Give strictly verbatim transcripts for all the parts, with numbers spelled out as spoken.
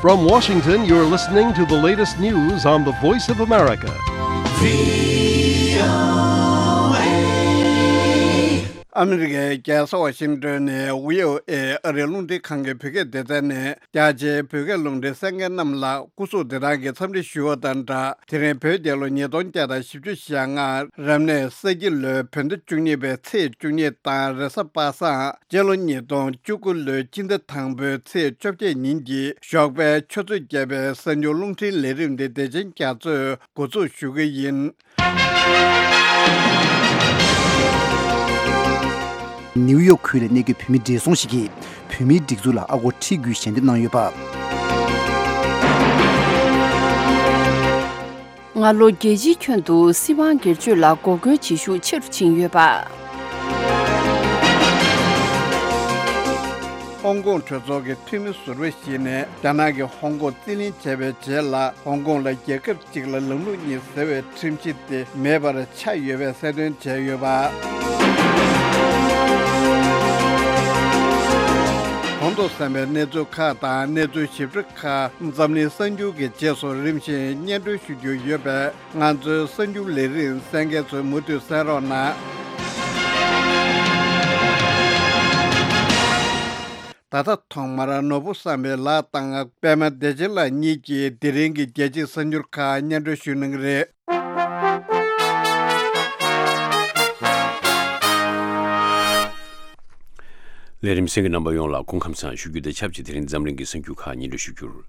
From Washington, you're listening to the latest news on the Voice of America. ཨ་མི་རི་ཀའི་རྒྱལ་ས་ཝ་ཤིང་ཏོན་ནས་བྷི་ཨོ་ཨེ་ཨ་རིའི་རླུང་འཕྲིན་ཁང་གི་བོད་སྐད་སྡེ་ཚན་ནས། རྒྱ་ཆེའི་བོད་སྐད་རླུང་འཕྲིན་གསན་མཁན་རྣམས་ལ་སྐུ་གཟུགས་བདེ་ཐང་གི་འཚམས་འདྲི་ཞུ་བ་དང་སྦྲགས། དེ་རིང་བོད་རྒྱལ་ལོ་ཉིས་སྟོང་བརྒྱ་དང་བཞི་བཅུ་ཞེ་ལྔ། རབ་གནས་ས་ཁྱི་ལོའི་བོད་ཟླ་བཅུ་གཉིས་པའི་ཚེས་བཅུ་གཉིས་དང་། རེས་གཟའ་པ་སངས། སྤྱི་ལོ་ཉིས་སྟོང་བཅུ་དགུ་ལོའི་སྤྱི་ཟླ་དང་པོའི་ཚེས་བཅོ་བརྒྱད་ཉིན་གྱི་ཞོགས་པའི་ཆུ་ཚོད་བརྒྱད་པའི་གསར་འགྱུར་རླུང་འཕྲིན་ལས་རིམ་འདི་བདེ་ཆེན་རྒྱ་མཚོས་འགོ་འཛུགས་ཞུ་གི་ཡིན། ནིའུ་ཡོག་ཁུལ་ལ་གནས་འཁོད་བོད་མི་བགྲེས་སོང་ཞིག་གིས་བོད་མིའི་སྒྲིག་འཛུགས་ལ་ཨ་སྒོར་ཁྲི་དགུའི་ཞལ་འདེབས་གནང་ཡོད་པ། སྔ་ལོ་རྒྱལ་སྤྱིའི་ཁྱོན་དུ་སྲིད་དབང་སྒེར་གཅོད་ལ་འགོག་རྒོལ་བྱེད་ཤུགས་ཆེ་རུ་ཕྱིན་ཡོད་པ། ཧོང་ཀོང་གྲོས་ཚོགས་ཀྱི་འཐུས་མི་ཟུར་པ་ཞིག་ནས་རྒྱ་ནག་གིས་ཧོང་ཀོང་རྩིས་ལེན་བྱས་པའི་རྗེས་ལ། ཧོང་ཀོང་ལ་རྒྱལ་ཁབ་གཅིག་ལ་ལམ་ལུགས་གཉིས་ཟེར་བའི་ཁྲིམས་གཞི་དེ་མེད་པར་ཆགས་ཡོད་པའི་གསལ་སྟོན་བྱས་ཡོད་པ། གོང་དུ་གསན་པའི་གནས་ཚུལ་ཁག་དང་གནས་ཚུལ་ཞིབ་ཕྲ་ཁག་འཛམ་གླིང་གསར་འགྱུར་གྱི་རྗེས་སུ་རིམ་བཞིན་སྙན་སྒྲོན་ཞུ་རྒྱུ་ཡོད་པས། ང་ཚོའི་གསར་འགྱུར་ལས་རིམ་གསན་མཁན་ཚོས་མུ་མཐུད་གསན་རོགས་གནང་། ད་ལྟ་ཐོག་མར་ནོར་བུ་བསམ་འཕེལ་ལགས་དང་པད་མ་བདེ་ཆེན་ལགས་གཉིས་ཀྱིས་དེ་རིང་གི་རྒྱལ་སྤྱིའི་གསར་འགྱུར་ཁག་སྙན་སྒྲོན་ཞུ་གནང་གི་རེད། ལས་རིམ་གསན་མཁན་རྣམ་པ་ཡོངས་ལ་སྐུ་ཁམས་བཟང་ཞུ་རྒྱུ་དང་ཆབས་ཅིག་དེ་རིང་འཛམ་གླིང་གི་གསར་འགྱུར་ཁག་སྙན་སྒྲོན་ཞུ་རྒྱུར།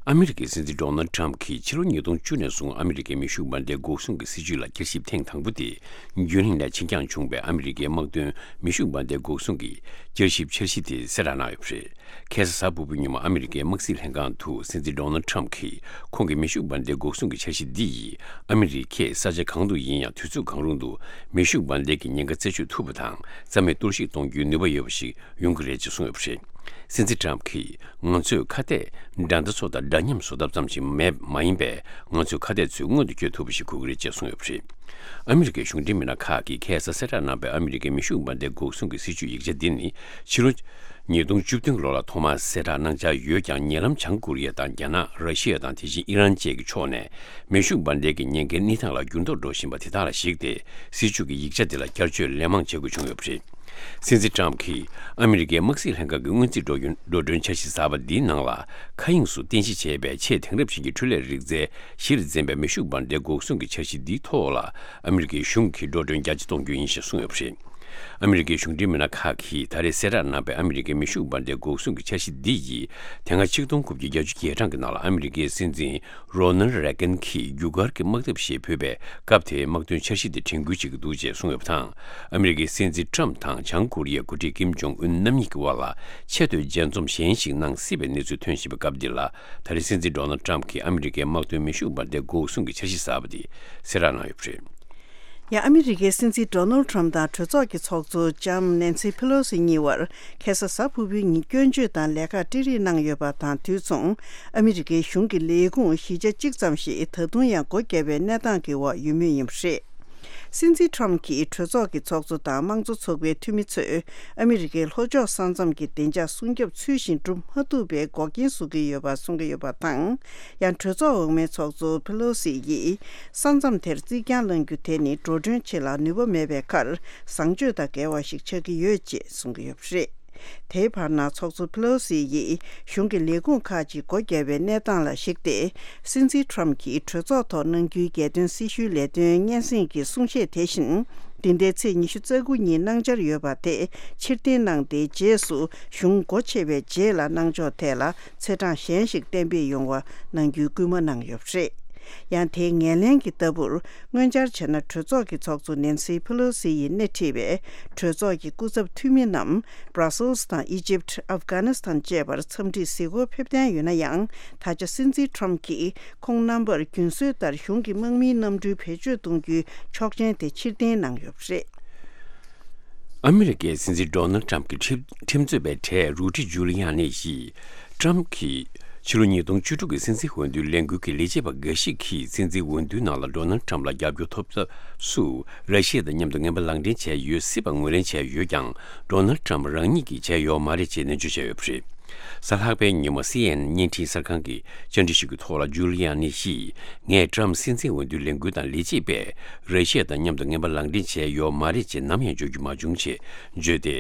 ཨ་མི་རི་ཀའི་སྲིད་འཛིན་ཌོ་ནལ་ཊམ་གྱིས་ཕྱི་ལོ་ཉིས་སྟོང་བཅུ་ནས་བཟུང་ཨ་མི་རི་ཀའི་མེ་ཤུགས་འབར་མདེལ་འགོག་སྲུང་གི་སྲིད་ཇུས་ལ་བསྐྱར་ཞིབ་ཐེངས་དང་པོ་དེ་རྒྱུན་རིང་ནས་ཕྱིར་འགྱངས་བྱུང་བའི་ཨ་མི་རི་ཀའི་དམག་དོན་མེ་ཤུགས་འབར་མདེལ་འགོག་སྲུང་གི་བསྐྱར་ཞིབ་འཆར་གཞི་དེ་གསལ་བསྒྲགས་གནང་ཡོད་པ་རེད། ཁ་སང་གཟའ་ཕུར་བུའི་ཉིན་མོ་ཨ་མི་རི་ཀའི་དམག་སྲིད་ལྷན་ཁང་དུ་སྲིད་འཛིན་ཌོ་ནལ་ཊམ་གྱིས་ཁོང་གི་མེ་ཤུགས་འབར་མདེལ་འགོག་སྲུང་གི་འཆར་གཞི་འདི་ཡིས་ཨ་མི་རི་ཀས་ས་ཆ་གང་དུ་ཡིན་ཡང་དུས་ཚོད་གང་རུང་དུ་མེ་ཤུགས་འབར་མདེལ་གྱི་ཉེན་ཁ་རྩད་གཅོད་ཐུབ་པ་དང་རྩ་མེད་གཏོར་བཤིག་གཏོང་རྒྱུའི་ནུས་པ་ཡོད་པ་ཞིག་ཡོང་གི་རེད་ཅེས་གསུངས་ཡོད་པ་རེད། སྲིད་འཛིན་ཊམ་གྱིས་ང་ཚོས་ཁ་གཏད་དགྲ་ཟླ་ཚོ་དང་འདྲ་མཉམ་བཟོ་ཐབས་ཙམ་ཞིག་མེད་མ་ཡིན་པས། ང་ཚོས་ཁ་གཏད་ཚོས་མངོན་དུ་བསྐྱོད་ཐུབ་པ་ཞིག་དགོས་ཀྱི་རེད་ཅེས་གསུངས་ཡོད་པ་རེད། ཨ་མི་རི་ཀའི་གཞུང་འབྲེལ་མི་སྣ་ཁག་གིས་ཁ་སང་གསལ་བསྒྲགས་གནང་པའི་ཨ་མི་རི་ཀའི་མེ་ཤུགས་འབར་མདེལ་འགོག་སྲུང་གི་སྲིད་ཇུས་ཡིག་ཆ་འདི་ནི་ཕྱི་ལོ་ཉིས་སྟོང་བཅུ་བདུན་ལོ་ལ་ཐོག་མར་གསལ་བསྒྲགས་གནང་འཆར་ཡོད་ཀྱང་། ཉེ་ལམ་བྱང་ཀོ་རི་ཡ་དང་རྒྱ་ནག་ར་ཤི་ཡ་དང་དེ་བཞིན་ཨི་རན་བཅས་ཀྱི་ཕྱོགས་ནས་མེ་ཤུགས་འབར་མདེལ་གྱི་ཉེན་ཁའི་གནས་སྟངས་ལ་འགྱུར་ལྡོག་འགྲོ་བཞིན་པ་དེ་དག་ལ་གཞིགས་ཏེ། སྲིད་ཇུས་ཀྱི་ཡིག་ཆ་འདི་ལ་བསྐྱར་བཅོས་ལན་མང་བྱེད་དགོས་བྱུང་ཡོད་པ་རེད། སྲིད་འཛིན་ཊམ་གྱིས་ཨ་མི་རི་ཀའི་དམག་སྲིད་ལྷན་ཁང་གི་སྔོན་རྩིས་འགྲོ་ཡུན་འགྲོ་གྲོན་འཆར་གཞི་གསར་པ་འདིའི་ནང་ལ། མཁའ་དབྱིངས་སུ་རྟེན་གཞི་བྱས་པའི་ཆེས་དེང་རབས་ཅན་གྱི་འཕྲུལ་ལས་རིག་རྩལ་གཞིར་འཛིན་པའི་མེ་ཤུགས་འབར་མདེལ་འགོག་སྲུང་གི་འཆར་གཞི་འདིའི་ཐོག་ལ་ཨ་མི་རི་ཀའི་གཞུང་གིས་འགྲོ་གྲོན་རྒྱ་ཆེ་གཏོང་རྒྱུ་ཡིན་ཞེས་གསུངས་ཡོད་པ་རེད། ཨ་མི་རི་ཀའི་གཞུང་འབྲེལ་མི་སྣ་ཁག་གིས་ད་རེས་གསལ་བསྒྲགས་གནང་པའི་ཨ་མི་རི་ཀའི་མེ་ཤུགས་འབར་མདེལ་འགོག་སྲུང་གི་འཆར་གཞི་འདི་ཡིས་དེ་སྔ་ཆིག་སྟོང་དགུ་བརྒྱ་གྱ་གྲངས་ཀྱི་ནང་ལ་ཨ་མི་རི་ཀའི་སྲིད་འཛིན་རོ་ནལ་རེ་གན་གྱིས་རྒྱུ་སྐར་གྱི་དམག་འཐབ་ཞེས་འབོད་པའི་སྐབས་དེའི་དམག་དོན་འཆར་གཞི་དེ་དྲན་སྐུལ་བྱེད་ཀྱི་འདུག་ཅེས་གསུངས་ཡོད་པ་དང་། ཨ་མི་རི་ཀའི་སྲིད་འཛིན་ཊམ་དང་བྱང་ཀོ་རི་ཡའི་འགོ་ཁྲིད་ཀིམ་ཇོང་ཨུན་རྣམ་གཉིས་ཀྱི་དབར་ལ་ཆེས་མཐོའི་མཇལ་འཛོམས་གཞན་ཞིག་གནང་སྲིད་པའི་གནས་ཚུལ་ཐོན་བཞིན་པའི་སྐབས་འདི་ལ། ད་རེས་སྲིད་འཛིན་ཌོ་ནལ་ཊམ་གྱིས་ཨ་མི་རི་ཀའི་དམག་དོན་མེ་ཤུགས་འབར་མདེལ་འགོག་སྲུང་གི་འཆར་གཞི་གསར་པ་དེ་གསལ་བསྒྲགས་གནང་ཡོད་པ་རེད། ཡང་ཨ་མི་རི་ཀའི་སྲིད་འཛིན་ཌོ་ནལ་ཊམ་དང་གྲོས་ཚོགས་ཀྱི་ཚོགས་གཙོ་ལྕམ་ནན་སི་ཕེ་ལོ་སི་གཉིས་བར་ཁ་སང་གཟའ་ཕུར་བུའི་ཉིན་སྐྱོན་བརྗོད་དང་ལས་ཀར་སྤྲད་རེས་གནང་ཡོད་པ་དང་དུས་མཚུངས་ཨ་མི་རི་ཀའི་གཞུང་གི་ལས་ཁུངས་བཞི་ཆ་གཅིག་ཙམ་ཞིག་ད་དུང་ཡང་སྒོ་བརྒྱབ་པའི་གནས་སྟངས་ཀྱི་འོག་ཡོད་མུས་ཡིན་པ་རེད། སྲིད་འཛིན་ཊམ་གྱིས་གྲོས་ཚོགས་ཀྱི་ཚོགས་གཙོ་དང་དམངས་གཙོ་ཚོགས་པའི་འཐུས་མི་ཚོས་ཨ་མི་རི་ཀའི་ལྷོ་ཕྱོགས་ས་མཚམས་ཀྱི་བདེ་འཇགས་སྲུང་སྐྱོབ་ཚུལ་བཞིན་སྒྲུབ་མ་ཐུབ་པའི་འགོག་རྐྱེན་བཟོ་གི་ཡོད་པ་གསུང་གི་ཡོད་པ་དང་། ཡང་གྲོས་ཚོགས་འོག་མའི་ཚོགས་གཙོ་ཕེ་ལོ་སི་ཡིས་ས་མཚམས་དེར་རྩིག་གྱང་བསླང་རྒྱུ་དེ་ནི་འགྲོ་གྲོན་ཆེད་ལ་ནུས་པ་མེད་པའི་ཁར་བཟང་སྤྱོད་དང་འགལ་བ་ཞིག་ཆགས་ཀྱི་ཡོད་ཅེས་གསུང་གི་ཡོད་པ་རེད། དེའི་བར་ན་ཚོགས་གཙོ་ཕེ་ལོ་སི་ཡིས་གཞུང་གི་ལས་ཁུངས་ཁག་ཅིག་སྒོ་བརྒྱབ་པའི་གནས་སྟངས་ལ་གཞིགས་ཏེ། སྲིད་འཛིན་ཊམ་གྱིས་གྲོས་ཚོགས་ཐོག་གནང་རྒྱུའི་རྒྱལ་དོན་སྲི་ཞུའི་ལས་དོན་སྙན་སེང་གི་གསུང་བཤད་དེ་བཞིན། འདི་ཟླའི་ཚེས་ཉི་ཤུ་རྩ་དགུ་ཉིན་གནང་འཆར་ཡོད་པ་དེ་ཕྱིར་འཐེན་གནང་སྟེ། རྗེས་སུ་གཞུང་སྒོ་ཕྱེ་བའི་རྗེས་ལ་གནང་ཕྱོགས་ཐད་ལ་ཚེས་གྲངས་གཞན་ཞིག་གཏན་འབེབས་ཡོང་བ་གནང་རྒྱུའི་སྐུལ་མ་གནང་ཡོད་པ་རེད། ཡང་དེའི་ངོས་ལེན་གྱི་ལྟ་བུར། སྔོན་ཆར་བྱས་ན་གྲོས་ཚོགས་ཀྱི་ཚོགས་གཙོ་ནན་སི་ཕེ་ལོ་སི་ཡིས་སྣེ་ཁྲིད་པའི་གྲོས་ཚོགས་ཀྱི་སྐུ་ཚབ་འཐུས་མི་རྣམས་Brussels་དང་Egypt། Afghanistan་བཅས་པར་འཚམས་འདྲིར་གཟིགས་སྐོར་ཕེབས་གཏན་ཡོད་ན་ཡང་། ད་ཆ་སྲིད་འཛིན་ཊམ་གྱིས་ཁོང་རྣམ་པར་རྒྱུན་སྲོལ་ལྟར་གཞུང་གི་དམག་མིའི་གནམ་གྲུའི་བེད་སྤྱོད་གཏོང་རྒྱུའི་ཆོག་མཆན་དེ་ཕྱིར་འཐེན་གནང་ཡོད་པ་རེད། ཨ་མི་རི་ཀའི་སྲིད་འཛིན་ཌོ་ནལ་ཊམ་གྱི་ཁྲིམས་ཁྲིམས་རྩོད་པའི་གྲས་རུ་ཌི་ཇུ་ལི་ཡ་ནི་ཡིས། ཊམ་གྱིས་ཕྱི་ལོ་ཉིས་སྟོང་བཅུ་དྲུག་གི་སྲིད་འཛིན་འོས་བསྡུའི་ལས་འགུལ་གྱི་ལས་བྱེད་པ་འགའ་ཞིག་གིས་སྲིད་འཛིན་འོས་བསྡུའི་ནང་ལ་ཌོ་ནལ་ཊམ་ལ་རྒྱབ་སྐྱོར་ཐོབ་ཐབས་སུ་ར་ཤི་ཡ་དང་མཉམ་དུ་ངན་པ་ལག་འབྲེལ་བྱས་ཡོད་སྲིད་པ་ངོས་ལེན་བྱས་ཡོད་ཀྱང་། ཌོ་ནལ་ཊམ་རང་ཉིད་ཀྱིས་བྱས་ཡོད་མ་རེད་ཅེས་ནན་བརྗོད་བྱས་ཡོད་པ་རེད། གཟའ་ལྷག་པའི་ཉིན་མོ་སི་ཨེན་ཨེན་བརྙན་འཕྲིན་གསར་ཁང་གི་བཅར་འདྲི་ཞིག་གི་ཐོག་ལ་ཇུ་ལི་ཡ་ནི་ཡིས། ངས་ཀྲམ་སྲིད་འཛིན་འོས་བསྡུའི་ལས་འགུལ་དང་ལས་བྱེད་པས་ར་ཤི་ཡ་དང་མཉམ་དུ་ངན་པ་ལག་འབྲེལ་བྱས་ཡོད་མ་རེད་ཅེས་ནམ་ཡང་བརྗོད་རྒྱུ་མ་བྱུང་ཞེས་བརྗོད་དེ།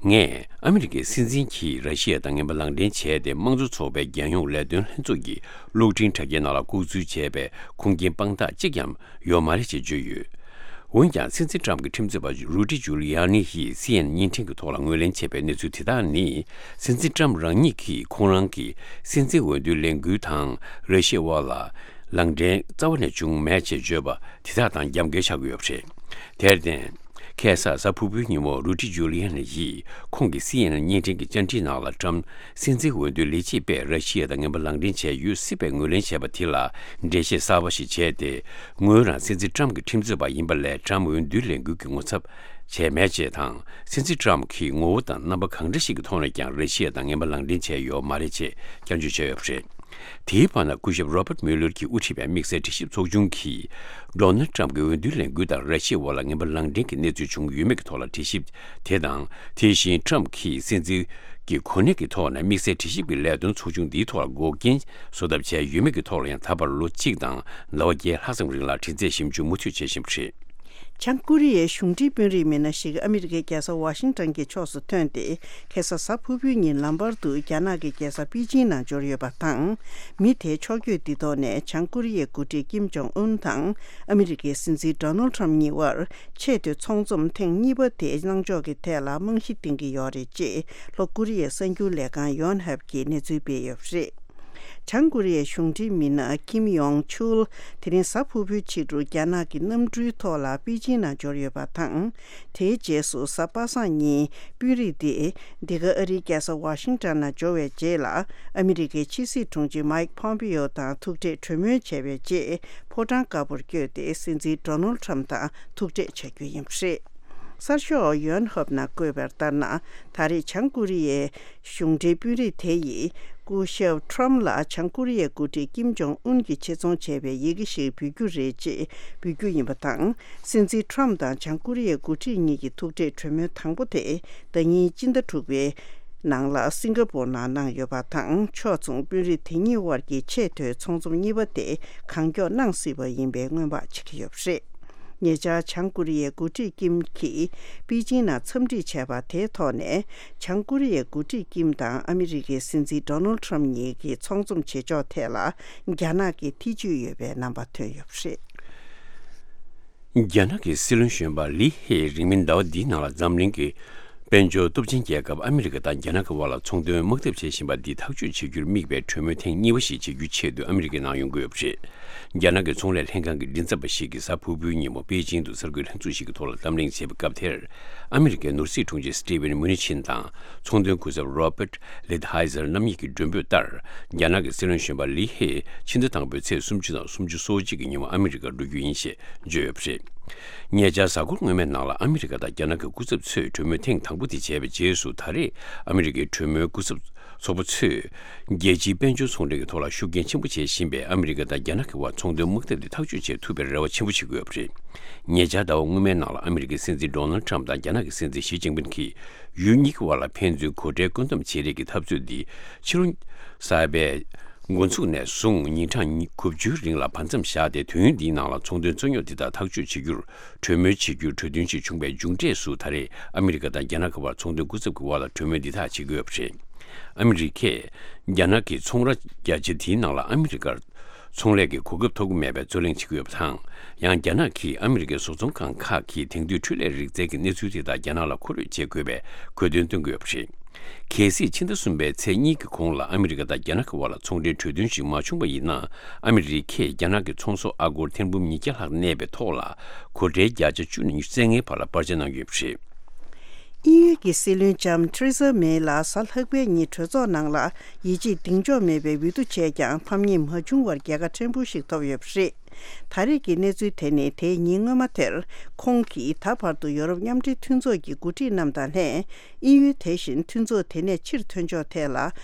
ངས་ཨ་མི་རི་ཀའི་སྲིད་འཛིན་གྱིས་ར་ཤི་ཡ་དང་ངན་པ་ལག་འབྲེལ་བྱས་ཏེ་དམངས་གཙོ་ཚོགས་པའི་རྒྱལ་ཡོངས་ལས་དོན་ལྷན་ཚོགས་ཀྱི་གློག་འཕྲིན་དྲ་རྒྱའི་ནང་ལ་ལྐོག་འཛུལ་བྱས་པའི་ཁུངས་སྐྱེལ་དཔང་རྟགས་གཅིག་ཀྱང་ཡོད་མ་རེད་ཅེས་བརྗོད་ཡོད། འོན་ཀྱང་སྲིད་འཛིན་ཀྲམ་གྱི་ཁྲིམས་རྩོད་པ་རུ་ཌི་ཇུ་ལི་ཡ་ནི་ཡིས་སི་ཨེན་ཨེན་བརྙན་འཕྲིན་གྱི་ཐོག་ལ་ངོས་ལེན་བྱས་པའི་གནས་ཚུལ་དེ་དག་ནི། སྲིད་འཛིན་ཀྲམ་རང་ཉིད་ཀྱིས་ཁོང་རང་གི་སྲིད་འཛིན་འོས་བསྡུའི་ལས་འགུལ་དང་ར་ཤི་ཡའི་དབར་ལ་ལག་འབྲེལ་རྩ་བ་ནས་བྱུང་མེད་ཅེས་བརྗོད་པ་དེ་དག་དང་རྒྱབ་འགལ་ཆགས་ཀྱི་ཡོད་པ་རེད། དེར་བརྟེན། ཁ་སང་གཟའ་ཕུར་བུའི་ཉིན་མོ་རུ་ཌི་ཇུ་ལི་ཡ་ནི་ཡིས་ཁོང་གི་སི་ཨེན་ཨེན་བརྙན་འཕྲིན་གྱི་བཅར་འདྲིའི་ནང་ལ་ཀྲམ་སྲིད་འཛིན་འོས་བསྡུའི་ལས་བྱེད་པས་ར་ཤི་ཡ་དང་ངན་པ་ལག་འབྲེལ་བྱས་ཡོད་སྲིད་པའི་ངོས་ལེན་བྱས་པ་དེ་ལ་འགྲེལ་བཤད་གསར་པ་ཞིག་བྱས་ཏེ། ངོས་རང་སྲིད་འཛིན་ཀྲམ་གྱི་ཁྲིམས་རྩོད་པ་ཡིན་པ་ལས་ཀྲམ་འོས་བསྡུའི་ལས་འགུལ་གྱི་ངོ་ཚབ་བྱས་མེད་ཅེས་དང་། སྲིད་འཛིན་ཀྲམ་གྱིས་ངོ་བོ་དང་རྣམ་པ་གང་འདྲ་ཞིག་གི་ཐོག་ནས་ཀྱང་ར་ཤི་ཡ་དང་ངན་པ་ལག་འབྲེལ་བྱས་ཡོད་མ་རེད་ཅེས་བསྐྱར་བརྗོད་བྱས་ཡོད་པ་རེད། དེའི་བར་ན་སྐུ་ཞབས་Robert Mueller གྱིས་དབུ་ཁྲིད་པའི་དམིགས་བསལ་དྲི་ཞིབ་ཚོགས་ཆུང་གིས། ཌོ་ནལ་ཊམ་གྱི་འོས་བསྡུའི་ལས་འགུལ་དང་ར་ཤི་ཡའི་དབར་ལ་ངན་པ་ལག་འབྲེལ་གྱི་གནས་ཚུལ་བྱུང་ཡོད་མེད་ཀྱི་ཐོག་ལ་དྲི་ཞིབ་དེ་དང་། དེ་བཞིན་ཊམ་གྱིས་སྲིད་འཛིན་གྱི་གོ་གནས་ཀྱི་ཐོག་ནས་དམིགས་བསལ་དྲི་ཞིབ་ཀྱི་ལས་དོན་ཚོགས་ཆུང་འདིའི་ཐོག་ལ་འགོག་རྐྱེན་བཟོ་ཐབས་བྱས་ཡོད་མེད་ཀྱི་ཐོག་ལ་ཡང་ད་བར་ལོ་གཅིག་དང་ཟླ་བ་བརྒྱད་ལྷག་ཙམ་རིང་ལ་དྲི་རྩད་ཞིབ་འཇུག་མུ་མཐུད་བྱེད་བཞིན་པ་རེད། བྱང་ཀོ་རི་ཡའི་གཞུང་འབྲེལ་དཔོན་རིགས་མི་སྣ་ཞིག་ཨ་མི་རི་ཀའི་རྒྱལ་ས་ཝ་ཤིང་ཏོན་གྱི་ཕྱོགས་སུ་ཐོན་ཏེ། ཁ་སང་གཟའ་ཕུར་བུའི་ཉིན་ལམ་བར་དུ་རྒྱ་ནག་གི་རྒྱལ་ས་པེ་ཅིང་ནང་འབྱོར་ཡོད་པ་དང་། མི་དེའི་ཕྱོགས་བསྐྱོད་འདི་ཐོག་ནས་བྱང་ཀོ་རི་ཡའི་འགོ་ཁྲིད་ཀིམ་ཇོང་ཨུན་དང་ཨ་མི་རི་ཀའི་སྲིད་འཛིན་ཌོ་ནལ་ཁྲམ་གཉིས་དབར་ཆེས་མཐོའི་ཚོགས་འཛོམས་ཐེངས་གཉིས་པ་དེ་གནང་ཕྱོགས་ཀྱི་ཐད་ལ་རྨང་གཞི་འདིང་གི་ཡོད་རེད་ཅེས་ལྷོ་ཀོ་རི་ཡའི་གསར་འགྱུར་ལས་ཁང་ཡོན་ཧབ་ཀྱིས་གནས་ཚུལ་སྤེལ་ཡོད་པ་རེད། བྱང་ཀོ་རི་ཡའི་གཞུང་འབྲེལ་མི་སྣ་ཀིམ་ཡོང་ཆུལ་དེ་རིང་གཟའ་ཕུར་བུའི་ཕྱི་དྲོ་རྒྱ་ནག་གི་གནམ་གྲུའི་ཐོག་ལ་པེ་ཅིང་ནང་འབྱོར་ཡོད་པ་དང་། དེའི་རྗེས་སུ་གཟའ་པ་སངས་ཉིན་དཔོན་རིགས་དེ་འདི་ག་ཨ་རིའི་རྒྱལ་ས་ཝ་ཤིང་ཊོན་ནང་འབྱོར་བའི་རྗེས་ལ་ཨ་མི་རི་ཀའི་ཕྱི་སྲིད་དྲུང་ཆེ་མའིག་ཕོམ་པེ་ཡོ་དང་ཐུག་འཕྲད་གྲོས་མོལ་བྱས་པའི་རྗེས་ཕོ་བྲང་དཀར་པོར་བསྐྱོད་དེ་སྲིད་འཛིན་ཌོ་ནལ་ཁྲམ་དང་ཐུག་འཕྲད་བྱ་རྒྱུ་ཡིན་པ་རེད། གསར་ཤོག་ཡོན་ཧབ་ནང་བཀོད་པ་ལྟར་ན། ད་རེས་བྱང་ཀོ་རི་ཡའི་གཞུང་འབྲེལ་དཔོན་རིགས་དེ་ཡིས་སྐུ་ཞབས་ཁྲམ་ལ་བྱང་ཀོ་རི་ཡའི་འགོ་ཁྲིད་ཀིམ་ཇོང་ཨུན་གྱིས་ཆེད་རྫོང་བྱས་པའི་ཡི་གེ་ཞིག་འབུལ་རྒྱུ་རེད་ཅེས་འབུལ་རྒྱུ་ཡིན་པ་དང་། སྲིད་འཛིན་ཁྲམ་དང་བྱང་ཀོ་རི་ཡའི་འགོ་ཁྲིད་གཉིས་ཀྱི་ཐུག་འཕྲད་གྲོས་མོལ་དང་པོ་དེ་ཟླ་ཉིན་སྤྱི་ཟླ་དྲུག་པའི་ནང་ལ་སིང་ག་པོར་ནང་གནང་ཡོད་པ་དང་། ཕྱོགས་མཚུངས་དཔོན་རིགས་དེ་གཉིས་དབར་གྱི་ཆེས་མཐོའི་ཚོགས་འཛོམས་གཉིས་པ་དེ་གང་མགྱོགས་གནང་སྲིད་པ་ཡིན་པའི་སྔོན་དཔག་བྱེད་ཀྱི་ཡོད་པ་རེད། ཉེ་ཆར་བྱང་ཀོ་རི་ཡའི་འགོ་ཁྲིད་ཀིམ་གྱིས་པེ་ཅིང་ནང་འཚམས་འདྲི་བྱས་པ་དེའི་ཐོག་ནས། བྱང་ཀོ་རི་ཡའི་འགོ་ཁྲིད་ཀིམ་དང་ཨ་མི་རི་ཀའི་སྲིད་འཛིན་ཌོ་ནལ་ཁྲམ་གཉིས་ཀྱི་ཚོགས་འཛོམས་བྱེད་ཕྱོགས་ཐད་ལ་རྒྱ་ནག་གི་ཐེ་བྱུས་ཡོད་པའི་རྣམ་པ་ཐོན་ཡོད་པ་རེད། རྒྱ་ནག་གི་སྲིད་བློན་གཞོན་པ་ལི་ཧེ་རིང་མིན་ཟླ་བ་འདིའི་ནང་ལ་འཛམ་གླིང་གི་དཔལ་འབྱོར་སྟོབས་ཆེན་རྒྱལ་ཁབ་ཨ་མི་རི་ཀ་དང་རྒྱ་ནག་གི་དབར་ལ་ཚོང་དོན་དམག་འཐབ་བྱེད་བཞིན་པ་འདི་ཐག་གཅོད་བྱེད་རྒྱུར་དམིགས་པའི་གྲོས་མོལ་ཐེངས་གཉིས་པ་ཞིག་བྱེད་རྒྱུའི་ཆེད་དུ་ཨ་མི་རི་ཀའི་ནང་ཡོང་གི་ཡོད་པ་རེད། རྒྱ་ནག་གི་ཚོང་ལས་ལྷན་ཁང་གི་མགྲིན་ཚབ་པ་ཞིག་གིས་གཟའ་ཕུར་བུའི་ཉིན་མོ་པེ་ཅིང་དུ་གསར་འགོད་ལྷན་ཚོགས་ཤིག་གི་ཐོག་ལ་གདམ་གླེང་བྱས་པའི་སྐབས་དེར། ཨ་མི་རི་ཀའི་ནོར་སྲིད་དྲུང་ཆེ་སི་ཏི་ཝེན་མུ་ནི་ཆིན་དང་ཚོང་དོན་སྐུ་ཚབ་རོ་པར་ལིད་ཧའི་ཛར་རྣམ་གཉིས་ཀྱི་མགྲོན་འབོད་ལྟར། རྒྱ་ནག་གི་སྲིད་བློན་གཞོན་པ་ལི་ཧེ་ཕྱི་ཟླ་དང་པོའི་ཚེས་སུམ་ཅུ་དང་སུམ་ཅུ་སོ་གཅིག་གི་ཉིན་མོ་ཨ་མི་རི་ཀར་འགྲོ་རྒྱུ་ཡིན་ཞེས་བརྗོད་ཡོད་པ་རེད། ཉེ་ཆར་གཟའ་འཁོར་སྔོན་མའི་ནང་ལ་ཨ་མི་རི་ཀ་དང་རྒྱ་ནག་གི་སྐུ་ཚབ་ཚོས་གྲོས་མོལ་ཐེངས་དང་པོ་དེ་བྱས་པའི་རྗེས་སུ། ད་རེས་ཨ་མི་རི་ཀའི་གྲོས་མོལ་སྐུ་ཚབ་ཚོགས་པ་ཚོས་རྒྱལ་སྤྱིའི་དཔལ་འབྱོར་ཚོང་འབྲེལ་གྱི་ཐོག་ལ་ཤུགས་རྐྱེན་ཆེན་པོ་བྱེད་བཞིན་པའི་ཨ་མི་རི་ཀ་དང་རྒྱ་ནག་གི་དབར་ཚོང་དོན་དམག་འཐབ་དེ་ཐག་གཅོད་བྱེད་ཐུབ་པའི་རེ་བ་ཆེན་པོ་བྱེད་ཀྱི་ཡོད་པ་རེད། ཉེ་ཆར་ཟླ་བ་སྔོན་མའི་ནང་ལ་ཨ་མི་རི་ཀའི་སྲིད་འཛིན་ཌོ་ནལ་ཁྲམ་དང་རྒྱ་ནག་གི་སྲིད་འཛིན་ཞི་ཅིན་ཕིན་གྱིས་ཡུལ་གཉིས་ཀྱི་དབར་ལ་ཕན་ཚུན་གོ་འབྲེལ་བཀོད་འདོམས་བྱེད་རེས་ཀྱི་འཐབ་རྩོད་འདི་ཕྱི་ལོ་གསར་པའི་འགོ་འཛུགས་ནས་བཟུང་ཉིན་གྲངས་དགུ་བཅུའི་རིང་ལ་བར་མཚམས་བཞག་སྟེ། དུས་ཡུན་འདིའི་ནང་ལ་ཚོང་དོན་རྩོད་རྙོག་འདི་དག་ཐག་གཅོད་བྱེད་རྒྱུར་གྲོས་མོལ་བྱེད་རྒྱུར་གྲོས་མཐུན་ཞིག་བྱུང་བའི་མཇུག་འབྲས་སུ། ད་རེས་ཨ་མི་རི་ཀ་དང་རྒྱ་ནག་གི་དབར་ཚོང་དོན་སྐུ་ཚབ་ཀྱི་དབར་ལ་གྲོས་མོལ་འདི་དག་བྱེད་ཀྱི་ཡོད་པ་རེད། ཨ་མི་རི་ཀས་རྒྱ་ནག་གི་ཚོང་ར་རྒྱ་ཆེ་འདིའི་ནང་ལ་ཨ་མི་རི་ཀར་ཚོང་ལས་ཀྱི་གོ་སྐབས་ཐོབ་ཀྱི་མེད་པའི་རྩོད་གླེང་བྱེད་ཀྱི་ཡོད་པ་དང་། ཡང་རྒྱ་ནག་གིས་ཨ་མི་རི་ཀའི་བཟོ་ཚོང་ཁང་ཁག་གིས་དེང་དུས་འཕྲུལ་ལས་རིག་རྩལ་གྱི་གནས་ཚུལ་དེ་དག་རྒྱ་ནག་ལ་མཁོ་སྤྲོད་བྱེད་དགོས་པའི་དགོས་འདུན་བཏོན་གྱི་ཡོད་པ་རེད། གལ་སྲིད་ཕྱི་ཟླ་གསུམ་པའི་ཚེས་གཉིས་ཀྱི་གོང་ལ་ཨ་མི་རི་ཀ་དང་རྒྱ་ནག་གི་དབར་ལ་ཚོང་འབྲེལ་གྲོས་མཐུན་ཞིག་མ་བྱུང་བ་ཡིན་ན། ཨ་མི་རི་ཀས་རྒྱ་ནག་གི་ཚོང་ཟོག་ཨ་སྒོར་ཐེར་འབུམ་ཉིས་བརྒྱ་ལྷག་གནས་པའི་ཐོག་ལ་གོ་ཁྲལ་བརྒྱ་ཆ་བཅུ་ནས་ཉི་ཤུ་རྩ་ལྔའི་བར་ལ་སྤར་ཆ་གནང་ཡོད་པ་རེད། དབྱིན་ཡུལ་གྱི་སྲིད་བློན་ལྕམ་ཐེ་རེ་ས་མེ་ལ་གཟའ་ལྷག་པའི་ཉིན་གྲོས་ཚོགས་ནང་ལ་ཡིད་ཆེས་གདེང་འཇོག་མེད་པའི་འོས་བསྡུ་བྱས་ཀྱང་ཕམ་ཉེས་མ་བྱུང་བར་རྒྱལ་ཁ་ཕྲན་བུ་ཞིག་ཐོབ་ཡོད་པ་རེད། ད་རེས་ཀྱི་གནས་ཚུལ་དེ་ནི་དེའི་ཉིན་སྔོན་མ་དེར་ཁོང་གིས་ད་བར་དུ་ཡོ་རོབ་མཉམ་འབྲེལ་མཐུན་ཚོགས་ཀྱི་འགོ་ཁྲིད་རྣམས་དང་ལྷན། དབྱིན་ཡུལ་དེ་བཞིན་མཐུན་ཚོགས་དེ་ནས་ཕྱིར་ཐོན་ཕྱོགས་ཐད་ལ་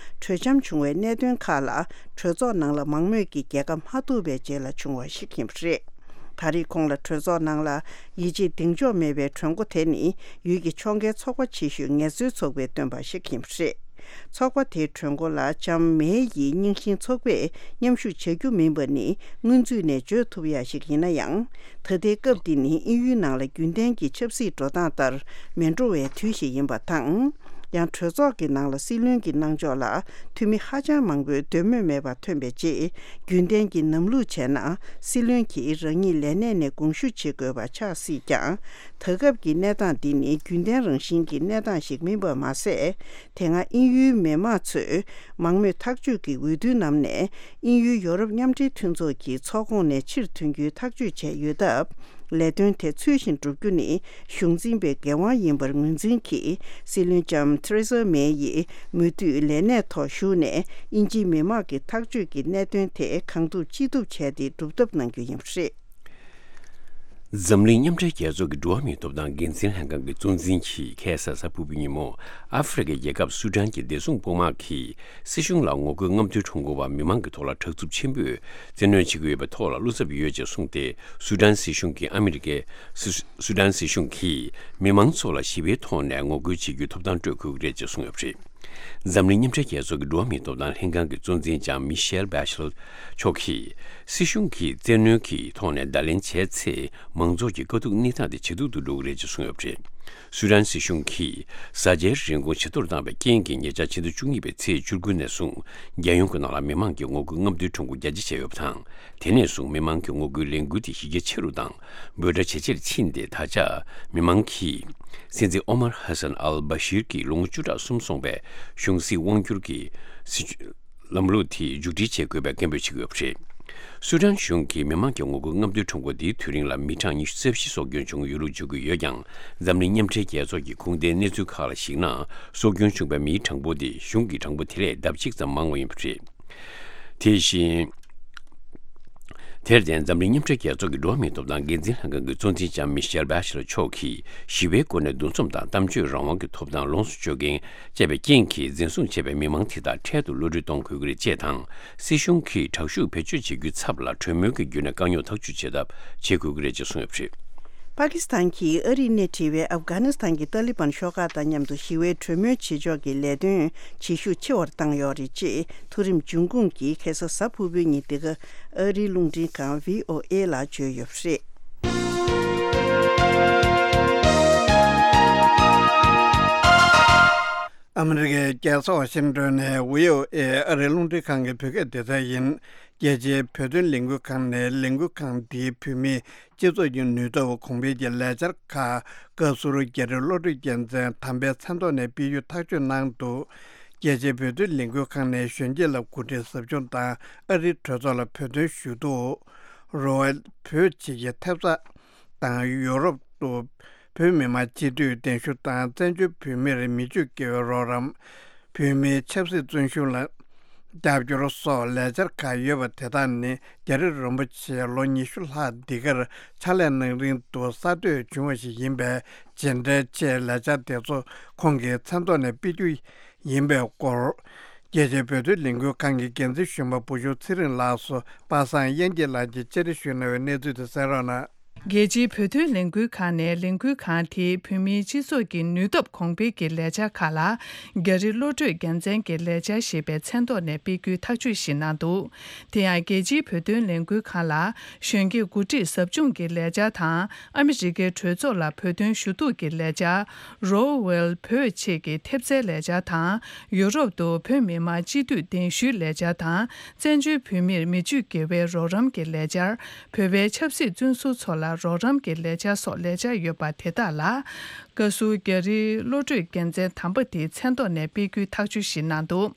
གྲོས་འཆམ་བྱུང་བའི་གནད་དོན་ཁག་ལ་གྲོས་ཚོགས་ནང་ལ་མང་མོས་ཀྱིས་རྒྱལ་ཁ་མ་ཐོབ་པའི་རྗེས་ལ་བྱུང་བ་ཞིག་ཡིན་པ་རེད། ད་རེས་ཁོང་ལ་གྲོས་ཚོགས་ནང་ལ་ཡིད་ཆེས་གདེང་འཇོག་མེད་པའི་གྲོས་འགོ་དེ་ནི་ཡུལ་གྱི་ཕྱོགས་འགལ་ཚོགས་པ་ཆེ་ཤོས་ངལ་རྩོལ་ཚོགས་པས་བཏོན་པ་ཞིག་ཡིན་པ་རེད། ཚོགས་པ་དེའི་གྲོས་འགོ་ལ་ལྕམ་མེ་ཡིས་རྙིང་ཞེན་ཚོགས་པས་མཉམ་ཞུགས་བྱ་རྒྱུ་མིན་པ་ནི་སྔོན་ཚུད་ནས་བརྗོད་ཐུབ་ཡ་ཞིག་ཡིན་ན་ཡང་། ད་ལྟའི་སྐབས་འདི་ནི་དབྱིན་ཡུལ་ནང་ལ་རྒྱུན་ལྡན་གྱི་ཆབ་སྲིད་འགྲོ་སྟངས་ལྟར་མི་འགྲོ་བའི་དུས་ཤིག་ཡིན་པ་དང་། ཡང་གྲོས་ཚོགས་ཀྱི་ནང་ལ་སྲིད་བློན་གྱི་གནང་ཕྱོགས་ལ་འཐུས་མི་ཧ་ཅང་མང་པོས་འདོད་མོས་མེད་པ་ཐོན་པའི་རྗེས། རྒྱུན་ལྡན་གྱི་ལམ་ལུགས་བྱས་ན་སྲིད་བློན་གྱིས་རང་ཉིད་ལས་གནས་ནས་དགོངས་ཞུ་བྱེད་དགོས་པ་ཆགས་སྲིད་ཀྱང་། ད་སྐབས་ཀྱི་གནས་སྟངས་འདི་ནི་རྒྱུན་ལྡན་རང་བཞིན་གྱི་གནས་སྟངས་ཤིག་མིན་པ་མ་ཟད། དེ་སྔ་དབྱིན་ཡུལ་མི་མང་ཚོས་མང་མོས་ཐག་གཅོད་ཀྱི་འོས་བསྡུའི་ནང་ནས་དབྱིན་ཡུལ་ཡོ་རོབ་མཉམ་འབྲེལ་མཐུན་ཚོགས་ཀྱི་ཚོགས་ཁོངས་ནས་ཕྱིར་ཐོན་རྒྱུའི་ཐག་གཅོད་བྱས་ཡོད་སྟབས། ལས་དོན་དེ་ཚུལ་བཞིན་བསྒྲུབ་རྒྱུ་ནི་གཞུང་འཛིན་པའི་འགན་དབང་ཡིན་པར་ངོས་འཛིན་གྱིས། སྲིད་བློན་ལྕམ་ཐེ་རེ་ས་མེ་ཡིས་མུ་མཐུད་ལས་གནས་ཐོག་བཞུགས་ནས་དབྱིན་ཇིའི་མི་མང་གི་ཐག་གཅོད་ཀྱི་གནད་དོན་དེ་གང་ཐུབ་ཅི་ཐུབ་བྱས་ཏེ་སྒྲུབ་ཐབས་གནང་རྒྱུ་ཡིན་པ་རེད། འཛམ་གླིང་མཉམ་འབྲེལ་རྒྱལ་ཚོགས་ཀྱི་འགྲོ་བ་མིའི་ཐོབ་ཐང་འགན་འཛིན་ལྷན་ཁང་གི་གཙོ་འཛིན་གྱིས་ཁ་སང་གཟའ་ཕུར་བུའི་ཉིན་མོ། ཨ་ཧྥེ་རི་ཁའི་རྒྱལ་ཁབ་སུ་ཌན་གྱི་བདེ་སྲུང་དཔུང་དམག་གིས་སྲིད་གཞུང་ལ་ངོ་རྒོལ་རྔམ་སྟོན་ཁྲོམ་སྐོར་བ་མི་མང་གི་ཐོག་ལ་དྲག་རྩུབ་ཆེན་པོས་བཙན་གནོན་བྱེད་ཀྱི་ཡོད་པའི་ཐོག་ལ་བློ་འཚབ་ཡོད་ཅེས་གསུངས་ཏེ། སུ་ཌན་སྲིད་གཞུང་གིས་ཨ་མི་རི་ཀའི་སུ་སུ་ཌན་སྲིད་གཞུང་གིས་མི་མང་ཚོ་ལ་ཞི་བའི་ཐོག་ནས་ངོ་རྒོལ་བྱེད་རྒྱུའི་ཐོབ་ཐང་སྤྲོད་དགོས་ཀྱི་རེད་ཅེས་གསུངས་ཡོད་པ་རེད། འཛམ་གླིང་མཉམ་འབྲེལ་རྒྱལ་ཚོགས་ཀྱི་འགྲོ་བ་མིའི་ཐོབ་ཐང་ལྷན་ཁང་གི་གཙོ་འཛིན་ལྕམ་མི་ཤེལ་བྷེ་ཤེ་ལེ་མཆོག་གིས། སྲིད་གཞུང་གིས་བཙན་གནོན་གྱི་ཐོག་ནས་བརྡ་ལན་བྱས་ཚེ། མང་ཚོགས་ཀྱི་དཀའ་སྡུག་གནས་སྟངས་དེ་ཇེ་སྡུག་ཏུ་འགྲོ་གི་རེད་ཅེས་གསུངས་ཡོད་པ་རེད། སུ་ཌན་སྲིད་གཞུང་གིས་བཟའ་བཅའི་རིན་གོང་ཇེ་མཐོར་བཏང་བའི་རྐྱེན་གྱིས། ཉེ་ཆར་ཕྱི་ཟླ་བཅུ་གཉིས་པའི་ཚེས་བཅུ་དགུ་ནས་བཟུང་། རྒྱལ་ཡོངས་ཀྱི་ནང་ལ་མི་མང་གི་ངོ་རྒོལ་རྔམ་སྟོན་ཁྲོམ་སྐོར་རྒྱ་ཆེ་བྱས་ཡོད་པ་དང་། དེ་ནས་བཟུང་མི་མང་གི་ངོ་རྒོལ་ལས་འགུལ་དེ་གཞི་རྒྱ་ཆེ་རུ་དང་། འབོད་སྒྲ་ཇེ་ཆེར་ཕྱིན་ཏེ། ད་ཆ་མི་མང་གིས་སྲིད་འཛིན་ཨོ་མར་ཧ་སན་ཨལ་བྷ་ཤིར་གྱིས་ལོ་ངོ་བཅུ་ཕྲག་གསུམ་སོང་བའི་གཞུང་སྲིད་དབང་བསྒྱུར་གྱི་སྲིད་བྱུས་ལམ་ལུགས་དེ་མཇུག་སྒྲིལ་བྱེད་དགོས་པའི་སྐད་འབོད་བྱེད་ཀྱི་ཡོད་པ་རེད། སུ་ཌན་གཞུང་གིས་མི་མང་གི་ངོ་རྒོལ་རྔམ་སྟོན་ཁྲོམ་སྐོར་འདིའི་དུས་རིང་ལ་མི་གྲངས་ཉི་ཤུ་རྩ་བཞི་སྲོག་སྐྱོན་བྱུང་ཡོད་ལུགས་བརྗོད་ཀྱི་ཡོད་ཀྱང་། འཛམ་གླིང་མཉམ་འབྲེལ་རྒྱལ་ཚོགས་ཀྱི་ཁུངས་ལྡན་གནས་ཚུལ་ཁག་ལ་གཞིགས་ན། སྲོག་སྐྱོན་བྱུང་བའི་མིའི་གྲངས་འབོར་དེ་གཞུང་གི་གྲངས་འབོར་དེ་ལས་ལྡབ་གཅིག་ཙམ་མང་བ་ཡིན་པ་རེད། དེ་བཞིན། དེར་བརྟེན། འཛམ་གླིང་མཉམ་འབྲེལ་རྒྱལ་ཚོགས་ཀྱི་འགྲོ་བ་མིའི་ཐོབ་ཐང་འགན་འཛིན་ལྷན་ཁང་གི་གཙོ་འཛིན་ལྕམ་མི་ཤེལ་བྷ་ཤེ་ལེ་མཆོག་གིས། ཞི་བའི་སྒོ་ནས་འདུ་འཛོམས་དང་གཏམ་བརྗོད་རང་དབང་གི་ཐོབ་ཐང་ལོངས་སུ་སྤྱོད་མཁན་བཅས་པའི་རྐྱེན་གྱིས། འཛིན་བཟུང་བྱས་པའི་མི་མང་དེ་དག་འཕྲལ་དུ་གློད་གྲོལ་གཏོང་དགོས་ཀྱི་རེད། ཅེས་དང་། སྲིད་གཞུང་གིས་དྲག་ཤུགས་བེད་སྤྱོད་བྱེད་རྒྱུའི་ཚབ་ལ་གྲོས་མོལ་གྱི་བརྒྱུད་ནས་དཀའ་རྙོག་ཐག་གཅོད་བྱེད་ཐབས་བྱེད་དགོས་ཀྱི་རེད་ཅེས་གསུངས་ཡོད་པ་རེད། པ་ཀི་སི་ཐན་གྱིས་ཨ་རིར་སྣེ་ཁྲིད་པའི་ཨབ་གྷ་ནི་སི་ཐན་གྱི་ཏཱ་ལི་བན་ཤོག་ཁག་དང་མཉམ་དུ་ཞི་བའི་གྲོས་མོལ་བྱེད་ཕྱོགས་ཀྱི་ལས་དོན་བྱེད་ཤུགས་ཆེ་བར་བཏང་ཡོད་རེད། ཅེས་མཐོ་རིམ་འབྱུང་ཁུངས་ཀྱིས་ཁ་སང་གཟའ་ཕུར་བུའི་ཉིན་འདི་ག་ཨ་རིའི་རླུང་འཕྲིན་ཁང་བྷི་ཨོ་ཨེ་ལ་བརྗོད་ཡོད་པ་རེད། ཨ་མི་རི་ཀའི་རྒྱལ་ས་ཝ་ཤིང་ཏོན་ནས་བྷི་ཨོ་ཨེ་ཨ་རིའི་རླུང་འཕྲིན་ཁང་གི་བོད་སྐད་སྡེ་ཚན་ཡིན། རྒྱལ་སྤྱིའི་བོད་དོན་ལས་འགུལ་ཁང་ནས་ལས་འགུལ་ཁང་འདིའི་བོད་མིའི་སྤྱི་ཚོགས་ཀྱི་ནུས་སྟོབས་གོང་འཕེལ་གྱི་ལས་འཆར་ཁག་བཀའ་ཟུར་རྒྱ་རི་བློ་གྲོས་རྒྱལ་མཚན་དམ་པའི་མཚན་ཐོག་ནས་སྤེལ་རྒྱུ་ཐག་གཅོད་གནང་འདུག་རྒྱལ་སྤྱིའི་བོད་དོན་ལས་འགུལ་ཁང་ནས་གཞོན་སྐྱེས་ལ་གོ་སྒྲིག་ཟབ་སྦྱོང་དང་ཨ་རིའི་གྲོས་ཚོགས་ལ་བོད་དོན་ཞུ་གཏུག་རོ་ཨེལ་བོད་ཅེས་ཀྱི་ཐེབས་རྩ་དང་ཡོ་རོབ་ཏུ་བོད་མི་མང་སྤྱི་འཐུས་གདན་ཞུ་དང་བཙན་བྱོལ་བོད་མིར་མི་སྤྱོད་དགེ་བའི་རོགས་རམ། བོད་མིའི་ཆབ་སྲིད་བརྩོན་ཤུགས་ལ་རྒྱབ་སྐྱོར་སོགས་ལས་འཆར་ཁག་ཡོད་པ་དེ་དག་ནི་རྒྱ་རི་རིན་པོ་ཆེ་ལོ་ཉི་ཤུ་ལྷག་འདི་གར་ཕྱག་ལས་གནང་རིང་དུ་གསར་གཏོད་བྱུང་བ་ཞིག་ཡིན་པས། རྗེས་འབྲེལ་ཆེད་ལས་འཆར་དེ་ཚོ་ཁོང་གི་མཚན་ཐོག་ནས་སྤེལ་རྒྱུ་ཡིན་པའི་སྐོར། རྒྱལ་སྤྱིའི་བོད་དོན་ལས་འགུལ་ཁང་གི་འགན་འཛིན་གཞོན་པ་བུ་ཆུང་ཚེ་རིང་ལགས་སུ་པ་སངས་དབྱངས་སྐྱིད་ལགས་ཀྱིས་བཅར་འདྲི་ཞུས་གནང་བའི་གནས་ཚུལ་དེ་གསན་རོགས་གནང་། རྒྱལ་སྤྱིའི་བོད་དོན་ལས་འགུལ་ཁང་ནས་ལས་འགུལ་ཁང་དེའི་བོད་མིའི་སྤྱི་ཚོགས་ཀྱི་ནུས་སྟོབས་གོང་འཕེལ་གྱི་ལས་འཆར་ཁག་ལ། རྒྱ་རི་བློ་གྲོས་རྒྱལ་མཚན་གྱི་ལས་འཆར་ཞེས་པའི་མཚན་ཐོག་ནས་སྤེལ་རྒྱུའི་ཐག་གཅོད་ཞིག་གནང་འདུག་དེ་ཡང་རྒྱལ་སྤྱིའི་བོད་དོན་ལས་འགུལ་ཁང་ལ་གཞོན་སྐྱེས་གོ་སྒྲིག་ཟབ་སྦྱོང་གི་ལས་འཆར་དང་། ཨ་མི་རི་ཀའི་གྲོས་ཚོགས་ལ་བོད་དོན་ཞུ་གཏུག་གི་ལས་འཆར། རོ་ཝེལ་བོད་ཆེད་ཀྱི་ཐེབས་རྩའི་ལས་འཆར་དང་། ཡུ་རོབ་ཏུ་བོད་མི་མང་སྤྱི་འཐུས་གདན་ཞུའི་ལས་འཆར་དང་། བཙན་བྱོལ་བོད་མིར་མི་སྤྱོད་དགེ་བའི་རོགས་རམ་གྱི་ལས་འཆར། བོད་པའི་ཆབ་སྲིད་བཙོན་ཟུར་ཚོ་ལ་རོགས་རམ་གྱི་ལས་འཆར་སོགས་ལས་འཆར་ཡོད་པ་དེ་དག་ལ། བཀའ་ཟུར་རྒྱ་རི་བློ་གྲོས་རྒྱལ་མཚན་དམ་པ་དེའི་མཚན་ཐོག་ནས་སྤེལ་རྒྱུའི་ཐག་གཅོད་ཞིག་གནང་འདུག་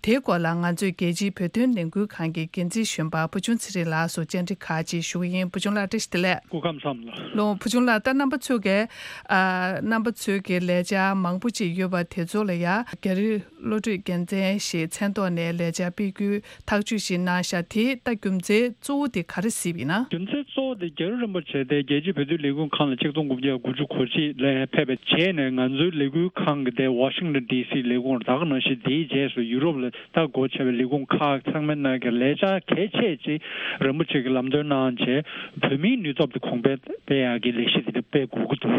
དེའི་སྐོར་ལ་ང་ཚོས་རྒྱལ་སྤྱིའི་བོད་དོན་ལས་འགུལ་ཁང་གི་འགན་འཛིན་གཞོན་པ་བུ་ཆུང་ཚེ་རིང་ལགས་སུ་བཅར་འདྲི་ཁག་ཅིག་ཞུ་གི་ཡིན། བུ་ཆུང་ལགས་བཀྲ་ཤིས་བདེ་ལེགས། སྐུ་ཁམས་བཟང་། ལོ། བུ་ཆུང་ལགས། ད་རྣམ་པ་ཚོས་ཀྱི་ཨ། རྣམ་པ་ཚོས་ཀྱི་ལས་འཆར་མང་པོ་ཅིག་ཡོད་པ་དེ་ཚོ་ལ་ཡ་རྒྱ་རི་བློ་གྲོས་རྒྱལ་མཚན་ཞེས་མཚན་ཐོག་ནས་ལས་འཆར་སྤེལ་རྒྱུའི་ཐག་གཅོད་ཞིག་གནང་ཤག་དེ་ད་རྒྱུ་མཚན་གཙོ་བོ་དེ་ག་རེ་གཟིགས་པ་ཡིན་ན། རྒྱུ་མཚན་གཙོ་བོ་དེ་རྒྱ་རི་རིན་པོ་ཆེ་དེ་རྒྱལ་སྤྱིའི་བོད་དོན་ལས་འགུལ་ཁང་ལ་ཆིག་སྟོང་དགུ་བརྒྱ་དགུ་བཅུ་གོ་གཅིག་ལ་ཕེབས། བྱས་ནས་ང་ཚོའི་ལས་འགུལ་ཁང་གི་དེ་ཝ་ཤིང་ཊོན་ཌི་སི་ལས་ཁུངས་ད་ག་ནང་བཞིན་དེའི་རྗེས་སུ་ཡུ་རོབ་ལ་ད་སྒོ་ཕྱེ་བའི་ལས་ཁུངས་ཁག་ཚང་མའི་ནང་གི་ལས་འཆར་གལ་ཆེ་ཅིག་རིན་པོ་ཆེ་གི་ལམ་སྟོན་གནང་བྱས། བོད་མིའི་ནུས་སྟོབས་དེ་གོང་འཕེལ་སྤེལ་ཡག་གི་ལས་གཞི་དེ་འདྲ་སྤེལ་དགོས་ཀྱི་འདུག་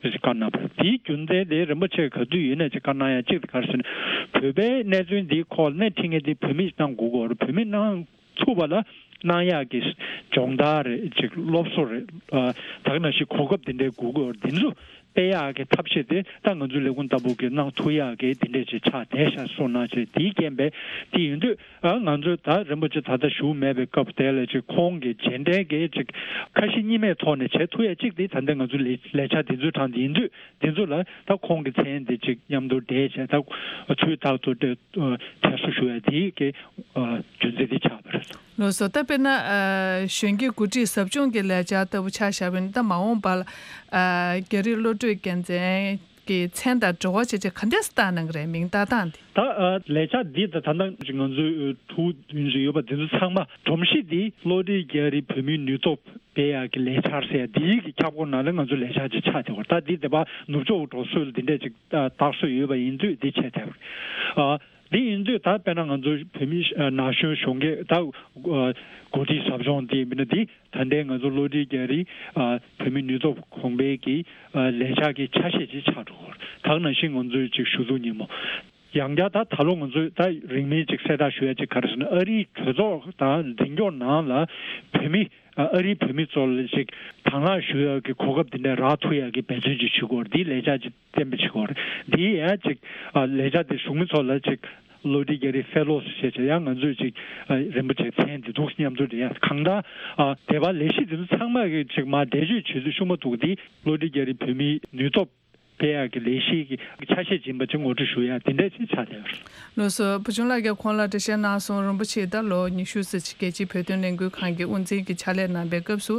ཟེར་བཀའ་གནང་བ་རེད། དེའི་རྒྱུ་མཚན་དེ་རིན་པོ་ཆེ་ག་དུས་ཡིན་ན་ཅིག་བཀའ་གནང་ཡ་གཅིག་དེ་ག་རེ་ཟེར་ན། བོད་པའི་གནས་ཚུལ་འདིའི་ཁོག་ནས་ཁྲིད་མཁན་དེ་བོད་མིས་གནང་དགོས་ཀྱི་ཡོད་རེད། བོད་མིས་གནང་ཚུགས་པ་ལ་གནང་ཡག་གི་སྦྱོང་བརྡར་རེད་ཅིག་སློབ་གསོ་རེད། ཨ། ད་ག་ནང་བཞིན་གོ་སྐབས་དེ་འདྲའི་དགོས་ཀྱི་ཡོད་རེད། འདི་ཚོ་སྤེལ་ཡག་གི་ཐབས་ཤེས་དེ་ད་ང་ཚོའི་ལས་ཁུངས་ལྟ་བུ་གིས་གནང་ཐུབ་ཡག་གི་དེ་འདྲས་ཅིག་ཆགས་བསྡད་ཤག་གསུངས་གནང་བྱས། དེའི་རྐྱེན་པས་དེ་ཡིན་དུས། ཨ། ང་ཚོས་ད་རིན་པོ་ཆེ་ད་ལྟ་བཞུགས་མེད་པའི་སྐབས་དེ་ལ་ཅིག་ཁོང་གི་རྗེས་འབྲང་གི་ཅིག་ཁ་ཞེ་གཉིས་མེད་ཐོག་ནས་བྱེད་ཐུབ་ཡ་གཅིག་དེ་ད་ལྟ་ང་ཚོའི་ལས་ལས་འཆར་འདི་ཚོའི་གྲས་དེ་ཡིན་དུས། འདི་ཚོ་ལ་ད་ཁོང་གི་མཚན་འདི་ཅིག་མཉམ་དུ་འབྲེལ་བྱས། ད་དུས་རྟག་ཏུ་དེ་དྲན་གསོ་ཞུ་ཡ་དེ་གི་རྒྱུ་མཚན་དེ་ཆགས་པ་རེད། ལགས་སོ། ད་དཔེར་ན་ཨ་གཞོན་སྐྱེས་འགོ་ཁྲིད་ཟབ་སྦྱོང་གི་ལས་འཆར་ལྟ་བུ་ཆ་བཞག་པ་ཡིན་ན། ད་མ་འོངས་པར་ཨ་རྒྱ་རིགས་བློ་གྲོས་རྒྱལ་མཚན་གྱི་མཚན་དང་འབྲེལ་བ་བྱས་བྱས་ག་འདྲས་སེ་བཏང་གནང་གི་རེད། མིང་བཏགས་སྟངས་དེ། ད་ཨ་ལས་འཆར་འདི་ད་ད་ལྟ་ང་ཚོའི་ཨ་ཕྲུ་གུ་དེ་ཚོ་ཡོད་པ་དེ་ཚོ་ཚང་མ་སྒྲོམ་གཞི་འདི་བློ་གྲོས་རྒྱ་རིགས་བོད་མིའི་ནུས་སྟོབས་སྤེལ་ཡག་གི་ལས་འཆར་ཟེར་ཡ་འདིའི་གི་ཁྱབ་ཁོངས་ནང་ལ་ང་ཚོ་ལས་འཆར་ཅིག་ཆགས་བསྡད་ཡོད་རེད། ད་འདི་དེ་བ་ནུབ་ཕྱོགས་འགྲོ་སྲོལ་འདི་འདྲས་ཅིག་ཨ་བཏགས་སྲོལ་ཡོད་པ་ཡིན་དུས་འདི་བྱས་བསྡད་ཡོད་རེད། ཨ་འདི་ཡིན་དུས་ད་དཔེར་ན་ང་ཚོ་བོད་མི་ཨ་ན་གཞོན་གཞོན་སྐྱེས་ད་ཨ་འགོ་ཁྲིད་ཟབ་སྦྱོང་འདི་ཡིན་ན་འདི་ད་ལྟའི་ང་ཚོ་བློ་གྲོས་རྒྱ་རིགས་ཨ་བོད་མིའི་ནུས་སྟོབས་གོང་འཕེལ་གྱི་ཨ་ལས་འཆར་གྱི་ཆ་ཤས་ཅིག་ཆགས་འགྲོ་གི་ཡོད་རེད། ད་ག་ནང་བཞིན་ང་ཚོའི་ཅིག་གཞུང་ཚོགས་སྙན་མོ། ཡང་བསྐྱར་ད་ད་ལོ་ང་ཚོས་ད་རིང་མིན་ཅིག་གསལ་བསྒྲགས་ཞུ་ཡ་ཅིག་ག་རེ་ཟེར་ན། ཨ་རིའི་གྲོས་ཚོགས་དང་འཛིན་སྐྱོང་ནང་ལ་བོད་མི་ཨ་རིའི་བོད་མི་ཚོ་ལ་ཅིག་དང་བླངས་ཞུ་ཡ་གི་གོ་སྐབས་དེ་འདྲ་རག་ཐུབ་ཡ་གི་འབད་བརྩོན་ཅིག་ཞུ་དགོས་རེད། འདིའི་ལས་འཆར་ཅིག་གཏན་འབེབས་བྱེད་དགོས་རེད། འདིའི་ཡང་ཅིག་ཨ་ལས་འཆར་དེ་གཞུང་མི་ཚོ་ལ་ཅིག་བློ་གྲོས་རྒྱ་རིགས་ཕེ་ལོ་ཞེས་བྱས། ཡང་ང་ཚོས་ཅིག་ཨ་རིན་པོ་ཆེ་མཚན་དེ་འདུག་མཉམ་དུ་རེད། ཡང་གང་ལྟར་ཨ་དེ་བ་ལས་གཞི་དེ་ཚོ་ཚང་མ་གི་ཅིག་མར་འགྲེལ་བརྗོད་བྱེད་དུས་ཤུགས་མ་ཐུག་དེ་བློ་གྲོས་རྒྱ་རིགས་བོད་མིའི་ནུས་སྟོབས་སྤེལ་ཡག་གི་ལས་གཞི་གི་ཆ་ཤས་ཡིན་པ་ཅིག་ངོ་སྤྲོད་ཞུ་ཡ་དེ་འདྲ་ཅིག་ཆགས་བསྡད་ཡོད་རེད། ལགས་སོ། བུ་ཆུང་ལགས་ཀྱིས་གོང་ལ་འགྲེལ་བཤད་གནང་སོང་། རིན་པོ་ཆེ་ད་ལོ་ཉི་ཤུ་ཙམ་ཅིག་རྒྱལ་སྤྱིའི་བོད་དོན་ལས་འགུལ་ཁང་གི་དབུ་འཛིན་གྱི་ཕྱག་ལས་གནང་པའི་སྐབས་སུ་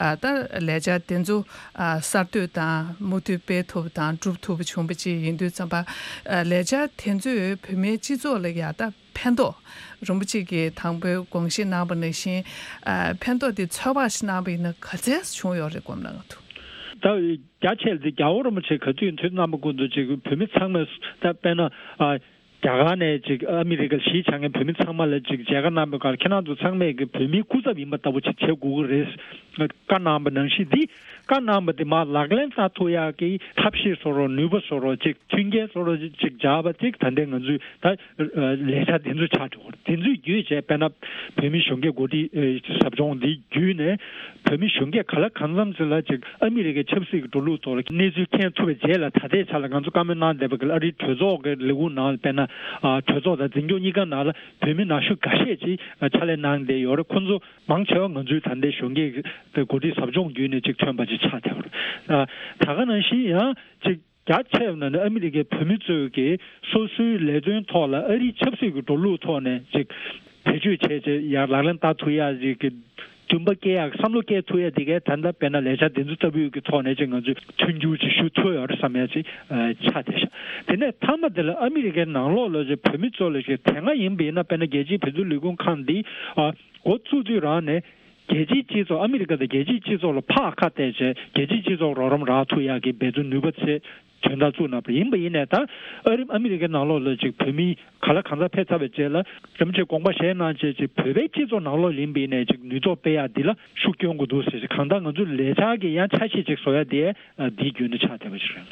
ཨ་ད་ལས་འཆར་དེ་ཚོ་ཨ་གསར་གཏོད་དང་མུ་མཐུད་སྤེལ་ཐུབ་པ་དང་སྒྲུབ་ཐུབ་པ་བྱུང་བ་ཅིག་ཡིན་དུས་ཙམ་པ། ཨ་ལས་འཆར་དེ་ཚོས་བོད་མིའི་སྤྱི་ཚོགས་ལ་ཡ་ད་ཕན་ཐོགས། རིན་པོ་ཆེ་གིས་དང་པོའི་དགོངས་བཞེས་གནང་བ་ནང་བཞིན་ཨ་ཕན་ཐོགས་དེ་ཚོད་དཔག་ཞིག་གནང་བ་ཡིན་ན་ག་ཚད་བྱུང་ཡོད་རེད་སྒོམ་ན་ང་ཐུག་ད་རྒྱ་ཆེ་ལ་དེ་རྒྱལ་བ་རིན་པོ་ཆེ་ག་དུས་ཡིན་དུས་རྣམ་པ་ཀུན་ཏུ་ཅིག་བོད་མི་ཚང་མས་ད་དཔེར་ན་ཨ་རྒྱ་གར་ནས་ཅིག་ཨ་མི་རི་ཀར་གཞིས་ཆགས་མཁན་བོད་མི་ཚང་མ་ལ་ཅིག་མཇལ་ཁ་གནང་བའི་སྐབས་ཁྱེད་རང་ཚོ་ཚང་མས་ཀྱི་བོད་མིའི་སྐུ་ཚབ་ཡིན་པ་ལྟ་བུ་ཅིག་བྱེད་དགོས་ཀྱི་རེད། བཀའ་གནང་བ་ནང་བཞིན་འདི་བཀའ་གནང་བ་དེ་མར་ལག་ལེན་བསྟར་ཐུབ་ཡག་གི་ཐབས་ཤེས་བཟོ་རོགས། ནུས་པ་བཟོ་རོགས། ཅིག་མཐུན་རྐྱེན་བཟོ་རོགས། ཅིག་སྦྱར་བ་ཅིག་ད་ལྟའི་ང་ཚོས་ད་ལས་འཆར་དེ་ཚོ་ཆགས་འགྲོ་གི་རེད། དེ་ཚོའི་བརྒྱུད་བྱས་དཔེར་ན་བོད་མི་གཞོན་སྐྱེས་འགོ་ཁྲིད་ཟབ་སྦྱོང་འདི་བརྒྱུད་ནས་བོད་མི་གཞོན་སྐྱེས་ག་ལ་གང་འཚམ་ཞིག་ལ་ཅིག་ཨ་མི་རི་ཀའི་ཆབ་སྲིད་ཀྱི་འགྲོ་ལུགས་ཐོག་ལ་གནས་ཚུལ་མཁྱེན་ཐུབ་པའི་རྗེས་ལ་ད་ལྟའི་ཆ་ལ་ང་ཚོ་བཀའ་མོལ་གནང་བསྡད་པ་གི་ཨ་རིའི་གྲོས་ཚོགས་ཀྱི་ལས་ཁུངས་ནང་ལ་དཔེར་ན་ཨ་གྲོས་ཚོགས་དང་འཛིན་སྐྱོང་གཉིས་ཀ་ནང་ལ་བོད་མི་ན་གཞོན་འགའ་ཤས་ཅིག་ཕྱག་ལས་གནང་བསྡད་ཡོད་རེད། ཁོང་ཚོ་མང་ཆེ་བ་ང་ཚོའི་ད་ལྟའི་གཞོན་སྐྱེས་ཀྱི་འགོ་ཁྲིད་ཟབ་སྦྱོང་བརྒྱུད་ནས་ཅིག་ཐོན་པ་ཅིག་ཆགས་བསྡད་ཡོད་རེད། ད་ག་ནང་བཞིན་ཡང་ཅིག་རྒྱ་ཆེ་བ་ནང་ནས་ཨ་མི་རི་ཀའི་བོད་མི་ཚོས་ཀྱི་སོ་སོའི་ལས་དོན་ཐོག་ལ་ཨ་རིའི་ཆབ་སྲིད་ཀྱི་འགྲོ་ལུགས་ཐོག་ནས་ཅིག་བེད་སྤྱོད་བྱས་བྱས་ཡར་ལག་ལེན་བསྟར་ཐུབ་ཡག་ཅིག་གི་འདུན་པ་སྐྱེ་ཡག་བསམ་བློ་སྐྱེ་ཐུབ་ཡག་དེ་གའི་ད་ལྟ་དཔེར་ན་ལས་འཆར་དེ་ཚོ་ལྟ་བུའི་གི་ཐོག་ནས་ཅིག་ང་ཚོས་མཐུན་འགྱུར་ཅིག་ཞུ་ཐུབ་ཡོད་རེད་བསམ་ཡག་ཅིག་ཆགས་བསྡད་ཤག་དེ་ནས་མཐའ་མ་དེ་ལ་ཨ་མི་རི་ཀའི་ནང་ལོགས་ལ་ཅིག་བོད་མི་ཚོ་ལ་ཅིག་དེ་སྔ་ཡིན་པ་ཡིན་ན་དཔེར་ན་རྒྱལ་སྤྱིའི་བོད་དོན་ལས་ཁུངས་ཁང་འདི་འགོ་བཙུགས་དུས་རང་ནས། རྒྱལ་སྤྱིའི་སྤྱི་ཚོགས་ཨ་མི་རི་ཀ་དང་རྒྱལ་སྤྱིའི་སྤྱི་ཚོགས་ལ་ཕར་ཁ་གཏད་བྱས་རྒྱལ་སྤྱིའི་སྤྱི་ཚོགས་རོགས་རམ་རག་ཐུབ་ཡག་གི་འབད་བརྩོན་ནུས་པ་ཆེ་དོན་དག་བཙུགས་གནང་བ་ཡིན་པ་ཡིན་ནའི་ད་ཨ་རི་ཨ་མི་རི་ཀའི་ནང་ལོགས་ལ་ཅིག་བོད་མི་ག་ལ་གང་འཚམ་ཕེབས་ཚར་བའི་རྗེས་ལ་རིན་པོ་ཆེ་དགོངས་པ་བཞེས་གནང་བྱས་ཅིག་བོད་པའི་སྤྱི་ཚོགས་ནང་ལོགས་ཡིན་པ་ཡིན་ནའི་ཅིག་ནུས་སྟོབས་སྤེལ་ཡག་འདི་ལ་ཤུགས་སྐྱོན་དགོས་འདུག་ཟེར་ཅིག་གང་ལྟར་ང་ཚོའི་ལས་འཆར་གྱི་ཡང་ཆ་ཤས་ཅིག་བཟོ་ཡག་དེ་འདིའི་བརྒྱུད་ནས་ཆགས་བསྡད་པ་ཅིག་རེད།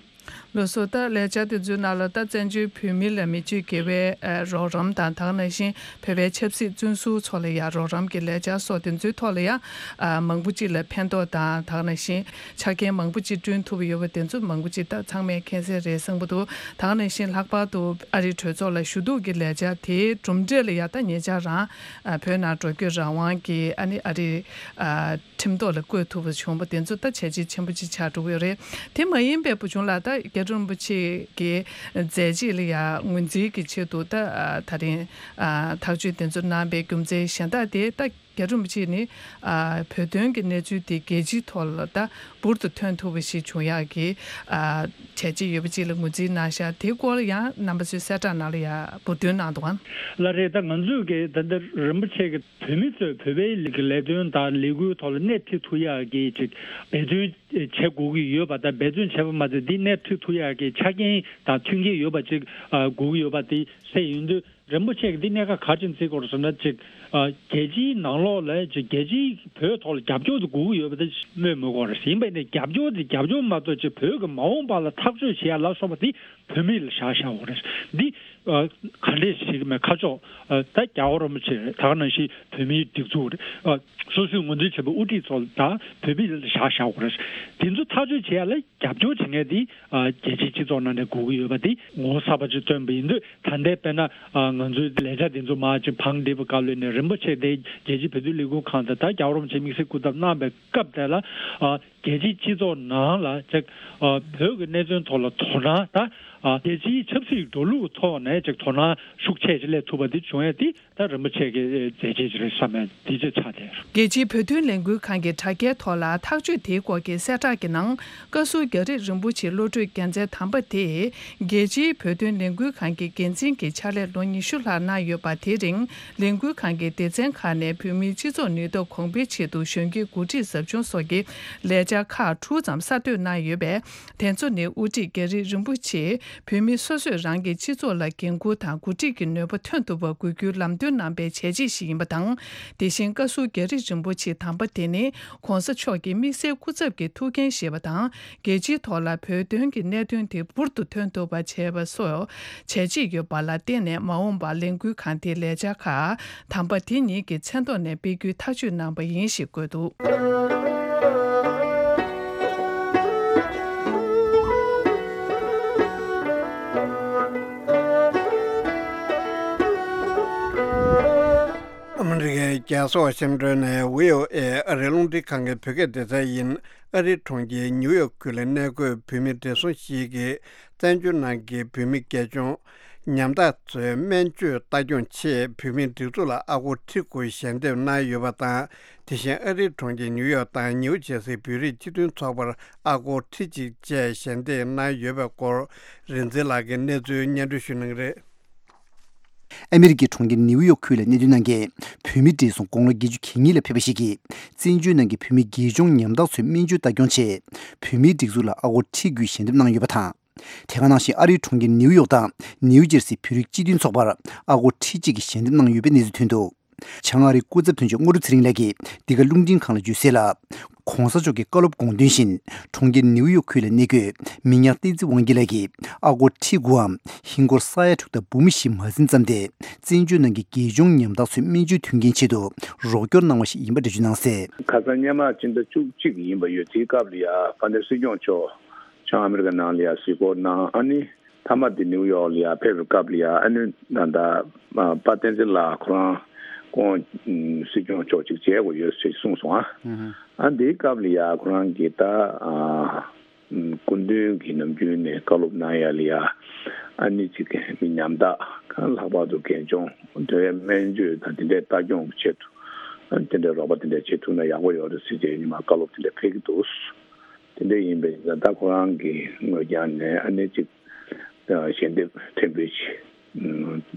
ལགས་སོ། ད་ལས་འཆར་དེ་ཚོའི་ནང་ལ་ད་བཙན་བྱོལ་བོད་མི་ལ་མི་སྤྱོད་དགེ་བའི་ཨ་རོགས་རམ་དང་། ད་ག་ནང་བཞིན་བོད་པའི་ཆབ་སྲིད་བཙོན་ཟུར་ཚོ་ལ་ཡང་རོགས་རམ་གྱི་ལས་འཆར་སོགས་དེ་ཚོའི་ཐོག་ལ་ཡང་ཨ་མང་པོ་ཅིག་ལ་ཕན་ཐོགས་དང་། ད་ག་ནང་བཞིན་ཆ་རྐྱེན་མང་པོ་ཅིག་བསྐྲུན་ཐུབ་ཡོད་པ་དེ་ཚོ་མང་པོ་ཅིག་ད་ཚང་མས་མཁྱེན་གསལ་རེད་བསམ་གྱི་འདུག་ད་ག་ནང་བཞིན་ལྷག་པར་དུ་ཨ་རིའི་གྲོས་ཚོགས་ལ་ཞུ་གཏུག་གི་ལས་འཆར་དེའི་གྲུབ་འབྲས་ལ་ཡང་ད་ཉེ་ཆར་རང་ཨ་བོད་ནང་འགྲོ་སྐྱོད་རང་དབང་གི་ཨ་ནི་ཨ་རིའི་ཨ་ཁྲིམས་ཐོག་ལ་བཀོད་ཐུབ་པ་བྱུང་བ་དེ་ཚོ་ད་བྱས་རྗེས་ཆེན་པོ་ཅིག་ཆགས་འགྲོ་གི་ཡོད་རེད། དེ་མ་ཡིན་པའི་བུ་ཆུང་ལགས་ད་རྒྱ་རི་རིན་པོ་ཆེ་གི་མཛད་རྗེས་ལ་ཡང་ངོས་འཛིན་གྱི་ཆེད་དུ་ད་ཨ་ད་རིང་ཨ་ཐག་གཅོད་དེ་ཚོ་གནང་པའི་རྒྱུ་མཚན་གཞན་དག་དེ་ད་ རྒྱ་རིན་པོ་ཆེ་ནི་ཨ་བོད་དོན་གྱི་གནས་ཚུལ་དེ་རྒྱལ་སྤྱིའི་ཐོག་ལ་ད་འབུར་དུ་ཐོན་ཐུབ་པ་ཞིག་བྱུང་ཡག་གི་ཨ་བྱས་རྗེས་ཡོད་པ་ཅིག་ལ་ངོས་འཛིན་གནང་ཤག་དེའི་སྐོར་ལ་ཡང་རྣམ་པ་ཚོས་གསལ་བསྒྲགས་ནང་ལ་ཡང་འབུར་འདོན་གནང་འདུག་ཨང་། ལགས་རེད། ད་ང་ཚོས་ཀྱི་ད་ལྟ་རིན་པོ་ཆེ་གི་བོད་མི་ཚོས་བོད་པའི་ལས་ཀྱི་ལས་དོན་དང་ལས་འགུལ་ཐོག་ལ་སྣེ་ཁྲིད་ཐུབ་ཡག་གི་ཅིག་འབད་བརྩོན་བྱེད་དགོས་ཀྱི་ཡོད་པ་དང་། འབད་བརྩོན་བྱས་པ་མ་ཟད་འདི་སྣེ་ཁྲིད་ཐུབ་ཡག་གི་ཆ་རྐྱེན་དང་མཐུན་རྐྱེན་ཡོད་པ་ཅིག་ཨ་དགོས་ཀྱི་ཡོད་པ་དེ་གསལ་ཡོང་དུས། རིན་པོ་ཆེ་གིས་འདི་གནད་འགག་ག་རེ་བྱས་ནས་བརྩི་དགོས་རེད་ཟེར་ན། ཅིག་ཨ་རྒྱལ་སྤྱིའི་ནང་ལོགས་ལ་ཅིག་རྒྱལ་སྤྱིའི་བོད་ཐོག་ལ་རྒྱབ་སྐྱོར་དེ་དགོས་ཀྱི་ཡོད་པ་དེ་སྨོས་མི་དགོས་རེད། ཡིན་པ་ཡིན་ནའི་རྒྱབ་སྐྱོར་དེ་རྒྱབ་སྐྱོར་མ་གཏོགས་ཅིག་བོད་ཀྱི་མ་འོངས་པ་ལ་ཐག་གཅོད་བྱེད་ཡ་ལ་སོགས་པ་དེ་བོད་མི་ལ་བཞག་བཞག་དགོས་རེད། འདི་ཨ་ག་འདྲས་ཞིག་མེད་ཁ་ཕྱོགས་ཨ་ད་རྒྱལ་བ་རིན་པོ་ཆེ་རེད། ད་ག་ནང་བཞིན་བོད་མིའི་སྒྲིག་འཛུགས་རེད། ཨ་སོ་སོའི་ངོས་འཛིན་བྱས་པའི་དབུ་ཁྲིད་ཚོ་ལ་ད་བོད་མི་ལ་བཞག་བཞག་དགོས་རེད། དེ་ཚོ་ཐག་གཅོད་བྱེད་ཡ་ལ་རྒྱབ་སྐྱོར་བྱེད་མཁན་དེ་ཨ་རྒྱལ་སྤྱིའི་སྤྱི་ཚོགས་ནང་ནས་དགོས་ཀྱི་ཡོད་པ་དེ་ངོ་བོ་གསར་པ་ཅིག་བཏོན་པ་ཡིན་དུས། ད་ལྟའི་དཔེར་ན་ཨ་ང་ཚོའི་ལས་འཆར་དེ་ཚོ་མར་ཅིག་བང་བསྒྲིགས་པའི་སྐབས་ལ་ནས་རིན་པོ་ཆེ་དེ་རྒྱལ་སྤྱིའི་བོད་དོན་ལས་འགུལ་ཁང་དང་ད་རྒྱལ་བ་རིན་པོ་ཆེ་དམིགས་བསལ་སྐུ་ཚབ་གནང་པའི་སྐབས་དེ་ལ་ཨ་རྒྱལ་སྤྱིའི་སྤྱི་ཚོགས་ནང་ལ་ཅིག་ཨ་བོད་ཀྱི་གནད་དོན་ཐོག་ལ་དོ་སྣང་ད་ཨ་རྒྱལ་སྤྱིའི་ཆབ་སྲིད་འགྲོ་ལུགས་ཐོག་ནས་ཅིག་དོ་སྣང་ཤུགས་ཆེ་ཅིག་སླེབས་ཐུབ་པ་དེ་བྱུང་ཡས་དེ། ད་རིན་པོ་ཆེ་གི་མཛད་རྗེས་ཅིག་རེད་བསམ་ཡ་དེ་ཅིག་ཆགས་བསྡད། རྒྱལ་སྤྱིའི་བོད་དོན་ལས་འགུལ་ཁང་གི་དྲ་རྒྱའི་ཐོག་ལ་ཐག་གཅོད་དེའི་སྐོར་གྱི་གསལ་བསྒྲགས་ཀྱི་ནང་། བཀའ་ཟུར་རྒྱ་རི་རིན་པོ་ཆེའི་བློ་གྲོས་རྒྱལ་མཚན་དམ་པ་དེས་རྒྱལ་སྤྱིའི་བོད་དོན་ལས་འགུལ་ཁང་གི་འགན་འཛིན་གྱི་ཕྱག་ལས་ལོ་ཉི་ཤུ་ལྷག་གནང་ཡོད་པ། དེ་རིང་ལས་འགུལ་ཁང་གི་སྡེ་ཚན་ཁག་ནས་བོད་མིའི་སྤྱི་ཚོགས་ནུས་སྟོབས་གོང་འཕེལ་ཆེད་དུ་གཞོན་སྐྱེས་འགོ་ཁྲིད་ཟབ་སྦྱོང་སོགས་ཀྱི་ལས་འཆར་ཁག་དྲུག་ཙམ་གསར་གཏོད་གནང་ཡོད་པས། དེ་ཚོ་ནི་དབུ་ཁྲིད་རྒྱ་རི་རིན་པོ་ཆེས་བོད་མི་སོ་སོས་རང་གི་སྤྱི་ཚོགས་ལ་འགན་འཁུར་དང་འགོ་ཁྲིད་ཀྱི་ནུས་པ་ཐོན་ཐུབ་པར་དགོས་རྒྱུའི་ལམ་སྟོན་གནང་པའི་བྱས་རྗེས་ཤིག་ཡིན་པ་དང་། དེ་བཞིན་བཀའ་ཟུར་རྒྱ་རི་རིན་པོ་ཆེ་དམ་པ་དེ་ནི་༸གོང་ས་མཆོག་གི་དམིགས་བསལ་སྐུ་ཚབ་ཀྱི་ཐུགས་འགན་བཞེས་པ་དང་། རྒྱལ་སྤྱིའི་ཐོག་ལ་བོད་དོན་གྱི་གནད་དོན་དེ་འབུར་དུ་ཐོན་ཐུབ་པ་བྱས་པ་སོགས་བྱས་རྗེས་ཡོད་པ་ལ་བརྟེན་ནས། མ་འོངས་པར་ལས་འགུལ་ཁང་དེའི་ལས་འཆར་ཁག་དམ་པ་དེ་ཉིད་ཀྱི་མཚན་ཐོག་ནས་སྤེལ་རྒྱུའི་ཐག་གཅོད་གནང་པ་ཡིན་ཞེས་བཀོད་འདུག། ཨ་མི་རི་ཀའི་རྒྱལ་ས་ཝ་ཤིང་ཏོན་ནས་བྷི་ཨོ་ཨེ་ཨ་རིའི་རླུང་འཕྲིན་ཁང་གི་བོད་སྐད་སྡེ་ཚན་ཡིན། ཨ་རིའི་གྲོང་ཁྱེར་ནིའུ་ཡོག་ཁུལ་ལ་གནས་འཁོད་བོད་མི་བགྲེས་སོང་ཞིག་གིས་བཙན་བྱོལ་ནང་གི་བོད་མི་རྒས་གཅུང་ཉམ་ཐག་ཚོའི་སྨན་བཅོས་ལྟ་སྐྱོང་ཆེད་བོད་མིའི་སྒྲིག་འཛུགས་ལ་ཨ་སྒོར་ཁྲི་དགུ་ཞལ་འདེབས་གནང་ཡོད་པ་དང་། དེ་བཞིན་ཨ་རིའི་གྲོང་ཁྱེར་ནིའུ་ཡོག་དང་ནིའུ་ཇེར་སིའི་བོད་རིགས་སྤྱི་མཐུན་ཚོགས་པར་ཨ་སྒོར་ཁྲི་གཅིག་བཅས་ཞལ་འདེབས་གནང་ཡོད་པའི་སྐོར། རིག་འཛིན་ལགས་ཀྱིས་གནས་ཚུལ་སྙན་སྒྲོན་ཞུ་གནང་གི་རེད། ཨ་མི་རི་ཀའི་གྲོང་ཁྱེར་ནིའུ་ཡོག་ཁུལ་ལ་གནས་སྡོད་གནང་མཁན་བོད་མི་བགྲེས་སོང་དགུང་ལོ་བརྒྱད་ཅུ་གྱ་གཉིས་ལ་ཕེབས་པ་ཞིག་གིས། བཙན་བྱོལ་ནང་གི་བོད་མི་རྒས་གཅུང་ཉམ་ཐག་ཚོའི་སྨན་བཅོས་ལྟ་སྐྱོང་ཆེད་བོད་མིའི་སྒྲིག་འཛུགས་ལ་ཨ་སྒོར་ཁྲི་དགུའི་ཞལ་འདེབས་གནང་ཡོད་པ་དང་། དེ་ག་ནང་བཞིན་ཨ་རིའི་གྲོང་ཁྱེར་ནིའུ་ཡོག་དང་ནིའུ་ཇེར་སིའི་བོད་རིགས་སྤྱི་མཐུན་ཚོགས་པར་ཨ་སྒོར་ཁྲི་གཅིག་གི་ཞལ་འདེབས་གནང་ཡོད་པའི་གནས་ཚུལ་ཐོན་འདུག། བྱང་ཨ་རིའི་སྐུ་ཚབ་དོན་གཅོད་དངོས་གྲུབ་ཚེ་རིང་ལགས་ཀྱིས་འདི་ག་རླུང་འཕྲིན་ཁང་ལ་བརྗོད་གསལ་ལ། ྋགོང་ས་མཆོག་གི་བཀའ་སློབ་དགོངས་དོན་བཞིན། གྲོང་ཁྱེར་ནིའུ་ཡོག་ཁུལ་ལ་གནས་འཁོད་མི་ཉག་བསྟན་འཛིན་དབང་རྒྱལ་ལགས་ཀྱིས་ཨ་སྒོར་ཁྲི་དགུའམ་ཧིན་སྒོར་ས་ཡ་དྲུག་དང་འབུམ་བཞི་མ་ཟིན་ཙམ་དེ། བཙན་བྱོལ་ནང་གི་རྒས་གཅུང་ཉམ་ཐག་ཚོའི་སྨན་བཅོས་མཐུན་རྐྱེན་ཆེད་དུ་རོགས་སྐྱོར་གནང་བ་ཞིག་ཡིན་པ་འགྲེལ་བརྗོད་གནང་གསལ། ཁ་སང་སྔོན་མ་ཕྱི་ཟླ་བཅུ་གཅིག་ཡིན་པ་ཡོད། དེའི་སྐབས་ལ་ཡ་དཔལ་ལྡན་སྲིད་སྐྱོང་མཆོག་བྱང་ཨ་མི་རི་ཀ་ནང་ལ་ཡ་གཟིགས་སྐོར་གནང་། ཨ་ནི། མཐའ་མ་དེ་ནིའུ་ཡོག་ལ་ཡ་ཕེབས་པའི་སྐབས་ལ་ཡ། ཨ་ནི་ད་ལྟ་པ་བསྟན་འཛིན་ལགས་ཁོ་རང་ཁོང་སྲིད་སྐྱོང་མཆོག་ཅིག་མཇལ་དགོས་ཡོད་ཟེར་གསུངས་སོང་ཨ། ཨ་འདིའི་སྐབས་ལ་ཡ་ཁོ་རང་གིས་ད་སྐུ་མདུན་གྱིས་ནམ་རྒྱུན་ནས་བཀའ་སློབ་གནང་ཡ་ལ་ཡ། ཨ་ནི་ཅིག་མི་ཉམ་ཐག་ལྷག་པར་དུ་རྒས་གཅུང་དེ་བས་སྨན་བཅོས་དང་དེ་འདྲའི་ལྟ་སྐྱོང་གི་ཆེད་དུ་ཨ་ནི་དེ་འདྲའི་རོགས་པ་དེ་འདྲ་བྱེད་ཐུབ་ན་ཡག་པོ་ཡོད་རེད་ཟེར་བྱས་ཉི་མ་བཀའ་སློབ་དེ་འདྲ་ཕེབས་ཀྱི་འདུག། དེ་འདྲ་ཡིན་པས་ད་ལྟ་ཁོ་རང་གི་ངོས་ཀྱང་ནས་ཨ་ནི་ཅིག་ཞལ་འདེབས་ཕྲན་བུ་ཞིག་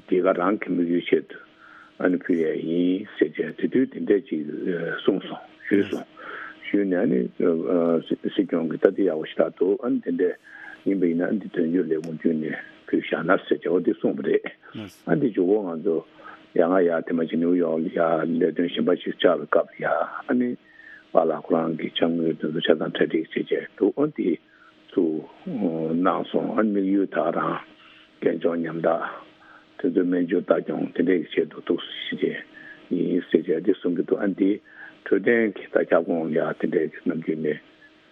དེ་ག་རང་གི་དམིགས་ཡུལ་ཆེད་དུ་ཨ་ནི་ཕུལ་ཡས་ཡིན་ཟེར་བྱས་དེ་དུས་དེ་འདྲས་ཅིག་གསུངས་སོང་ཞུས་སོང་། ཞུས་ནས་ཨ་ནི་སྲིད་སྐྱོང་གི་ད་དེ་ཡག་པོ་ཞེ་དྲག་འདུག། ཨ་ནི་དེ་འདྲས་ཡིན་པ་ཡིན་ན་ཨ་ནི་དོན་གཅོད་ལས་ཁུངས་བརྒྱུད་ནས་ཕུལ་བཞག་ན་ཟེར་བྱས་འོ་དེ་གསུངས་པ་རེད། ཨ་འདི་མཇུག་གུ་ང་ཚོ་ཡ་ང་ཡ་དེ་མ་ཅིག་ནིའུ་ཡོག་ལ་ཡ་ལས་དོན་གཞན་པ་ཞིག་བཅར་བའི་སྐབས་ལ་ཡ་ཨ་ནི། པཱ་ལགས་ཁོ་རང་གི་ཕྱག་དངུལ་དེ་ཚོ་ཆ་ཚང་གྲ་སྒྲིག་བྱེད་བྱས་འདུག། ཨ་དེ་ཚུར་གནང་སོང་། ཨ་དམིགས་ཡུལ་ད་རང་རྒན་གཅུང་ཉམ་ཐག་དེ་ཚོའི་སྨན་བཅོས་ལྟ་སྐྱོང་དེ་འདྲས་ཀྱི་ཆེད་དུ་འདུག་ཟེར་བྱས་ཡིན་ཟེར་བྱས་དེ་གསུང་གི་འདུག། ཨ་འདི་འཕྲོད་བསྟེན་གྱི་ད་ཁྱབ་ཁོངས་ལ་ཡ་དེ་འདྲས་ཀྱི་ནམ་རྒྱུན་ནས་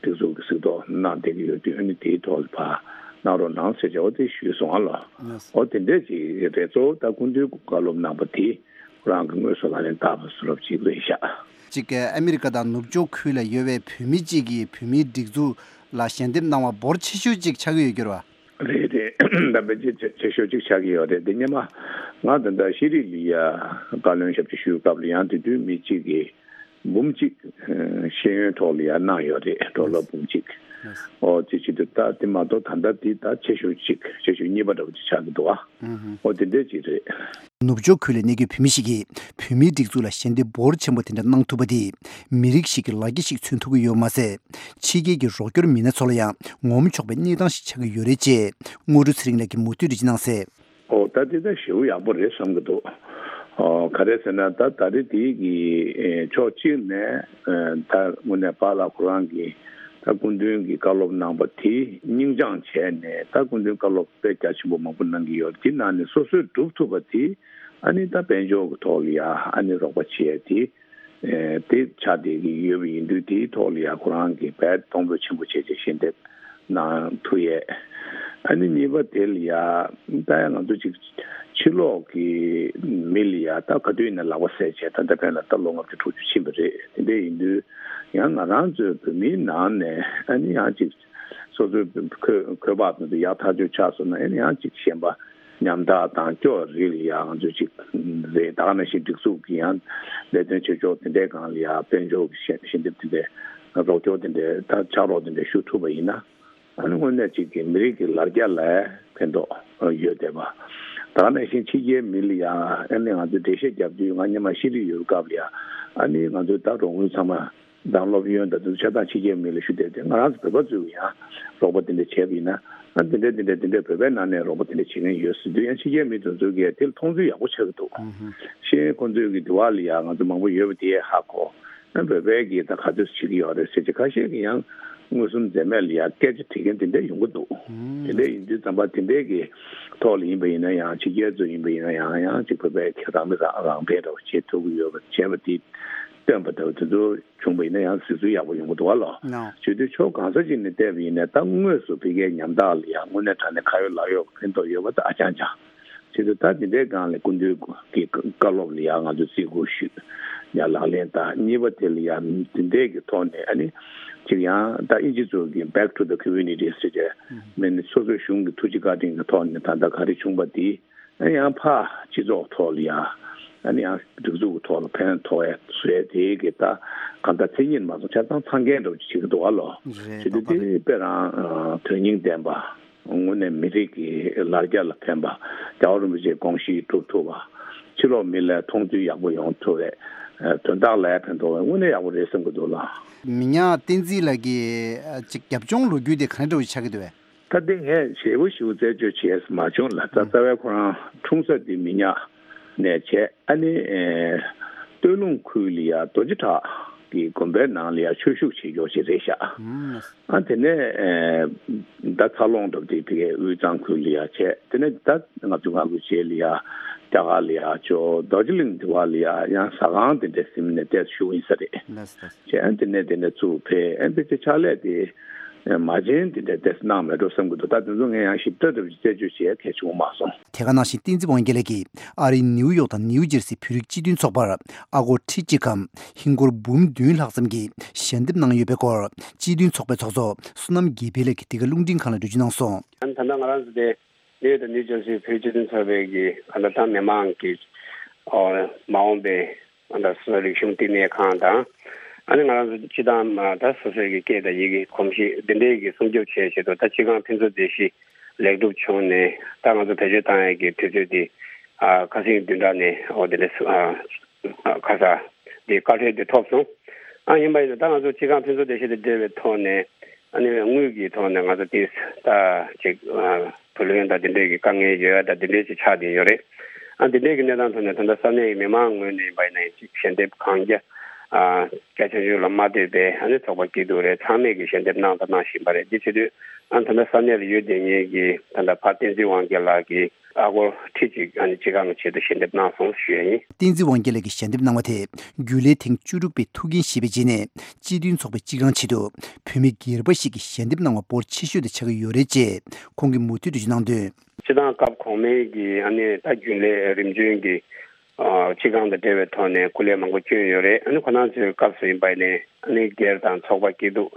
སྒྲིག་འཛུགས་ཀྱི་གཟིགས་རྟོག་གནང་བསྡད་ཀྱི་ཡོད་དུས་ཨ་ནི་དེའི་ཐོག་ལ་ཕར་གནང་རོགས་གནང་ཟེར་བྱས་འོ་དེ་ཞུས་སོང་ཨ་ལོ། འོ་དེ་འདྲས་ཀྱི་རེད། གཙོ་བོ་ད་སྐུ་མདུན་གྱི་བཀའ་སློབ་གནང་པ་དེ། ཁོ་རང་གི་དངོས་སུ་ལག་ལེན་བསྟར་བ་བཟོ་འདྲ་ཅིག་རེད་ཤག། གཅིག་ཨ་མི་རི་ཀ་དང་ནུབ་ཕྱོགས་ཁུལ་ལ་ཡོད་པའི་བོད་མི་གཅིག་གིས་བོད་མིའི་སྒྲིག་འཛུགས་ལ་ཞལ་འདེབས་གནང་བ་འབོར་ཆེ་ཤོས་ཅིག་ཆགས་ཀྱི་ཡོད་རྒྱུ་རེད་བ། རེད་རེད། ད་དཔེ་ཆེ་ཆེ་ཤོས་ཅིག་ཆགས་ཀྱི་ཡོད་རེད། འདི་སྔོན་མ་ ང་ད་ལྟ་ཤེས་རིག་ལ་ཡ་བཀའ་བློན་ཞབས་ཕྱི་ཞུ་སྐབས་ལ་ཡང་དེ་དུས་མི་གཅིག་གིས་འབུམ་གཅིག་ཤེས་ཡོན་ཐོག་ལ་ཡ་གནང་ཡོད་རེད། ཌོ་ལར་འབུམ་གཅིག་ཨོ་དེ་ཅི་འདུག་ད་དེ་མ་གཏོགས་ད་ལྟ་དེ་ད་ཆེ་ཤོས་གཅིག་ཆེ་ཤོས་གཉིས་པ་འདྲ་བོ་ཅིག་ཆགས་ཀྱི་འདུག་ཨ། ཨོ་དེ་འདྲས་ཅིག་རེད། ནུབ་ཕྱོགས་ཁུལ་ལ་གནས་ཀྱི་བོད་མི་ཞིག་གིས་བོད་མིའི་སྒྲིག་འཛུགས་ལ་ཞལ་འདེབས་འབོར་ཆེན་པོ་དེ་འདྲ་གནང་ཐུབ་པ་དེས་མི་རིགས་ཤིག་གི་ལ་རྒྱ་ཞིག་མཚོན་ཐུབ་ཀྱི་ཡོད་མ་ཟད། ཕྱི་རྒྱལ་གྱི་རོགས་སྐྱོར་མི་སྣ་ཚོ་ལ་ཡང་ངོམ་ཆོག་པའི་གནས་སྟངས་ཤིག་ཆགས་ཀྱི་ཡོད་རེད་ཅེས་དངོས་གྲུབ་ཚེ་རིང་ལགས་ཀྱིས་མུ་མཐུད་དུ་ཅི་གནང་སའི། ཨོ་ད་དེ་ད་ཞེ་པོ་ཡག་པོ་རེད་བསམ་གྱི་འདུག་ཨོ་ག་རེ་ཟེར་ན་ད་ད་རེས་དེའི་གི་ཕྱོགས་གཅིག་ནས་ད་དངོས་གནས་པཱ་ལགས་ཁོ་རང་གི་ད་སྐུ་མདུན་གྱི་བཀའ་སློབ་གནང་པ་དེ་སྙིང་བཅངས་བྱས་ནས་ད་སྐུ་མདུན་བཀའ་སློབ་དཔེ་རྒྱ་ཆེན་པོ་མང་པོ་གནང་གི་ཡོད་རེད། དེ་ནང་ནས་སོ་སོས་སྒྲུབ་ཐུབ་པ་དེ་ཨ་ནི་ད་དཔལ་འབྱོར་གྱི་ཐོག་ལ་ཡ་ཨ་ནི་རོགས་པ་བྱས་དེ། དེ་ཆ་དེ་གི་ཡོད་པ་ཡིན་དུས་དེའི་ཐོག་ལ་ཡ་ཁོ་རང་གི་བལ་གཏོང་ཕོད་ཆེན་པོ་བྱས་རྗེས་ཞལ་འདེབས་གནང་ཐུབ་ཡས། ཨ་ནི་གཉིས་པ་དེ་ལ་ཡ་ད་ཡ་ང་ཚོ་ཅིག་ཕྱི་ལོགས་ཀྱི་མི་ལ་ཡ་ད་ག་དུས་ཡིན་ན་ལག་པ་བཟས་བྱས་ད་ལྟ་ཕན་ལ་ད་ལོ་ལྔ་བཅུ་དྲུག་ཅུ་ཕྱིན་པ་རེད། དེ་འདྲ་ཡིན་དུས་ཡང་ང་རང་ཚོའི་བོད་མིའི་ནང་ནས་ཨ་ནི་ཡང་ཅིག་སོ་སོའི་འཁོས་འཁོས་དཔག་དེ་ཚོ་ཡག་ཐག་ཆོད་ཆགས་སོང་ན་ཨ་ནི་ཡང་ཅིག་གཞན་པ། ཉམ་ཐག་དང་སྐྱོ་རིགས་ལ་ཡང་ང་ཚོས་ཅིག་རེད། ད་ག་ནང་བཞིན་སྒྲིག་འཛུགས་ཀྱི་ཡང་ལས་དོན་བྱེད་ཕྱོགས་དེ་འདྲའི་སྒང་ལ་ཡང་དཔལ་འབྱོར་གྱི་ཞལ་ཞལ་འདེབས་དེ་འདྲའི་རོགས་སྐྱོར་དེ་འདྲའི་ད་ཕྱག་རོགས་དེ་འདྲའི་ཞུ་ཐུབ་པ་ཡིན་ན་ཨ་ནི་དངོས་གནས་ཅིག་གི་མི་རིགས་ཀྱི་ལ་རྒྱ་ལ་ཕན་ཐོགས་ཡོད་བསྡད་པ། ད་ག་ནང་བཞིན་ཕྱི་རྒྱལ་མི་ལ་ཡང་ཨ་ནི་ང་ཚོས་འགྲེལ་བཤད་རྒྱབ་དུས་ང་སྔོན་མ་ཤེས་རིག་ཡོད་སྐབས་ལ་ཡང་ཨ་ནི་ང་ཚོས་ད་རོགས་དངུལ་ཚང་མ། དང་སློབ་ཡོན་དང་དེ་ཚོ་ཆ་ཚང་ཕྱི་རྒྱལ་མི་ལ་ཞུ་བསྡད་དེ་ང་རང་ཚོ་བོད་པ་ཚོས་ཀྱི་ཡང་རོགས་པ་དེ་འདྲ་བྱས་པ་ཡིན་ན་ཨ་དེ་འདྲ་དེ་འདྲ་དེ་འདྲ་བོད་པའི་ནང་ནས་རོགས་པ་དེ་འདྲ་བྱེད་མཁན་ཡོད་ཟེར་དུས་ཡང་ཕྱི་རྒྱལ་མི་དེ་ཚོ་གིས་དེ་ལ་མཐོང་ཚུལ་ཡག་པོ་ཆགས་ཀྱི་འདུག་ཤེས་ཁོང་ཚོས་ཀྱི་དེ་བ་ལ་ཡང་ང་ཚོ་མང་པོ་ཡོད་པ་དེ་ཧ་གོ། ཨ་བོད་པའི་གི་ད་ག་ཚོད་བྱེད་ཀྱི་ཡོད་རེད་ཟེར་གྱི་ཁ་ཤས་ཀྱི་ཡང་མངོན་སུམ་འཛེམ་མེད་ལ་ཡང་སྐད་ཆ་དྲི་མཁན་དེ་འདྲ་ཡོང་གི་འདུག་དེ་འདྲ་ཡིན་དུས་ཙམ་པ་དེ་འདྲའི་གི་ཐོག་ལ་ཡིན་པ་ཡིན་ན་ཡང་ཕྱི་རྒྱལ་ཚོ་ཡིན་པ་ཡིན་ན་ཡང་ཡང་ཅིག་བོད་པའི་གི་རང་མི་རང་རང་འཕེལ་འདྲ་བ་བྱེད་ཐུབ་ཀྱི་ཡོད་པ་བྱས་པ་དེ་སྟོན་པ་འདྲ་བ་དེ་ཚོ། བྱུང་བ་ཡིན་ན་ཡང་གཟིགས་ཚུལ་ཡག་པོ་ཡོང་གི་འདུག་བ་ལོ། ནོ། བྱེད་དུས་ཕྱོགས་གང་ས་ཅིག་ནས་བལྟས་པ་ཡིན་ན་ད་དངོས་སུ་ཕ་གིའི་ཉམ་ཐག་ལ་ཡང་དངོས་གནས་དྲང་གནས་ཁ་ཡོད་ལག་ཡོད་ཕན་ཐོགས་ཡོད་པ་ད་ཨ་ཅང་ཅང་། བྱེད་དུས་ད་དེ་འདྲའི་སྒང་ལ་སྐུ་མདུན་གྱི་བཀའ་སློབ་ལ་ཡང་ང་ཚོས་བརྩི་བཀུར་ཞུས། ཡང་ལག་ལེན་བསྟར། གཉིས་པ་དེ་ལ་ཡང་དེ་འདྲའི་གི་ཐོག་ནས་ཨ་ནི་ཅིག་ཡང་ད་ཨིན་ཇི་ཚོ་གི་Back to the Community ཟེར་བྱས་མིན་སོ་སོའི་གཞུང་གི་ཐུགས་རྗེ་བཀའ་དྲིན་གྱི་ཐོག་ནས་ད་ལྟ་ག་རེ་བྱུང་པ་དེ། ཡང་ཕར་སྤྱི་ཚོགས་ཐོག་ལ་ཡང་ཨ་ནི་ཡང་སྒྲིག་འཛུགས་ཀྱི་ཐོག་ལ་ཕན་ཐོགས་ཡ་བཟོ་ཡ་དེའི་གི་ད་གང་ལྟར་མཚན་ཉིད་མ་སོང་ཆ་ཚང་ཚང་མཁན་འདྲ་བོ་ཅིག་བྱེད་ཀྱི་འདུག་བ་ལོ། རེད། བྱེད་དུས་དེ་དཔེ་རང་དོན་སྙིང་ལྡན་པ། དངོས་གནས་མི་རིགས་ཀྱི་ལ་རྒྱ་ལ་ཕན་པ། རྒྱལ་བ་རིན་པོ་ཆེའི་དགོངས་གཞི་སྒྲུབ་ཐུབ་པ། ཕྱི་ལོགས་མི་ལ་མཐོང་ཚུལ་ཡག་པོ་ཡོང་ཐུབ་པའི་དོན་དག་ལ་ཕན་ཐོགས་པའི་དངོས་གནས་ཡག་པོ་རེད་བསམ་གྱི་འདུག་ལ། མི་ཉག་བསྟན་འཛིན་ལགས་ཀྱི་ཅིག་རྒྱབ་ལྗོངས་ལོ་རྒྱུས་དེ་ག་འདྲ་བོ་ཆགས་ཀྱི་འདུག་བས། ད་དེ་ངས་ཞེ་པོ་ཞེ་པོ་རྩད་གཅོད་བྱས་མ་བྱུང་ལ། ད་རྩ་བའི་ཁོ་རང་འཁྲུངས་ས་དེ་མི་ཉག་ནས་བྱས། ཨ་ནི་སྟོད་ལུང་ཁུལ་ལ་ཡ་རྡོ་རྗེ་བྲག་གི་དགོན་པའི་ནང་ལ་ཡ་ཆོས་ཞུགས་བྱེད་ཀྱོག་ཅིག་རེད་ཤག་ཨ་དེ་ནས་ད་འཚར་ལོངས་འགྲོ་དེ་དེ་གའི་དབུས་གཙང་ཁུལ་ལ་ཡ་བྱས། དེ་ནས་ད་ལྔ་བཅུ་ང་དགུ་རྗེས་ལ་ཡ་རྒྱ་གར་ལ་ཡ་ཅོ་རྡོ་རྗེ་གླིང་དེ་བ་ལ་ཡ་ཡང་ཟ་ཁང་དེ་འདྲ་ཟིན་ནས་བལྟས་ཞུགས་ཡིན་ས་རེད། བྱས། ཨ་དེ་ནས་དེ་ནས་ཚུར་ཕེབས། ཨ་དེ་ཚེ་ཕྱག་ལས་དེ་མ་བྱན་དེ་འདྲ་ཏོག་ཙམ་གནང་མེད་འགྲོ་བསམ་གྱི་འདུག་ད་དེ་ཚོ་ངས་ཡང་ཞིབ་ཕྲ་འདྲ་བོ་རྩད་གཅོད་བྱེད་ཡ་གལ་ཆེ་བོ་མ་སོང་། དེ་ག་ནང་བཞིན་བསྟན་འཛིན་དབང་རྒྱལ་ལགས་ཀྱིས་ཨ་རིའི་ནིའུ་ཡོག་དང་ནིའུ་ཇར་སིའི་བོད་རིགས་སྤྱི་མཐུན་ཚོགས་པར་ཨ་སྒོར་ཁྲི་གཅིག་གམ་ཧིན་སྒོར་འབུམ་བདུན་ལྷག་ཙམ་གྱི་ཞལ་འདེབས་གནང་ཡོད་པའི་སྐོར་སྤྱི་མཐུན་ཚོགས་པའི་ཚོགས་གཙོ་བསོད་ནམས་དགེ་འཕེལ་ལགས་ཀྱིས་འདི་ག་རླུང་འཕྲིན་ཁང་ལ་འགྲེལ་བརྗོད་གནང་སོང་། ད་ལྟ་ང་རང་ཚོ་དེ་ནིའུ་ཡོག་དང་ནིའུ་ཇར་སིའི་བོད་རིགས་སྤྱི་མཐུན་ཚོགས་པའི་གི་ད་ལྟ་ད་མི་མང་གི་མ་འོངས་པའི། ཨ་ད་སོ་སོའི་རིག་གཞུང་བསྟི་གནས་ཁང་དང་། ཨ་ནི་ང་རང་ཚོ་སྤྱི་བཏང་མ་ད་སོ་སོའི་གི་སྐད་དང་ཡི་གེ་གོམས་གཤིས་འདི་འདྲའི་གི་སྲུང་སྐྱོབ་བྱེད་ཆེད་དུ་ད་སྤྱི་ཁང་ཕུན་ཚོགས་སྡེ་བཞི་ལེགས་གྲུབ་བྱུང་ནས་ད་ང་ཚོ་བེད་སྤྱོད་བཏང་ཡས་ཀྱི་དུས་ཚོད་འདི་ཨ་ཁ་སང་བདུན་ཕྲག་ནས་འོ་དེ་འདྲ་སུ་ཨ་ཁ་ས་འདི་བཀའ་འཁྲོལ་འདི་ཐོབ་སོང་། ཨ་ཡིན་པ་ཡིན་ན་ད་ང་ཚོ་སྤྱི་ཁང་ཕུན་ཚོགས་སྡེ་བཞི་དང་འབྲེལ་བའི་ཐོག་ནས་ཨ་ནི་དངུལ་གྱི་ཐོག་ནས་ང་ཚོ་དེ་ད་ཅིག་ཨ། བུ་ལོན་དང་དེ་འདྲས་ཀྱི་དཀའ་ངལ་ཡོད་ཡ་ད་དེ་འདྲས་ཅིག་ཆགས་བསྡད་ཡོད་རེད། ཨ་དེ་འདྲས་ཀྱི་གནས་སྟངས་ཐོག་ནས་ད་ལྟ་ས་གནས་ཀྱི་མི་མང་ངོས་ནས་ཡིན་པ་ཡིན་ན་ཡང་ཅིག་ཞལ་འདེབས་གང་རྒྱ་ཨ་རྒྱ་ཆུང་ཆུང་ལ་མ་ལྟོས་པའི་ཨ་ནི་ཚོགས་པ་སྐྱིད་སྡུག་རེད་ཚང་མས་ཀྱི་ཞལ་འདེབས་གནང་དང་གནང་བཞིན་པ་རེད། འདི་བྱེད་དུས་ཨ་ད་ལྟ་ས་གནས་ལ་ཡོད་བསྡད་མཁན་གྱི་ད་ལྟ་ཕ་བསྟན་འཛིན་དབང་རྒྱལ་ལགས་ཀྱིས་ཨ་སྒོར་ཁྲི་གཅིག་ཨ་ནི་སྤྱི་ཁང་གི་ཆེད་དུ་ཞལ་འདེབས་གནང་སོང་ཞུ་ཡ་ཡིན། བསྟན་འཛིན་དབང་རྒྱལ་ལགས་ཀྱིས་ཞལ་འདེབས་གནང་བ་དེ་རྒྱུན་ལས་ཐེངས་བཅུ་དྲུག་པའི་ཐུགས་འགན་བཞེས་པའི་རྗེས་ནས་སྤྱི་མཐུན་ཚོགས་པའི་སྤྱི་ཁང་ཆེད་དུ་བོད་མི་སྒེར་པ་ཞིག་གིས་ཞལ་འདེབས་གནང་བ་འབོར་ཆེ་ཤོས་དེ་ཆགས་ཀྱི་ཡོད་རེད་ཅེས་ཁོང་གིས་མུ་མཐུད་དུ་གནང་དོན། སྤྱི་བཏང་སྐབས་གོང་མའི་གི་ཨ་ནི་ད་རྒྱུན་ལས་རིམ་བྱོན་གྱི་ཨ་སྤྱི་ཁང་དང་འབྲེལ་བའི་ཐོག་ནས་སྐུ་ལས་མང་པོ་བསྐྱོན་ཡོད་རེད། ཨ་ནི་ཁོ་རང་ཚོའི་སྐབས་སུ་ཡིན་པ་ཡིན་ནའི་ཨ་ནི་སྒེར་དང་ཚོགས་པ་སྐྱིད་སྡུག་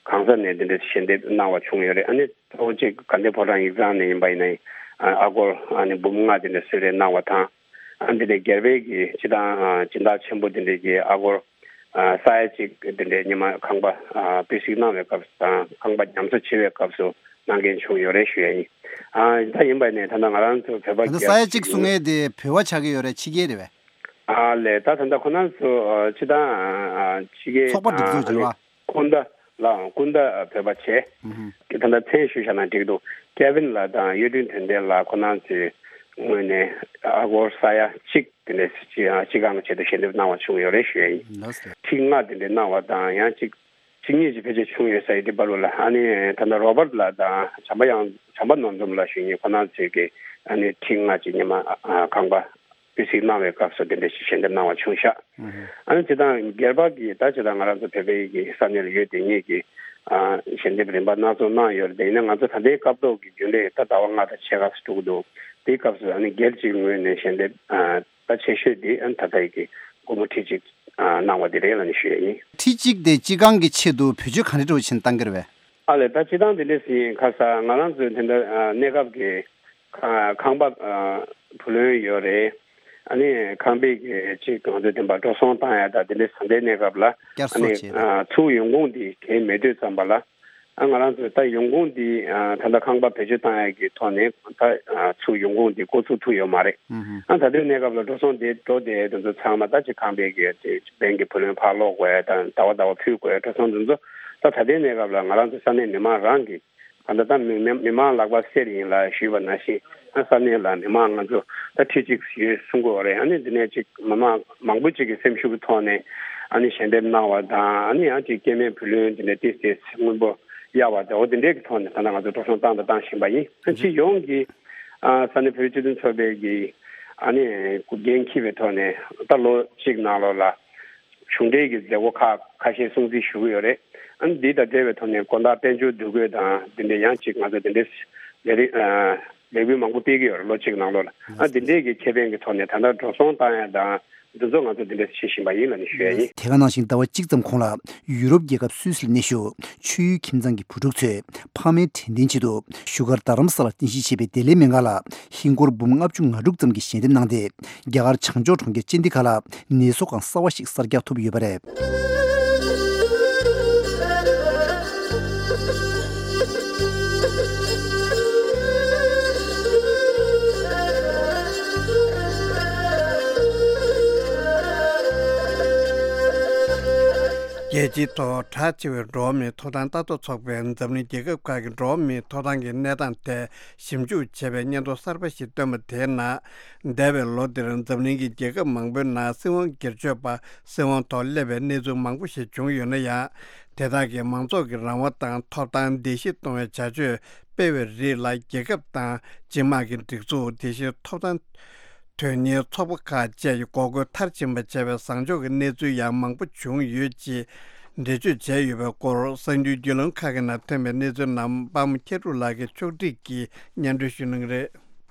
གང་ས་ནས་འདི་འདྲ་ཞལ་འདེབས་གནང་བ་བྱུང་ཡོད་རེད། ཨ་ནི་གཙོ་བོ་གཅིག་དགའ་ལྡན་ཕོ་བྲང་ཡིག་ཚང་ནས་ཡིན་པ་ཡིན་ནའི་ ཨ་སྒོར་ཨ་ནི་འབུམ་ལྔ་དེ་འདྲ་གསོལ་རས་གནང་བ་དང་། ཨ་འདི་འདྲའི་སྒེར་པའི་གི་སྤྱི་བཏང་ཨ་སྦྱིན་བདག་ཆེན་པོ་དེ་འདྲའི་གི་ཨ་སྒོར་ཨ་ས་ཡ་གཅིག་དེ་འདྲའི་ཉི་མ་ཁང་པ་ཨ་སྤོས་གཟིགས་གནང་བའི་སྐབས་སུ་དང་ཁང་པ་ཉམས་གསོ་བྱེད་པའི་སྐབས་སུ་གནང་མཁན་བྱུང་ཡོད་རེད་ཞུ་ཡ་ཡིན། ཨ་ད་ཡིན་པ་ནས་ད་ལྟ་ང་རང་ཚོ་བོད་པ་ད་ལྟ་ས་ཡ་གཅིག་གསུང་མཁན་དེ་བོད་པ་ཆགས་ཀྱི་ཡོད་རེད། ཕྱི་རྒྱལ་རེད་པས། ཨ་ལས་ད་ད་ལྟ་ཁོ་རང་ཚོ་ཨ་སྤྱི་བཏང་ཨ་ཕྱི་རྒྱལ་ཚོགས་པ་སྒྲིག་འཛུགས་ཨ་ནི་བྱེད་པ། སྐུ་ཟླ་ལའང་སྐུ་ཟླ་བོད་པ་བྱས། ཨུ་ཧུ། ད་ལྟ་མཚན་ཞུས་བཞག་ན་འགྲིག་འདུག་ཀེ་ཝིན་ལགས་དང་གཡུ་སྒྲོན་དོན་ལྡན་ལགས་ཁོ་རང་ཚོའི་ངོས་ནས་ཨ་སྒོར་ས་ཡ་གཅིག་དེ་འདྲའི་སྤྱི་ཨ་སྤྱི་ཁང་གི་ཆེད་དུ་ཞལ་འདེབས་གནང་བ་བྱུང་ཡོད་རེད་ཞུ་ཡ་ཡིན། ལགས་སོ། ཁྲི་ལྔ་དེ་འདྲའི་གནང་བ་དང་ཡང་གཅིག་ཁྲི་གཉིས་ཀྱི་ཕལ་ཆེར་བྱུང་ཡོད་ས་ཡོད་དེ་བར་ལ་ཨ་ནི་ད་ལྟ་རོ་བར་ལགས་དང་བྱམས་པ་གཡང་བྱམས་པ་ནོར་འཛོམས་ལགས་ཞུ་མཁན་ཁོ་རང་ཚོས་ཀྱི་ཨ་ནི་ཁྲི་ལྔ་གཅིག་ཉི་མ་ཨ་ཁང་པ་སྤོས་གཟིགས་གནང་བའི་སྐབས་སུ་དེ་འདྲ་ཞིག་ཞལ་འདེབས་གནང་བ་བྱུང་ཤག་ཨ་ནི་སྤྱིར་བཏང་སྒེར་པ་གིས་ད་སྤྱིར་བཏང་ང་རང་ཚོ་བོད་པའི་གི་ས་གནས་ལ་ཡོད་དེ་ཉིད་ཀྱི་ཨ་ཞལ་འདེབས་རིམ་པ་སྣ་ཚོགས་གནང་ཡོད་རེད། དེ་ཡིན་ན་ང་ཚོ་ད་ལྟའི་སྐབས་ཐོག་གི་རྒྱུན་ལས་ད་ཟླ་བ་ལྔ་དང་ཕྱེད་ཀ་ཙམ་འགྲོ་གི་འདུག་དེའི་སྐབས་སུ་ཨ་ནི་སྒེར་གཅིག་ངོས་ནས་ཞལ་འདེབས་ཨ་ད་ཆེ་ཤོས་དེ་ཨ་ནི་ད་ལྟའི་གི་སྒོར་མོ་ཁྲི་གཅིག་ཨ་གནང་བ་དེ་རེད་ལབ་ནས་ཞུ་ཡ་ཡིན། ཁྲི་གཅིག་དེ་སྤྱི་ཁང་གི་ཆེད་དུ་བེད་སྤྱོད་ག་འདྲ་འདྲ་བོ་བྱས་ནས་བཏང་གི་རེད་པས། ཨ་ལས་ད་སྤྱི་བཏང་དེ་འདྲ་ཟིན་ཁ་ས་ང་རང་ཚོའི་དེ་འདྲ་ཨ་གནས་སྐབས་ཀྱི་ཁ་ཁང་པ་ཨ་བུ་ལོན་ཡོད་རེད། ཨ་ནི་ཁང་པའི་གི་ཅིག་ང་ཚོའི་བདེན་པ་འགྲོ་སོང་བཏང་ཡ་ད་དེ་འདྲ་ཟ་འདྲའི་གནས་སྐབས་ལ་བསྐྱར་ཨ་ནི་གསོ་བྱས་ཨ་ཚུར་ཡོང་ཁུངས་དེ་གལ་མེད་དུས་ཙམ་པ་ལ་ཨ་ང་རང་ཚོས་ད་ཡོང་ཁུངས་དེ་ཨ་ད་ལྟ་ཁང་པ་བེད་སྤྱོད་བཏང་ཡ་གི་ཐོག་ནས་ད་ཨ་ཚུར་ཡོང་ཁུངས་དེ་འགོ་ཚུགས་ཐུབ་ཡོད་མ་རེད། ཨ་ད་ལྟའི་གནས་སྐབས་ལ་འགྲོ་སོང་དེ་འགྲོ་དེ་དེ་ཚོ་ཚང་མ་ད་ཅིག་ཁང་པའི་གི་དེ་བན་གི་བུ་ལོན་ཕར་སློག་དགོས་ཡ་དང་ཟླ་བ་ཟླ་བ་ཕུལ་དགོས་ཡ་འགྲོ་སོང་དེ་ཚོ་ད་ད་ལྟའི་གནས་སྐབས་ལ་ང་རང་ཚོ་ས་གནས་མི་མང་རང་གི་ད་ལྟ་ད་མི་མི་མི་མང་ལག་པ་གསེར་ཡིན་ལ་ཞུས་པ་ནང་བཞིན་ཨ་ས་གནས་ལ་མི་མང་ང་ཚོ་ད་ཁྲི་གཅིག་ཡོད་གསུང་གི་ཡོད་རེད། ཨ་ནི་འདི་ནས་ཅིག་མི་མང་མང་པོ་ཅིག་གི་སེམས་ཤུགས་ཀྱི་ཐོག་ནས་ཨ་ནི་ཞལ་འདེབས་གནང་བ་དང་ཨ་ནི་ཡང་ཅིག་སྐྱེད་མེད་བུ་ལོན་འདི་འདྲ་ཏིས་ཏིས་སྔོན་པོ་གཡར་བ་དང་འོ་དེ་འདྲའི་གི་ཐོག་ནས་ད་ལྟ་ང་ཚོ་འགྲོ་སོང་བཏང་དང་བཏང་བཞིན་པ་ཡིན། ཨ་སྤྱི་ཡོངས་ཀྱི་ཨ་ས་གནས་བོད་རིགས་སྤྱི་མཐུན་ཚོགས་པའི་གི་ཨ་ནི་འགན་འཁྱེར་བའི་ཐོག་ནས་ད་ལོ་གཅིག་ནང་ལོགས་ལ། གཞུང་འབྲེལ་གྱི་མཛད་སྒོ་ཁག་ཁ་ཤས་སྲུང་བརྩི་ཞུ་གི་ཡོད་རེད། ཨ་ནི་འདི་དང་འབྲེལ་བའི་ཐོག་ནས་དགོང་དག་དཔལ་འབྱོར་འདུ་འགོད་དང་འདི་འདྲའི་ཡང་ཅིག་ང་ཚོ་འདི་འདྲའི་ལས་རིགས་ལས་འགུལ་མང་པོ་སྤེལ་གྱི་ཡོད་རེད་ལོ་གཅིག་ནང་ལོགས་ལ། ཨ་འདི་འདྲའི་གི་ཁེ་ཕན་གྱི་ཐོག་ནས་ད་ལྟ་འགྲོ་སོང་བཏང་ཡ་དང་འདི་ཚོ་ང་ཚོ་འདི་འདྲ་བྱེད་བཞིན་པ་ཡིན་ལབ་ནས་ཞུ་ཡ་ཡིན། དེ་ག་ནང་བཞིན་ཟླ་བ་གཅིག་ཙམ་གོང་ལ་ཡུ་རོབ་རྒྱལ་ཁབ་སུད་སི་ལ་གནས་བཞུགས་ཆོས་ཡུལ་ཁྱིམ་ཚང་གི་བུ་ཕྲུག་ཚོས་ཕ་མའི་དྲན་རྟེན་ཆེད་དུ་བཞུགས་སྒར་རྡ་རམ་ས་ལར་རྟེན་གཞི་བྱས་པའི་བདེ་ལེགས་སྨན་ཁང་ལ་ཧིན་སྒོར་འབུམ་ལྔ་བཅུ་ང་དྲུག་ཙམ་གྱི་ཞལ་འདེབས་གནང་སྟེ། རྒྱ་གར་བྱང་ཕྱོགས་གྲོང་ཁྱེར་ཅན་ཌི་གྷལ་ལ་ནད་གསོ་ཁང་གསར་བ་ཞིག་གསར་རྒྱག་ཐུབ་ཡོད་པ་རེད། རྒྱལ་སྤྱིའི་ཐོག་གྲགས་ཆེ་བའི་འགྲོ་བ་མིའི་ཐོབ་ཐང་ལྟ་རྟོག་ཚོགས་པས་འཛམ་གླིང་རྒྱལ་ཁབ་ཁག་གི་འགྲོ་བ་མིའི་ཐོབ་ཐང་གི་གནས་སྟངས་ཐད་ཞིབ་འཇུག་བྱས་པའི་སྙན་ཐོ་གསར་པ་ཞིག་བཏོན་པ་དེའི་ནང་། འདས་པའི་ལོ་འདིར་འཛམ་གླིང་གི་རྒྱལ་ཁབ་མང་པོའི་ནང་སྲིད་དབང་སྒེར་གཅོད་པ་སྲིད་དབང་ཐོག་སླེབས་པའི་གནས་ཚུལ་མང་པོ་ཞིག་བྱུང་ཡོད་ན་ཡང་། དེ་དག་གིས་མང་ཚོགས་ཀྱི་རང་དབང་དང་ཐོབ་ཐང་བརྡལ་བཤིག་གཏོང་བའི་བྱ་སྤྱོད་སྤེལ་བའི་རིགས་ལ་རྒྱལ་ཁབ་དང་སྤྱི་དམངས་ཀྱི་སྒྲིག་འཛུགས། དེ་བཞིན་ཐོབ་ཐང་དོན་གཉེར་ཚོགས་པ་ཁག་བཅས་ཀྱིས་འགོག་རྒོལ་མཐར་ཕྱིན་པ་བྱས་པའི་བཟང་ཕྱོགས་ཀྱི་གནས་ཚུལ་ཡང་མང་པོ་བྱུང་ཡོད་ཅེས་འགྲེལ་བརྗོད་བྱས་ཡོད་པའི་སྐོར་གསར་འགྱུར་བརྒྱུད་ལམ་ཁག་གི་ནང་ཐོན་པའི་གནས་ཚུལ་རྣམས་པདྨ་མཁས་གྲུབ་ལགས་ཀྱིས་ཕྱོགས་སྒྲིག་གིས་སྙན་སྒྲོན་ཞུ་གནང་གི་རེད།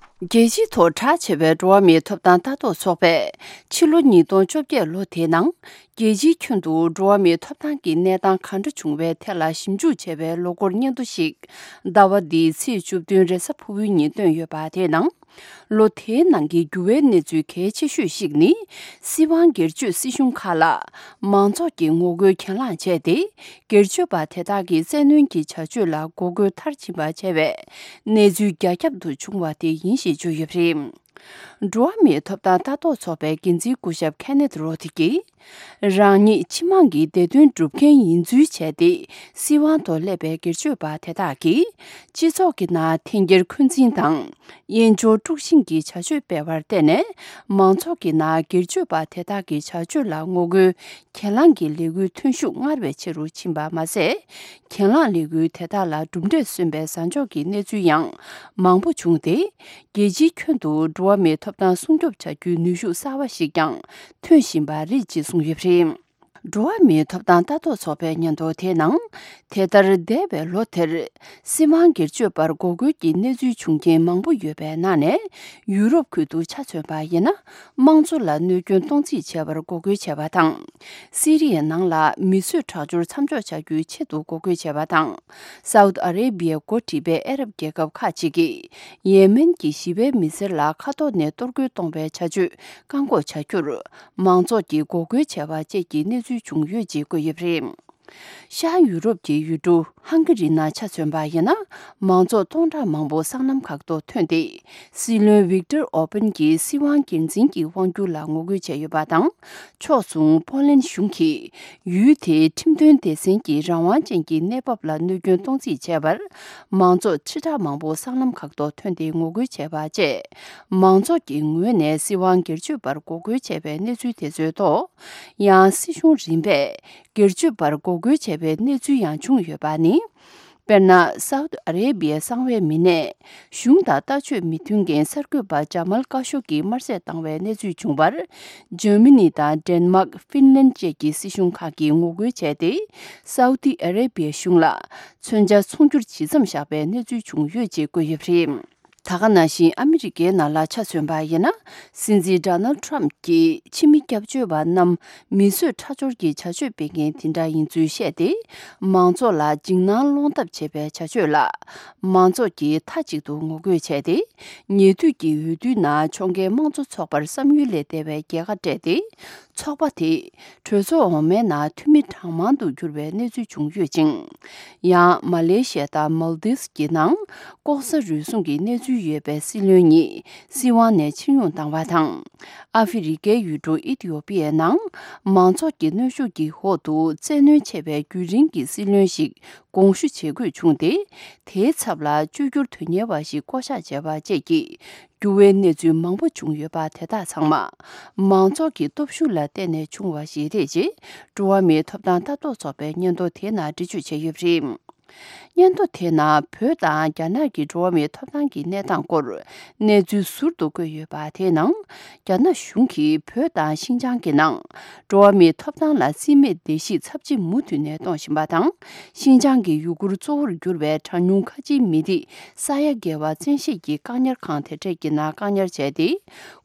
རྒྱལ་སྤྱིའི་ཐོག་གྲགས་ཆེ་བའི་འགྲོ་བ་མིའི་ཐོབ་ཐང་ལྟ་རྟོག་ཚོགས་པས་ཕྱི་ལོ་ཉིས་སྟོང་བཅོ་བརྒྱད་ལོ་དེའི་ནང་རྒྱལ་སྤྱིའི་ཁྱོན་དུ་འགྲོ་བ་མིའི་ཐོབ་ཐང་གི་གནས་སྟངས་གང་འདྲ་བྱུང་བའི་ཐད་ལ་ཞིབ་འཇུག་བྱས་པའི་ལོ་འཁོར་སྙན་ཐོ་ཞིག་ཟླ་བ་འདིའི་ཚེས་བཅུ་བདུན་རེས་གཟའ་ཕུར་བུའི་ཉིན་བཏོན་ཡོད་པ། དེའི་ནང་ལོ་དེའི་ནང་གི་འགྱུར་བའི་གནས་ཚུལ་གལ་ཆེ་ཤོས་ཤིག་ནི། སྲིད་དབང་སྒེར་གཅོད་སྲིད་གཞུང་ཁག་ལ་མང་ཚོགས་ཀྱིས་ངོ་རྒོལ་གྱེན་ལངས་བྱས་ཏེ། སྒེར་གཅོད་པ་དེ་དག་གི་བཙན་གནོན་གྱི་བྱ་སྤྱོད་ལ་འགོག་རྒོལ་མཐར་ཕྱིན་པ་བྱས་པའི་གནས་ཚུལ་རྒྱ་ཁྱབ་ཏུ་བྱུང་བ་དེ་ཡིན་ཞེས་བརྗོད་ཡོད་པ་རེད། འགྲོ་བ་མིའི་ཐོབ་ཐང་ལྟ་རྟོག་ཚོགས་པའི་འགན་འཛིན་སྐུ་ཞབས་ཁེ་ནེད་རོ་ཐི་ཀིས། རང་ཉིད་སྤྱི་དམངས་ཀྱི་བདེ་དོན་སྒྲུབ་མཁན་ཡིན་ཚུལ་བྱས་ཏེ། སྲིད་དབང་ཐོག་སླེབས་པའི་སྒེར་གཅོད་པ་དེ་དག་གིས། སྤྱི་ཚོགས་ཀྱི་ནང་འཐེན་འཁྱེར་འཁོན་འཛིན་དང་། དབྱེན་སྦྱོར་དཀྲུག་ཤིང་གི་བྱ་སྤྱོད་སྤེལ་བར་བརྟེན་ནས། མང་ཚོགས་ཀྱི་ནང་སྒེར་གཅོད་པ་དེ་དག་གི་བྱ་སྤྱོད་ལ་ངོ་རྒོལ་གྱེན་ལངས་ཀྱི་ལས་འགུལ་ཐོན་ཤུགས་སྔར་བས་ཆེ་རུ་ཕྱིན་པ་མ་ཟད། གྱེན་ལངས་ལས་འགུལ་དེ་དག་ལ་གྲུབ་འབྲས་སོན་པའི་བཟང་ཕྱོགས་ཀྱི་གནས་ཚུལ་ཡང་མང་པོ་བྱུང་སྟེ། རྒྱལ་སྤྱིའི་ཁྱོན་དུ་འགྲོ་བ་མིའི་ཐོབ་ཐང་སྲུང་སྐྱོབ་བྱ་རྒྱུའི་ནུས་ཤུགས་གསར་བ་ཞིག་ཀྱང་ཐོན་བཞིན་པ་རེད་ཅེས་གསུངས་ཡོད་པ་རེད། འགྲོ་བ་མིའི་ཐོབ་ཐང་ལྟ་རྟོག་ཚོགས་པའི་སྙན་ཐོ་དེའི་ནང་། དེ་ལྟར་འདས་པའི་ལོ་དེར་སྲིད་དབང་སྒེར་གཅོད་པར་འགོག་རྒོལ་གྱི་གནས་ཚུལ་བྱུང་རྐྱེན་མང་པོ་ཡོད་པའི་ནང་ནས། ཡུ་རོབ་ཁུལ་དུ་ཆ་མཚོན་པ་ཡིན་ན། དམངས་གཙོ་ལ་གནོད་སྐྱོན་གཏོང་རྩིས་བྱས་པར་འགོག་རྒོལ་བྱས་པ་དང་། སི་རི་ཡའི་ནང་ལ་མི་གསོད་ཁྲག་སྦྱོར་མཚམས་འཇོག་བྱ་རྒྱུའི་ཆེད་དུ་འགོག་རྒོལ་བྱས་པ་དང་། སའུ་ཏི་ཨ་རེ་བྷི་ཡའི་འགོ་ཁྲིད་པའི་ཨ་རབ་རྒྱལ་ཁབ་ཁག་ཅིག་གིས། ཡེ་མེན་གྱི་ཞི་བའི་མི་སེར་ལ་མཁའ་ཐོག་ནས་གཏོར་རྒོལ་གཏོང་བའི་བྱ་སྤྱོད་བཀག་འགོག་བྱ་རྒྱུར། མང་ཚོགས་ཀྱིས་འགོག་རྒོལ་བྱས་པ་བཅས་ཀྱི་གནས་ཚུལ་བྱུང་ཡོད་ཅེས་བཀོད་ཡོད་པ་རེད། ཤར་ཡུ་རོབ་ཀྱི་ཡུལ་གྲུ་ཧང་ག་རི་ནང་ཆ་མཚོན་པ་ཡིན་ན། མང་ཚོགས་སྟོང་ཕྲག་མང་པོ་སྲང་ལམ་ཁག་ཏུ་ཐོན་ཏེ། སྲིད་བློན་ཝིག་ཏར་ཨོ་པན་གྱི་སྲིད་དབང་སྒེར་འཛིན་གྱི་དབང་སྒྱུར་ལ་ངོ་རྒོལ་བྱས་ཡོད་པ་དང་། ཕྱོགས་མཚུངས་པོ་ལན་གཞུང་གིས་ཡུལ་དེའི་ཁྲིམས་དོན་སྡེ་ཚན་གྱི་རང་དབང་ཅན་གྱི་གནས་བབ་ལ་གནོད་སྐྱོན་གཏོང་རྩིས་བྱས་པར། མང་ཚོགས་ཁྲི་ཕྲག་མང་པོ་སྲང་ལམ་ཁག་ཏུ་ཐོན་ཏེ་ངོ་རྒོལ་བྱས་པ་བཅས། མང་ཚོགས་ཀྱི་ངོས་ནས་སྲིད་དབང་སྒེར་གཅོད་པར་འགོག་རྒོལ་བྱས་པའི་གནས་ཚུལ་དེ་ཚོའི་ཐོག། ཡང་སྲིད་གཞུང་རིམ་པས་སྒེར་གཅོད་པར་འགོག་རྒོལ་བྱས་པའི་གནས་ཚུལ་ཡང་བྱུང་ཡོད་པ་ནི། དཔེར་ན། སའུ་ཏི་ཨ་རེ་བྷི་ཡའི་གསང་བའི་མི་སྣས། གཞུང་དང་ལྟ་སྤྱོད་མི་མཐུན་མཁན་གསར་འགོད་པ་ཇ་མལ་ཀ་ཤོ་གིས་དམར་གསོད་བཏང་བའི་གནས་ཚུལ་བྱུང་བར། འཇར་མ་ནི་དང་ཌེན་མཱག་ཧྥིན་ལན་བཅས་ཀྱི་སྲིད་གཞུང་ཁག་གིས་ངོ་རྒོལ་བྱས་ཏེ། སའུ་ཏི་ཨ་རེ་བྷི་ཡའི་གཞུང་ལ། མཚོན་ཆ་ཚོང་སྒྱུར་ཇི་ཙམ་བཞག་པའི་གནས་ཚུལ་བྱུང་ཡོད་ཅེས་བཀོད་ཡོད་པ་རེད། ད་ག་ནང་བཞིན་ཨ་མི་རི་ཀའི་ནང་ལ་ཆ་མཚོན་པ་ཡིན་ན། སྲིད་འཛིན་ཌོ་ནལ་ཊམ་གྱིས་ཕྱི་མི་སྐྱབས་བཅོལ་བ་རྣམས་མི་གསོད་ཁྲག་སྦྱོར་གྱི་བྱ་སྤྱོད་སྤེལ་མཁན་དེ་འདྲ་ཡིན་ཚུལ་བཤད་དེ། མང་ཚོགས་ལ་འཇིགས་སྣང་སློང་ཐབས་བྱེད་པའི་བྱ་སྤྱོད་ལ། མང་ཚོགས་ཀྱིས་མཐའ་གཅིག་ཏུ་ངོ་རྒོལ་བྱས་ཏེ། ཉེ་དུས་ཀྱི་འོས་བསྡུའི་ནང་ཕྱོགས་འགལ་དམངས་གཙོ་ཚོགས་པར་བསམ་ཡུལ་ལས་འདས་པའི་རྒྱལ་ཁ་སྤྲད་དེ། ཚོགས་པ་དེས་གྲོས་ཚོགས་འོག་མའི་ནང་འཐུས་མི་གྲངས་མང་དུ་གྱུར་བའི་གནས་ཚུལ་བྱུང་ཡོད་ཅིང་། ཡང་མ་ལེ་ཤི་ཡ་དང་མོལ་དིབ་སི་ཀྱི་ནང་ལྐོག་ཟ་རུལ་སུངས་ཀྱི་གནས་ཚུལ་ཡོད་པའི་སྲིད་བློན་གཉིས་སྲིད་དབང་ནས་ཕྱིར་ཡོང་བཏང་བ་དང་། ཨ་ཧྥེ་རི་ཀའི་ཡུལ་གྲུ་ཨི་ཐི་ཡོ་པི་ཡའི་ནང་མང་ཚོགས་ཀྱི་གནོན་ཤུགས་ཀྱི་འོག་ཏུ་བཙན་གནོན་ཆེ་བའི་རྒྱུན་རིང་གི་སྲིད་བློན་ཞིག་དགོངས་ཞུ་བྱེད་དགོས་བྱུང་སྟེ། དེའི་ཚབ་ལ་བཅོས་བསྒྱུར་དོན་གཉེར་བ་ཞིག་བསྐོ་གཞག་བྱས་པ་བཅས་ཀྱི། འགྱུར་བའི་གནས་ཚུལ་མང་པོ་བྱུང་ཡོད་པ་དེ་དག་ཚང་མ། མང་ཚོགས་ཀྱི་སྟོབས་ཤུགས་ལ་བརྟེན་ནས་བྱུང་བ་ཞིག་རེད་ཅེས། འགྲོ་བ་མིའི་ཐོབ་ཐང་ལྟ་རྟོག་ཚོགས་པའི་སྙན་ཐོ་དེའི་ནང་འགྲེལ་བརྗོད་བྱས་ཡོད་པ་རེད། སྙན་ཐོ་དེའི་ནང་བོད་དང་རྒྱ་ནག་གི་འགྲོ་བ་མིའི་ཐོབ་ཐང་གི་གནས་སྟངས་སྐོར། གནས་ཚུལ་ཟུར་དུ་བཀོད་ཡོད་པ་དེའི་ནང་། རྒྱ་ནག་གཞུང་གིས་བོད་དང་ཤིན་ཅང་གི་ནང་། འགྲོ་བ་མིའི་ཐོབ་ཐང་ལ་རྩིས་མེད་བརྡལ་བཤིག་ཚབས་ཆེ་མུ་མཐུད་ནས་གཏོང་བཞིན་པ་དང་། ཤིན་ཅང་གི་ཡུ་གུར་གཙོ་བོར་གྱུར་བའི་གྲངས་ཉུང་ཁ་ཆེའི་མི་རིགས་ས་ཡ་བརྒལ་བ་བཙན་ཤེད་ཀྱིས་བཀག་ཉར་ཁང་དེ་འཕྲལ་གྱི་ནང་བཀག་ཉར་བྱས་ཏེ།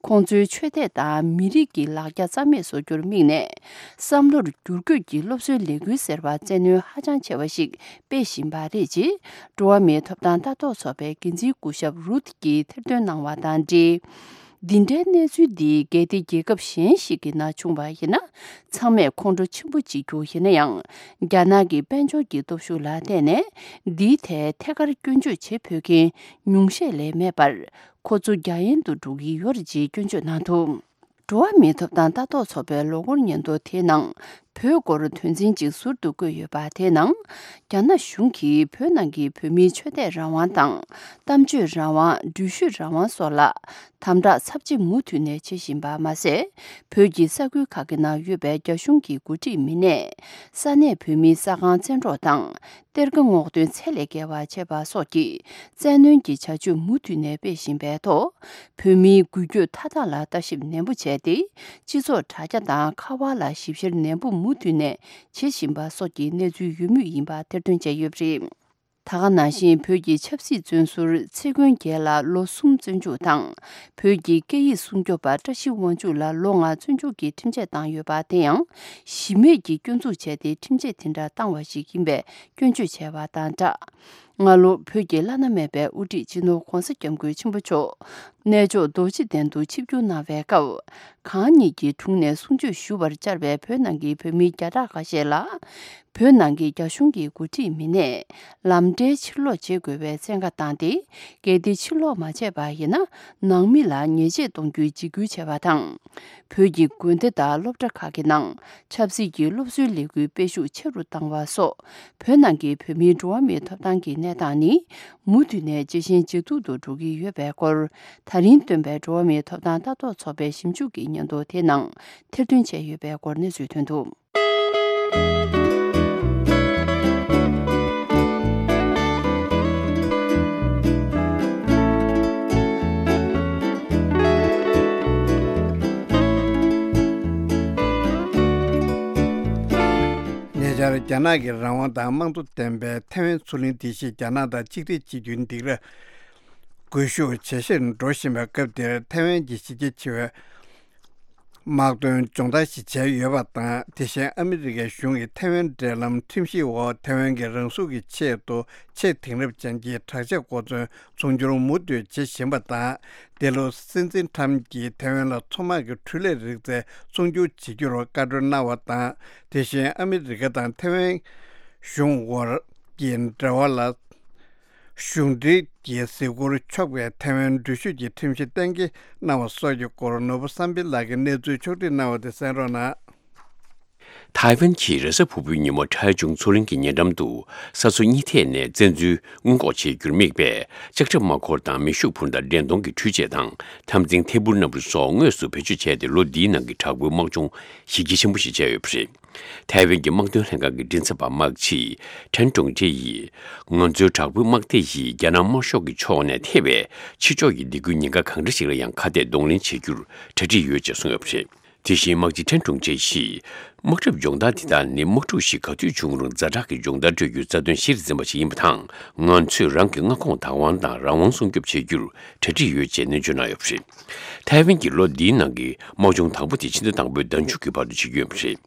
ཁོང་ཚོའི་ཆོས་དད་དང་མི་རིགས་ཀྱི་ལག་ཆ་རྩ་མེད་བཟོ་རྒྱུར་དམིགས་ནས། བསམ་བློར་བསྒྱུར་བཀོད་ཀྱི་སློབ་གསོའི་ལས་འགུལ་ཟེར་བ་བཙན་གནོན་ཧ་ཅང་ཆེ་བ་ཞིག་སྤེལ་བཞིན་པ་རེད་ཅེས། འགྲོ་བ་མིའི་ཐོབ་ཐང་ལྟ་རྟོག་ཚོགས་པའི་འགན་འཛིན་སྐུ་ཞབས་རུད་ཀྱིས་ཐེར་འདོན་གནང་བ་དང་འབྲེལ། འདི་འདྲའི་གནས་ཚུལ་འདི་གལ་ཏེ་རྒྱལ་ཁབ་གཞན་ཞིག་གི་ནང་བྱུང་བ་ཡིན་ན། ཚང་མས་ཁོང་ཁྲོ་ཆེན་པོ་བྱེད་རྒྱུ་ཡིན་ན་ཡང་། རྒྱ་ནག་གི་དཔལ་འབྱོར་གྱི་སྟོབས་ཤུགས་ལ་བརྟེན་ནས། འདིའི་ཐད་ཐད་ཀར་སྐྱོན་བརྗོད་བྱེད་ཕོད་མཁན་ཉུང་ཤས་ལས་མེད་པར། ཁོ་ཚོ་རྒྱ་ཡན་དུ་འགྲོ་གི་ཡོད་རེད་ཅེས་སྐྱོན་བརྗོད་གནང་འདུག་འགྲོ་བ་མིའི་ཐོབ་ཐང་ལྟ་རྟོག་ཚོགས་པའི་ལོ་འཁོར་སྙན་ཐོ་དེའི་ནང་། བོད་སྐོར་དོན་ཚན་གཅིག་ཟུར་དུ་བཀོད་ཡོད་པ་དེའི་ནང་། རྒྱ་ནག་གཞུང་གིས་བོད་ནང་གི་བོད་མིའི་ཆོས་དད་རང་དབང་དང་། གཏམ་བརྗོད་རང་དབང་། འགྲུལ་བཞུད་རང་དབང་སོགས་ལ། དམ་དྲག་ཚབས་ཆེ་མུ་མཐུད་ནས་བྱེད་བཞིན་པ་མ་ཟད། བོད་ཀྱི་ས་ཁུལ་ཁག་གི་ནང་ཡོད་པའི་རྒྱ་གཞུང་གི་འགོ་ཁྲིད་མི་སྣས། ས་གནས་བོད་མིའི་ས་ཁང་བཙན་འཕྲོག་དང་། གཏེར་ཁ་སྔོག་འདོན་ཚད་ལས་བརྒལ་བ་བྱས་པ་སོགས་ཀྱི་བཙན་གནོན་གྱི་བྱ་སྤྱོད་མུ་མཐུད་ནས་སྤེལ་བཞིན་པའི་ཐོག། བོད་མིའི་འགུལ་སྐྱོད་མཐའ་དག་ལ་ལྟ་ཞིབ་ནན་པོ་བྱས་ཏེ། སྤྱི་ཚོགས་དྲ་རྒྱ་དང་ཁ་པར་ལ་ཞིབ་བཤེར་ནན་པོ་མུ་མཐུད་ནས་བྱེད་བཞིན་པ་སོགས་ཀྱི་གནས་ཚུལ་ཡོད་མུས་ཡིན་པ་ཐེར་འདོན་བྱས་ཡོད་པ་རེད། ད་ག་ནང་བཞིན་བོད་ཀྱི་ཆབ་སྲིད་བཙོན་ཟུར་ཚེ་མགོན་རྒྱལ་ལ་ལོ་གསུམ་བཙོན་འཇུག་དང་། བོད་ཀྱི་སྐད་ཡིག་སྲུང་སྐྱོབ་པ་བཀྲ་ཤིས་དབང་ཕྱུག་ལ་ལོ་ལྔ་བཙོན་འཇུག་གི་ཁྲིམས་ཆད་བཏང་ཡོད་པ་དེ་ཡང་། གཞི་མེད་ཀྱི་སྐྱོན་འཛུགས་བྱས་ཏེ་ཁྲིམས་ཆད་དེ་འདྲ་བཏང་བ་ཞིག་ཡིན་པའི་སྐྱོན་བརྗོད་བྱས་པ་དང་སྦྲགས། སྔ་ལོ་བོད་ཀྱི་བླ་ན་མེད་པའི་དབུ་ཁྲིད་སྤྱི་ནོར་༧གོང་ས་༧སྐྱབས་མགོན་ཆེན་པོ་མཆོག་གནས་མཆོག་རྡོ་རྗེ་གདན་དུ་ཆིབས་བསྒྱུར་གནང་བའི་སྐབས། གང་ཉིད་ཀྱི་དྲུང་ནས་གསུང་ཆོས་ཞུ་བར་བཅར་བའི་བོད་ནང་གི་བོད་མི་བརྒྱ་ཕྲག་ཁ་ཤས་ལ། བོད་ནང་གི་རྒྱ་གཞུང་གི་འགོ་ཁྲིད་མི་སྣས་ལམ་འབྲས་ཕྱིར་སློག་བྱེད་དགོས་པའི་བཙན་བཀའ་བཏང་སྟེ། གལ་ཏེ་ཕྱིར་སློག་མ་བྱས་པ་ཡིན་ན། ནང་མི་ལ་ཉེས་ཆད་གཏོང་རྒྱུའི་འཇིགས་སྐུལ་བྱས་པ་དང་། བོད་ཀྱི་དགོན་སྡེ་དང་སློབ་གྲྭ་ཁག་གི་ནང་ཆབ་སྲིད་ཀྱི་སློབ་གསོའི་ལས་འགུལ་སྤེལ་ཤུགས་ཆེ་རུ་བཏང་བ་སོགས། བོད་ནང་གི་བོད་མིའི་འགྲོ་བ་མིའི་ཐོབ་ཐང་གི་གནས་སྟངས་ནི། མུ་མཐུད་ནས་ཇེ་ཞན་ཇེ་སྡུག་ཏུ་འགྲོ་གི་ཡོད་པའི་སྐོར། ད་རིང་བཏོན་པའི་འགྲོ་བ་མིའི་ཐོབ་ཐང་ལྟ་རྟོག་ཚོགས་པའི་ཞིབ་འཇུག་གི་སྙན་ཐོ་དེའི་ནང་ཐེར་འདོན་བྱས་ཡོད་པའི་སྐོར་གནས་ཚུལ་ཐོན་འདུག་རྒྱ་ནག་གི་རང་དབང་དང་དམངས་གཙོ་ལྡན་པའི་ཐའེ་ཝན་མཚོ་གླིང་འདི་ཞིག་རྒྱ་ནག་དང་གཅིག་སྒྲིལ་བྱེད་རྒྱུའི་སྡིགས་ར་སྒུལ་ཤུགས་ཇེ་ཆེར་འགྲོ་བཞིན་པའི་སྐབས་འདིར། ཐའེ་ཝན་གྱི་གཞི་རྒྱ་ཆེ་བའི་དམག་དོན་སྦྱོང་བརྡར་ཞིག་བྱས་ཡོད་པ་དང་། དེ་བཞིན་ཨ་མི་རི་ཀའི་གཞུང་གིས་ཐའེ་ཝན་འབྲེལ་ལམ་ཁྲིམས་གཞིའི་འོག་ཐའེ་ཝན་གྱི་རང་སྲུང་གི་ཆེད་དུ་ཆེས་དེང་རབས་ཅན་གྱི་དྲག་ཆས་གོ་མཚོན་ཚོང་སྒྱུར་མུ་མཐུད་བྱེད་བཞིན་པ་དང་། འདི་ལོ་སྲིད་འཛིན་ཊམ་གྱིས་ཐའེ་ཝན་ལ་མཚོ་དམག་གི་འཕྲུལ་ལས་རིག་རྩལ་ཚོང་སྒྱུར་བྱེད་རྒྱུར་བཀའ་འཁྲོལ་གནང་བ་དང་། དེ་བཞིན་ཨ་མི་རི་ཀ་དང་ཐའེ་ཝན་གཞུང་དབར་གྱི་འབྲེལ་བ་ལ་གཞུང་འབྲེལ་གྱི་གཟིགས་སྐོར་ཆོག་པའི་ཐའེ་ཝན་འགྲུལ་བཞུད་ཀྱི་ཁྲིམས་གཞི་གཏན་འཁེལ་གནང་བ་སོགས་ཀྱི་སྐོར། ནོར་བུ་བསམ་འཕེལ་ལགས་ཀྱིས་གནས་ཚུལ་ཕྱོགས་སྒྲིག་གནང་བ་དེ་གསན་རོགས་གནང་། ཐའེ་ཝན་གྱིས་རེས་གཟའ་ཕུར་བུའི་ཉིན་མོ་ཁྲའེ་ཆུང་མཚོ་གླིང་གི་ཉེ་འགྲམ་དུ་ས་མཚོ་གཉིས་ཐད་ནས་བཙན་འཛུལ་སྔོན་འགོག་བྱེད་རྒྱུར་དམིགས་པའི་ལྕགས་ཁྲབ་དམག་འཁོར་དང་མེ་ཤུགས་འཕུར་མདའ་འདྲེན་གཏོང་གི་འཕྲུལ་ཆས་དང་། འཐབ་འཛིང་ཐད་འཕུར་སྣ་འཕུར་སོགས་དངོས་སུ་བེད་སྤྱོད་བྱས་ཏེ། ལོ་འདིའི་ནང་གི་དྲག་པོའི་དམག་སྦྱོང་གཞི་རྒྱ་ཆེན་པོ་ཞིག་བྱས་ཡོད་པ་རེད། ཐའེ་ཝན་གྱི་དམག་དོན་ལྷན་ཁང་གི་མགྲིན་ཚབ་པ་དམག་སྤྱི་ཁྲེན་ཀྲུང་ཀྲེ་ཡིས། ང་ཚོའི་དྲག་པོའི་དམག་སྡེ་ཡིས་རྒྱ་ནག་དམར་ཤོག་གི་ཕྱོགས་ནས་ཐེ་བའི་ཕྱི་ཕྱོགས་ཀྱི་སྡིགས་སྐུལ་ཉེན་ཁ་གང་འདྲ་ཞིག་ལ་ཡང་ཁ་གཏད་གདོང་ལེན་བྱེད་རྒྱུར་གྲ་སྒྲིག་ཡོད་ཅེས་གསུངས་ཡོད་པ་རེད། དེ་བཞིན་དམག་སྤྱི་ཁྲེན་ཀྲུང་ཅེ་ཡིས། དམག་གྲབས་སྦྱོང་བརྡར་འདི་དག་ནི་དམག་འཁྲུག་ཞིག་ག་དུས་བྱུང་རུང་ཛ་དྲག་གི་སྦྱོང་བརྡར་སྤྲོད་རྒྱུའི་རྩ་དོན་གཞིར་འཛིན་པ་ཞིག་ཡིན་པ་དང་། ང་ཚོས་རང་གི་མངའ་ཁོངས་བདག་དབང་དང་རང་དབང་སྲུང་སྐྱོབ་བྱེད་རྒྱུར་གྲ་སྒྲིག་ཡོད་ཅེས་ནན་བརྗོད་གནང་ཡོད་པ་རེད། ཐའེ་ཝན་གྱིས་ལོ་འདིའི་ནང་གི་དམག་སྦྱོང་དང་པོ་དེ་ཕྱི་ཟླ་དང་པོའི་ཟླ་མཇུག་གི་བར་དུ་བྱེད་ཀྱི་ཡོད་པ་རེད།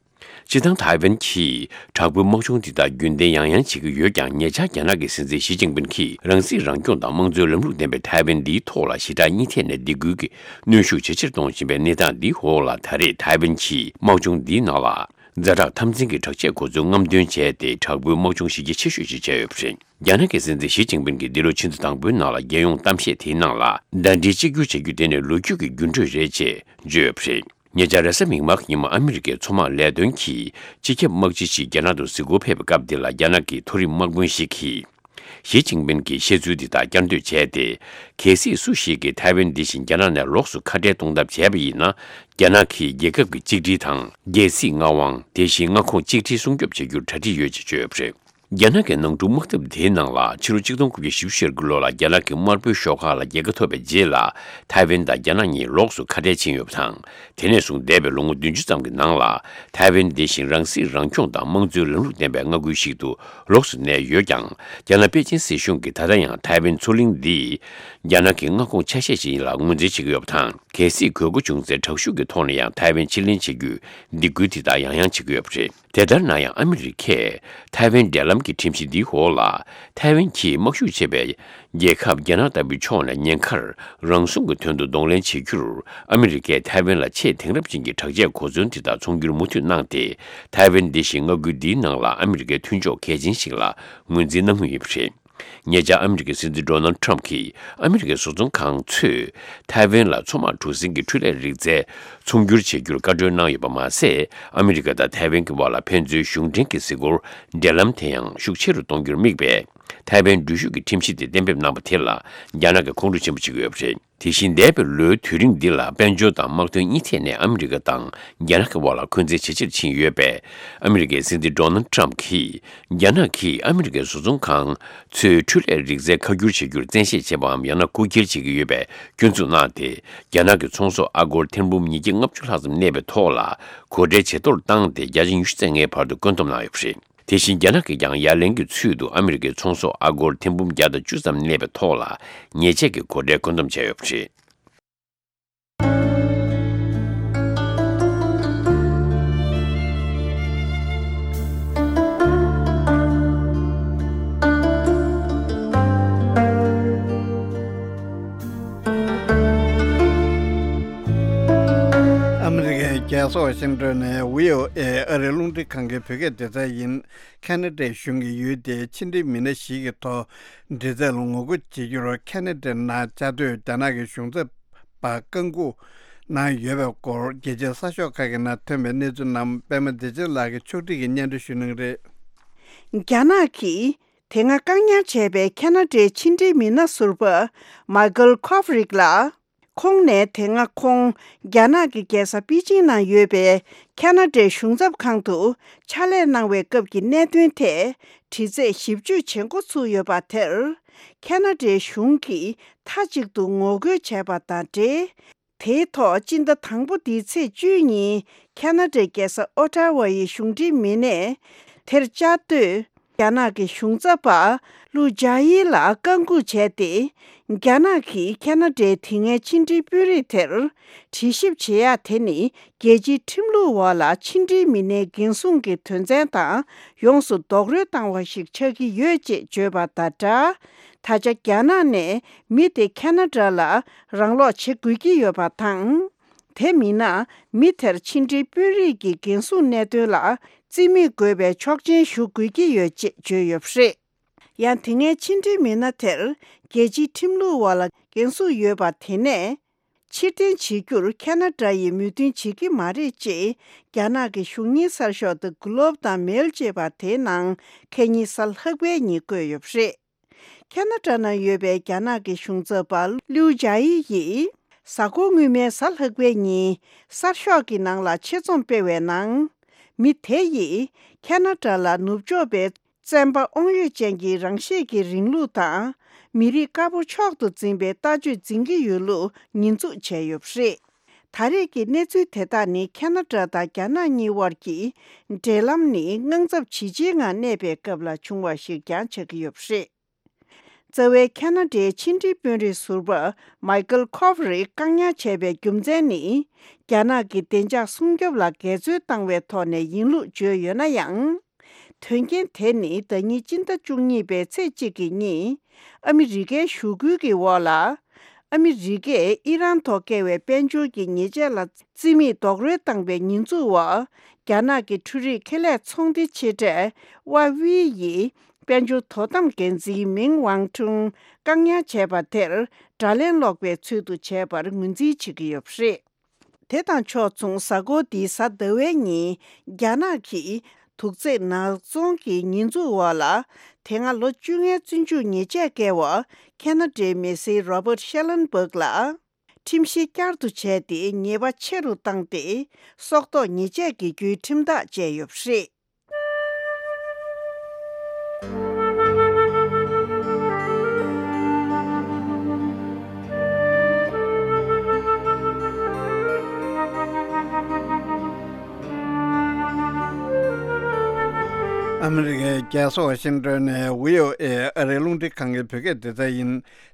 སྤྱིར་བཏང་ཐའེ་ཝན་གྱིས་དྲག་པོའི་དམག་སྦྱོང་འདི་དག་རྒྱུན་ལྡན་ཡང་ཡང་བྱེད་ཀྱི་ཡོད་ཀྱང་། ཉེ་ཆར་རྒྱ་ནག་གི་སྲིད་འཛིན་ཞི་ཅིན་ཕིན་གྱིས་རང་སྲིད་རང་སྐྱོང་དང་དམངས་གཙོའི་ལམ་ལུགས་ལྡན་པའི་ཐའེ་ཝན་འདིའི་ཐོག་ལ་ཞེ་དྲག་གཉིས་ཐད་ནས་སྡིགས་སྐུལ་གྱི་གནོན་ཤུགས་ཇེ་ཆེར་གཏོང་བཞིན་པའི་གནས་སྟངས་འདིའི་འོག་ལ། ད་རེས་ཐའེ་ཝན་གྱིས་དམག་སྦྱོང་འདིའི་ནང་ལ་ཛ་དྲག་འཐབ་འཛིང་གི་དྲག་ཆས་གོ་མཚོན་རྔམ་སྟོན་བྱས་ཏེ། དྲག་པོའི་དམག་སྦྱོང་གཞི་རྒྱ་ཆེ་ཤོས་ཤིག་བྱས་ཡོད་པ་རེད། རྒྱ་ནག་གི་སྲིད་འཛིན་ཞི་ཅིན་ཕིན་གྱིས་འདི་ལོ་ཕྱི་ཟླ་དང་པོའི་ནང་ལ་རྒྱལ་ཡོངས་གཏམ་བཤད་དེའི་ནང་ལ། ཟླ་སྒྲིལ་གཅིག་གྱུར་བྱ་རྒྱུ་དེ་ནི་ལོ་རྒྱུས་ཀྱི་འགྱུར་འགྲོས་རེད་ཅེས་བརྗོད་ཡོད་པ་རེད། ཉེ་ཆར་རེས་གཟའ་མིག་དམར་གྱི་ཉིན་མོ། ཨ་མི་རི་ཀའི་མཚོ་དམག་ལས་དོན་གྱི་སྤྱི་ཁྱབ་དམག་སྤྱི་ཞིག་རྒྱ་ནག་ཏུ་གཟིགས་སྐོར་ཕེབས་པའི་སྐབས་འདི་ལ། རྒྱ་ནག་གི་མཐོ་རིམ་དམག་དཔོན་ཞིག་གིས། ཞི་ཅིན་ཕིན་གྱིས་བཤད་ཚུལ་འདི་དག་བསྐྱར་ཟློས་བྱས་ཏེ། གལ་སྲིད་སུ་ཞིག་གིས་ཐའེ་ཝན་འདི་བཞིན་རྒྱ་ནག་ནས་ལོགས་སུ་ཁ་བྲལ་གཏོང་ཐབས་བྱས་པ་ཡིན་ན། རྒྱ་ནག་གིས་རྒྱལ་ཁབ་ཀྱི་གཅིག་སྒྲིལ་དང་། རྒྱལ་སྲིད་མངའ་དབང་། དེ་བཞིན་མངའ་ཁོངས་གཅིག་སྒྲིལ་སྲུང་སྐྱོབ་བྱེད་རྒྱུར་གྲ་སྒྲིག་ཡོད་ཅེས་བརྗོད་ཡོད་པ་རེད། རྒྱ་ནག་གི་ནང་འཁྲུག་དམག་འཐབ་དེའི་ནང་ལ། ཕྱི་ལོ་ཆིག་སྟོང་དགུ་བརྒྱ་བཞི་བཅུ་ཞེ་དགུ་ལོ་ལ་རྒྱ་ནག་གི་དམར་པོའི་ཤོག་ཁག་ལ་རྒྱལ་ཁ་ཐོབ་པའི་རྗེས་ལ། ཐའེ་ཝན་དང་རྒྱ་ནག་གཉིས་ལོགས་སུ་ཁ་བྲལ་ཕྱིན་ཡོད་པ་དང་། དེ་ནས་བཟུང་འདས་པའི་ལོ་ངོ་བདུན་ཅུ་ཙམ་གྱི་ནང་ལ། ཐའེ་ཝན་འདི་བཞིན་རང་སྲིད་རང་སྐྱོང་དང་དམངས་གཙོའི་ལམ་ལུགས་ལྡན་པའི་མངའ་ཁུལ་ཞིག་ཏུ་ལོགས་སུ་གནས་ཡོད་ཀྱང་། རྒྱ་ནག་པེ་ཅིན་སྲིད་གཞུང་གིས་ད་ལྟ་ཡང་ཐའེ་ཝན་མཚོ་གླིང་འདི་རྒྱ་ནག་གི་མངའ་ཁོངས་ཆ་ཤས་ཤིག་ཡིན་ལ་ངོས་འཛིན་བྱེད་ཀྱི་ཡོད་པ་དང་། གལ་སྲིད་དགོས་མཁོ་བྱུང་ཚེ། དྲག་ཤུགས་ཀྱི་ཐོག་ནས་ཡང་ཐའེ་ཝན་ཕྱིར་ལེན་བྱེད་རྒྱུའི་སྡིགས་སྐུལ་དེ་དག་ཡང་ཡང་བྱེད་ཀྱི་ཡོད་པ་རེད། དེ་ལྟར་ན་ཡང་། ཨ་མི་རི་ཀས་ཐའེ་ཝན་འབྲེལ་ལམ་གྱི་ཁྲིམས་གཞི་འདིའི་འོག་ལ། ཐའེ་ཝན་གྱིས་དམག་ཤུགས་ཆེ་བའི་རྒྱལ་ཁབ་རྒྱ་ནག་ལྟ་བུའི་ཕྱོགས་ནས་ཉེན་ཁར་རང་སྲུང་གི་དོན་དུ་གདོང་ལེན་བྱེད་རྒྱུར། ཨ་མི་རི་ཀས་ཐའེ་ཝན་ལ་ཆེས་དེང་རབས་ཅན་གྱི་དྲག་ཆས་གོ་མཚོན་དེ་དག་ཚོང་སྒྱུར་མུ་མཐུད་གནང་སྟེ། ཐའེ་ཝན་འདི་བཞིན་མངའ་ཁུལ་འདིའི་ནང་ལ་ཨ་མི་རི་ཀའི་མཐུན་ཕྱོགས་གལ་ཆེན་ཞིག་ལ་ངོས་འཛིན་གནང་མུས་ཡིན་པ་རེད། ཉེ་ཆར་ཨ་མི་རི་ཀའི་སྲིད་འཛིན་ཌོ་ནལ་ཊམ་གྱིས། ཨ་མི་རི་ཀའི་བཟོ་ཚོང་ཁང་ཚོས་ཐའེ་ཝན་ལ་མཚོ་དམག་གྲུ་གཟིངས་ཀྱི་འཕྲུལ་ལས་རིག་རྩལ་ཚོང་སྒྱུར་བྱེད་རྒྱུར་བཀའ་འཁྲོལ་གནང་ཡོད་པ་མ་ཟད། ཨ་མི་རི་ཀ་དང་ཐའེ་ཝན་གྱི་བར་ལ་ཕན་ཚུན་གཞུང་འབྲེལ་གྱི་གཟིགས་སྐོར་འབྲེལ་ལམ་དེ་ཡང་ཤུགས་ཆེ་རུ་གཏོང་རྒྱུར་དམིགས་པའི་ཐའེ་ཝན་འགྲུལ་བཞུད་ཀྱི་ཁྲིམས་གཞི་དེ་གཏན་འབེབས་གནང་པ་དེ་ལ་རྒྱ་ནག་གིས་ཁོང་ཁྲོ་ཆེན་པོ་བྱེད་ཀྱི་ཡོད་པ་རེད། དེ་བཞིན་འདས་པའི་ལོའི་དུས་རིང་འདི་ལ། དཔལ་འབྱོར་དང་དམག་དོན་གཉིས་ཐད་ནས་ཨ་མི་རི་ཀ་དང་རྒྱ་ནག་གི་བར་ལ་འཁོན་འཛིན་ཇེ་ཆེར་ཕྱིན་ཡོད་པས། ཨ་མི་རི་ཀའི་སྲིད་འཛིན་ཌོ་ནལ་ཊམ་གྱིས། རྒྱ་ནག་གིས་ཨ་མི་རི་ཀའི་བཟོ་ཚོང་ཁང་ཚོའི་འཕྲུལ་ལས་རིག་རྩལ་ཁ་བསྒྱུར་བྱེད་རྒྱུར་བཙན་ཤེད་བྱེད་པའམ། ཡང་ན་རྐུ་འཁྱེར་བྱེད་ཀྱི་ཡོད་པའི་སྐྱོན་འཛུགས་གནང་སྟེ། རྒྱ་ནག་གི་ཚོང་ཟོག་ཨ་སྒོར་ཐེར་འབུམ་ཉིས་བརྒྱ་ལྔ་བཅུ་ལྷག་ཙམ་གནས་པའི་ཐོག་ལ། གོ་ཁྲལ་ཇེ་མཐོར་བཏང་སྟེ། བརྒྱ་ཆ་ཉི་ཤུ་རྩ་ལྔའི་བར་དུ་བཀོད་འདོམས་གནང་ཡོད་པ་རེད། དེ་བཞིན་རྒྱ་ནག་གིས་ཀྱང་ཡ་ལན་གྱི་ཚུལ་དུ་ཨ་མི་རི་ཀའི་ཚོང་ཟོག་ཨ་སྒོར་ཐེར་འབུམ་བརྒྱ་དང་བཅུ་ཙམ་གནས་པའི་ཐོག་ལ་ཉེས་ཆད་ཀྱི་གོ་ཁྲལ་བཀོད་འདོམས་བྱས་ཡོད་པ་རེད། ཨ་མི་རི་ཀའི་རྒྱལ་ས་ཝ་ཤིང་ཏོན་ནས་བྷི་ཨོ་ཨེ་ཨ་རིའི་རླུང་འཕྲིན་ཁང་གི་བོད་སྐད་སྡེ་ཚན་ཡིན། ཁ་ན་ཌའི་གཞུང་གིས་ཡུལ་དེའི་ཕྱི་འབྲེལ་མི་སྣ་ཞིག་གི་ཐོག་འདྲི་རྩད་ལ་ངོ་རྒོལ་བྱེད་རྒྱུར་ཁ་ན་ཌའི་ནང་བཅའ་སྡོད་རྒྱ་ནག་གི་གཞུང་ཚབ་པ་བཀག་འགོག་གནང་ཡོད་པའི་སྐོར། རྒྱལ་སྤྱིའི་གསར་ཤོག་ཁག་གི་ནང་ཐོན་པའི་གནས་ཚུལ་རྣམས་པད་མ་བདེ་ཆེན་ལགས་ཀྱིས་ཕྱོགས་སྒྲིག་གིས་སྙན་སྒྲོན་ཞུ་གནང་གི་རེད། རྒྱ་ནག་གིས་དེ་སྔ་བཀག་ཉར་བྱས་པའི་ཁ་ན་ཌའི་ཕྱི་འབྲེལ་མི་སྣ་ཟུར་པ་མའི་ཀལ་ཁོབ་རིག་ལགས། ཁོང་ནས་དེ་སྔ་ཁོང་རྒྱ་ནག་གི་རྒྱལ་ས་པེ་ཅིང་ནང་ཡོད་པའི་ཁ་ན་ཌའི་གཞུང་ཚབ་ཁང་དུ་ཕྱག་ལས་གནང་བའི་སྐབས་ཀྱི་གནད་དོན་ཐད་དྲི་རྩད་ཞིབ་དཔྱོད་བྱེད་འགོ་ཚུགས་ཡོད་པ་དེར། ཁ་ན་ཌའི་གཞུང་གིས་མཐའ་གཅིག་ཏུ་ངོ་རྒོལ་བྱས་པ་དང་འབྲེལ། དེའི་ཐོག་སྤྱི་ཟླ་དང་པོ་འདིའི་ཚེས་བཅུའི་ཉིན་ཁ་ན་ཌའི་རྒྱལ་ས་ཨོ་ཊ་ཝ་ཡི་གཞུང་འབྲེལ་མི་སྣས། དེར་བཅར་དུས། རྒྱ་ནག་གི་གཞུང་ཚབ་པ་ལུའུ་ཅཱ་ཡི་ལ་བཀའ་འགུག་བྱས་ཏེ། རྒྱ་ནག་གིས་ཁ་ན་ཌའི་དེ་སྔའི་ཕྱི་འབྲེལ་དཔོན་རིགས་དེར་དྲི་ཞིབ་བྱེད་ཡ་དེ་ནི། རྒྱལ་སྤྱིའི་ཁྲིམས་ལུགས་འོག་ལ་ཕྱི་འབྲེལ་མི་སྣའི་འགན་སྲུང་གི་དོན་ཚན་དང་ཡོངས་སུ་རྡོག་རོལ་བཏང་བ་ཞིག་ཆགས་ཀྱི་ཡོད་ཅེས་བརྗོད་པ་དང་སྦྲགས། ད་ཆ་རྒྱ་ནག་ནས་མི་དེ་ཁ་ན་ཌ་ལ་རང་སློག་བྱེད་དགོས་ཀྱི་ཡོད་པ་དང་། དེ་མིན་ན། མི་དེར་ཕྱི་འབྲེལ་དཔོན་རིགས་ཀྱི་འགན་སྲུང་གནད་དོན་ལ་རྩིས་མེད་དགོས་པའི་ཆོག་མཆན་ཞུ་དགོས་ཀྱི་ཡོད་ཅེས་བརྗོད་ཡོད་པ་རེད། ཡང་དེ་སྔའི་ཕྱི་འབྲེལ་མི་སྣ་དེར་རྒྱལ་སྤྱིའི་ཁྲིམས་ལུགས་འོག་ལ་འགན་སྲུང་ཡོད་པ་དེ་ནས་ཕྱིར་འཐེན་བྱེད་རྒྱུར་ཁ་ན་ཌ་ཡིས་མོས་མཐུན་བྱེད་ཀྱི་མ་རེད་ཅེས་རྒྱ་ནག་གི་གཞུང་གཉེར་གསར་ཤོག་ཏུ་གྷི་ལོབ་དང་མེལ་ཅེས་པ་དེའི་ནང་ཁ་ཉིན་གཟའ་ལྷག་པའི་ཉིན་བཀོད་ཡོད་པ་རེད། ཁ་ན་ཌ་ན་ཡོད་པའི་རྒྱ་ནག་གི་གཞུང་ཚབ་པ་ལིའུ་ཅཱ་ཡི་ཡིས། གཟའ་འཁོར་སྔོན་མའི་གཟའ་ལྷག་པའི་ཉིན་གསར་ཤོག་གི་ནང་ལ་ཆེད་རྩོམ་སྤེལ་བའི་ནང་། མི་དེ་ཡིས་ཁ་ན་ཌ་ལ་ནུབ་ཕྱོགས་པའི་བཙན་པ་དབང་ཡོད་ཅན་གྱི་རང་ཤེད་ཀྱི་རིང་ལུགས་དང་། མི་རིགས་དཀར་པོ་མཆོག་ཏུ་འཛིན་པའི་ལྟ་སྤྱོད་འཛིན་གྱི་ཡོད་ལུགས་ཉེས་འཛུགས་བྱས་ཡོད་པ་རེད། ད་རེས་ཀྱི་གནས་ཚུལ་དེ་དག་ནི་ཁ་ན་ཌ་དང་རྒྱ་ནག་གཉིས་དབར་གྱི་འབྲེལ་ལམ་ནི་དངངས་འཚབ་ཇི་ཆེའི་ངང་གནས་པའི་སྐབས་ལ་བྱུང་བ་ཞིག་ཀྱང་ཆགས་ཀྱི་ཡོད་པ་རེད། རྩ་བའི་ཁ་ན་ཌའི་ཕྱི་འབྲེལ་དཔོན་རིགས་ཟུར་པ་མའི་ཀལ་ཁོབ་རིས་བཀག་ཉར་བྱས་པའི་རྒྱུ་མཚན་ནི། རྒྱ་ནག་གི་བདེ་འཇགས་སྲུང་སྐྱོབ་ལ་འགལ་འཛོལ་བཏང་བའི་ཐོག་ནས་ཡིན་ལུགས་བརྗོད་ཡོད་ན་ཡང་། དོན་རྐྱེན་དེ་ནི་ཟླ་ཉིན་སྤྱི་ཟླ་བཅུ་གཉིས་པའི་ཚེས་གཅིག་གི་ཉིན། ཨ་མི་རི་ཀའི་ཞུ་སྐུལ་གྱི་འོག་ལ། ཨ་མི་རི་ཀས་ཨི་རན་ཐོག་བཀལ་བའི་དཔལ་འབྱོར་གྱི་ཉེས་ཆད་ལ་རྩིས་མེད་རྡོག་རོལ་བཏང་པའི་ཉེས་འཛུགས་འོག་རྒྱ་ནག་གི་འཕྲུལ་རིག་ཁེ་ལས་ཚོང་སྡེ་ཆེ་གྲས་ཝ་ཝི་ཡིས་དཔལ་འབྱོར་དོ་དམ་འགན་འཛིན་མིང་ཝང་ཁྲུང་བཀག་ཉར་བྱས་པ་དེར་དགྲ་ལན་སློག་པའི་ཚུལ་དུ་བྱས་པར་ངོས་འཛིན་བྱེད་ཀྱི་ཡོད་པ་རེད། དེ་དང་ཕྱོགས་མཚུངས། གཟའ་འཁོར་འདིའི་གཟའ་ཟླ་བའི་ཉིན། རྒྱ་ནག་གིས་དུག་རྫས་ནག་ཚོང་གི་ཉེས་འཛུགས་འོག་ལ། དེ་སྔ་ལོ་བཅོ་ལྔའི་བཙོན་འཇུག་ཉེས་ཆད་བཀལ་བ་ཁ་ན་ཌའི་མི་སེར་རོ་བར་ཤེ་ལན་སྦག་ལ། ཁྲིམས་གཞི་བསྐྱར་དུ་བྱས་ཏེ་ཉེས་པ་ཆེ་རུ་བཏང་སྟེ། སྲོག་ཐོག་ཉེས་ཆད་ཀྱི་བརྒྱུད་ཁྲིམས་ཐག་བཅད་ཡོད་པ་རེད། ཨ་མི་རི་ཀའི་རྒྱལ་ས་ཝ་ཤིང་ཏོན་ནས་བྷི་ཨོ་ཨེ་ཨ་རིའི་རླུང་འཕྲིན་ཁང་གི་བོད་སྐད་སྡེ་ཚན་ཡིན།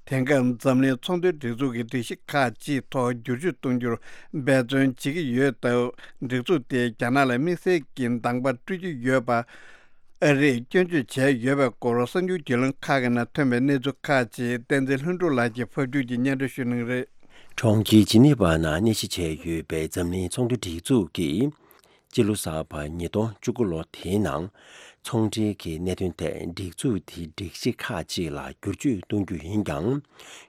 དེང་སྐབས་འཛམ་གླིང་ཚོང་དོན་སྒྲིག་འཛུགས་ཀྱི་སྒྲིག་གཞི་ཁག་ཅིག་ཐོག་བསྒྱུར་བཅོས་གཏོང་རྒྱུར་འབད་བརྩོན་བྱེད་ཀྱི་ཡོད་སྟབས། སྒྲིག་འཛུགས་དེས་རྒྱ་ནག་ལ་དམིགས་བསལ་གྱི་འདང་པ་སྤྲོད་ཀྱི་ཡོད་པ། ཨ་རིས་སྐྱོན་བརྗོད་བྱས་ཡོད་པའི་སྐོར་གསར་འགྱུར་བརྒྱུད་ལམ་ཁག་གི་ནང་ཐོན་པའི་གནས་ཚུལ་ཁག་ཅིག་བསྟན་འཛིན་ལྷུན་གྲུབ་ལགས་ཀྱིས་ཕབ་བསྒྱུར་གྱིས་སྙན་སྒྲོན་ཞུ་གནང་གི་རེད། གྲོང་ཁྱེར་ཇི་ནི་ཝ་ནང་གནས་གཞི་བྱས་ཡོད་པའི་འཛམ་གླིང་ཚོང་དོན་སྒྲིག་འཛུགས་ཀྱིས། སྤྱི་ལོ་གསར་པ་ཉིས་སྟོང་བཅུ་དགུ་ལོ་དེའི་ནང་། ཚོང་འབྲེལ་གྱི་གནད་དོན་ཐད་སྒྲིག་འཛུགས་དེའི་སྒྲིག་གཞི་ཁག་ཅིག་ལ་བསྒྱུར་བཅོས་གཏོང་རྒྱུ་ཡིན་ཀྱང་།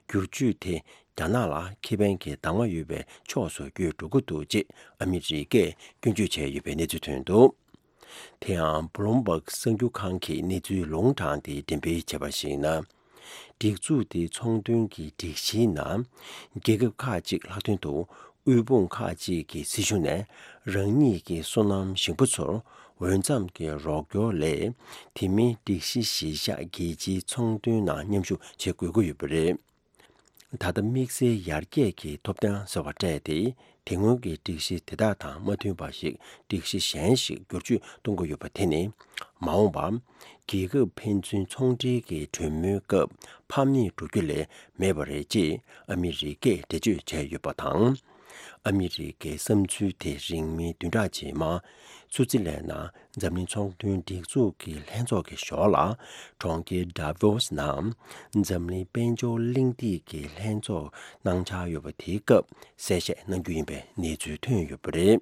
བསྒྱུར་བཅོས་དེ་རྒྱ་ནག་ལ་ཁེ་ཕན་གྱི་གདམ་ག་ཡོད་པའི་ཕྱོགས་སུ་བསྒྱུར་འགྲོ་གི་འདུག་ཅེས་ཨ་མི་རི་ཀས་སྐྱོན་བརྗོད་བྱས་ཡོད་པའི་གནས་ཚུལ་ཐོན་འདུག་དེ་ཡང་བྷུ་ལུམ་བྷག་གསར་འགྱུར་ཁང་གིས་གནས་ཚུལ་ལུང་དྲངས་ཏེ་འགྲེམས་སྤེལ་བྱས་པར་གཞིགས་ན། སྒྲིག་འཛུགས་དེའི་ཚོང་དོན་གྱི་སྒྲིག་གཞིའི་ནང་། རྒྱལ་ཁབ་ཁག་ཅིག་ལྷག་དོན་དུ་དབུལ་ཕོངས་ཁག་ཅིག་གི་སྲིད་གཞུང་ནས་རང་ཉིད་ཀྱི་སོ་ནམ་ཞིང་པ་ཚོར་འོས་འཚམ་གྱི་རོགས་སྐྱོར་ལས། དེ་མིན་སྒྲིག་གཞི་གཞིར་བཞག་རྒྱལ་སྤྱིའི་ཚོང་དོན་ནང་མཉམ་ཞུགས་བྱེད་དགོས་ཀྱི་ཡོད་པ་རེད། ད་ལྟ་དམིགས་བསལ་ཡར་རྒྱས་ཀྱི་ཐོབ་ཐང་ཟེར་བ་སྤྲད་དེ། དེ་སྔོན་གྱི་སྒྲིག་གཞི་དེ་དག་དང་མ་མཐུན་པ་ཞིག་སྒྲིག་གཞི་གཞན་ཞིག་བསྒྱུར་བཅོས་གཏོང་གི་ཡོད་པ་དེ་ནི། མ་འོངས་པར་རྒྱལ་ཁབ་ཕན་ཚུན་ཚོང་འབྲེལ་གྱི་གྲོས་མོལ་སྐབས་ཕམ་ཉེས་འགྲོ་རྒྱུ་ལས་མེད་པ་རེད་ཅེས་ཨ་མི་རི་ཀས་འགྲེལ་བརྗོད་བྱས་ཡོད་པ་དང་། ཨ་མི་རི་ཀའི་བསམ་ཚུལ་དེ་རིང་མིན་བདུན་ཕྲག་རྗེས་མ། སུའུ་ཙི་ལན་ནང་འཛམ་གླིང་ཚོང་དོན་སྒྲིག་འཛུགས་ཀྱི་ལྷན་ཚོགས་ཀྱི་ཞོར་ལ། གྲོང་ཁྱེར་ཌ་བྷོ་སི་ནང་འཛམ་གླིང་དཔལ་འབྱོར་གླེང་སྟེགས་ཀྱི་ལྷན་ཚོགས་གནང་འཆར་ཡོད་པ་དེའི་སྐབས་གསལ་བཤད་གནང་རྒྱུ་ཡིན་པའི་གནས་ཚུལ་ཐོན་ཡོད་པ་རེད།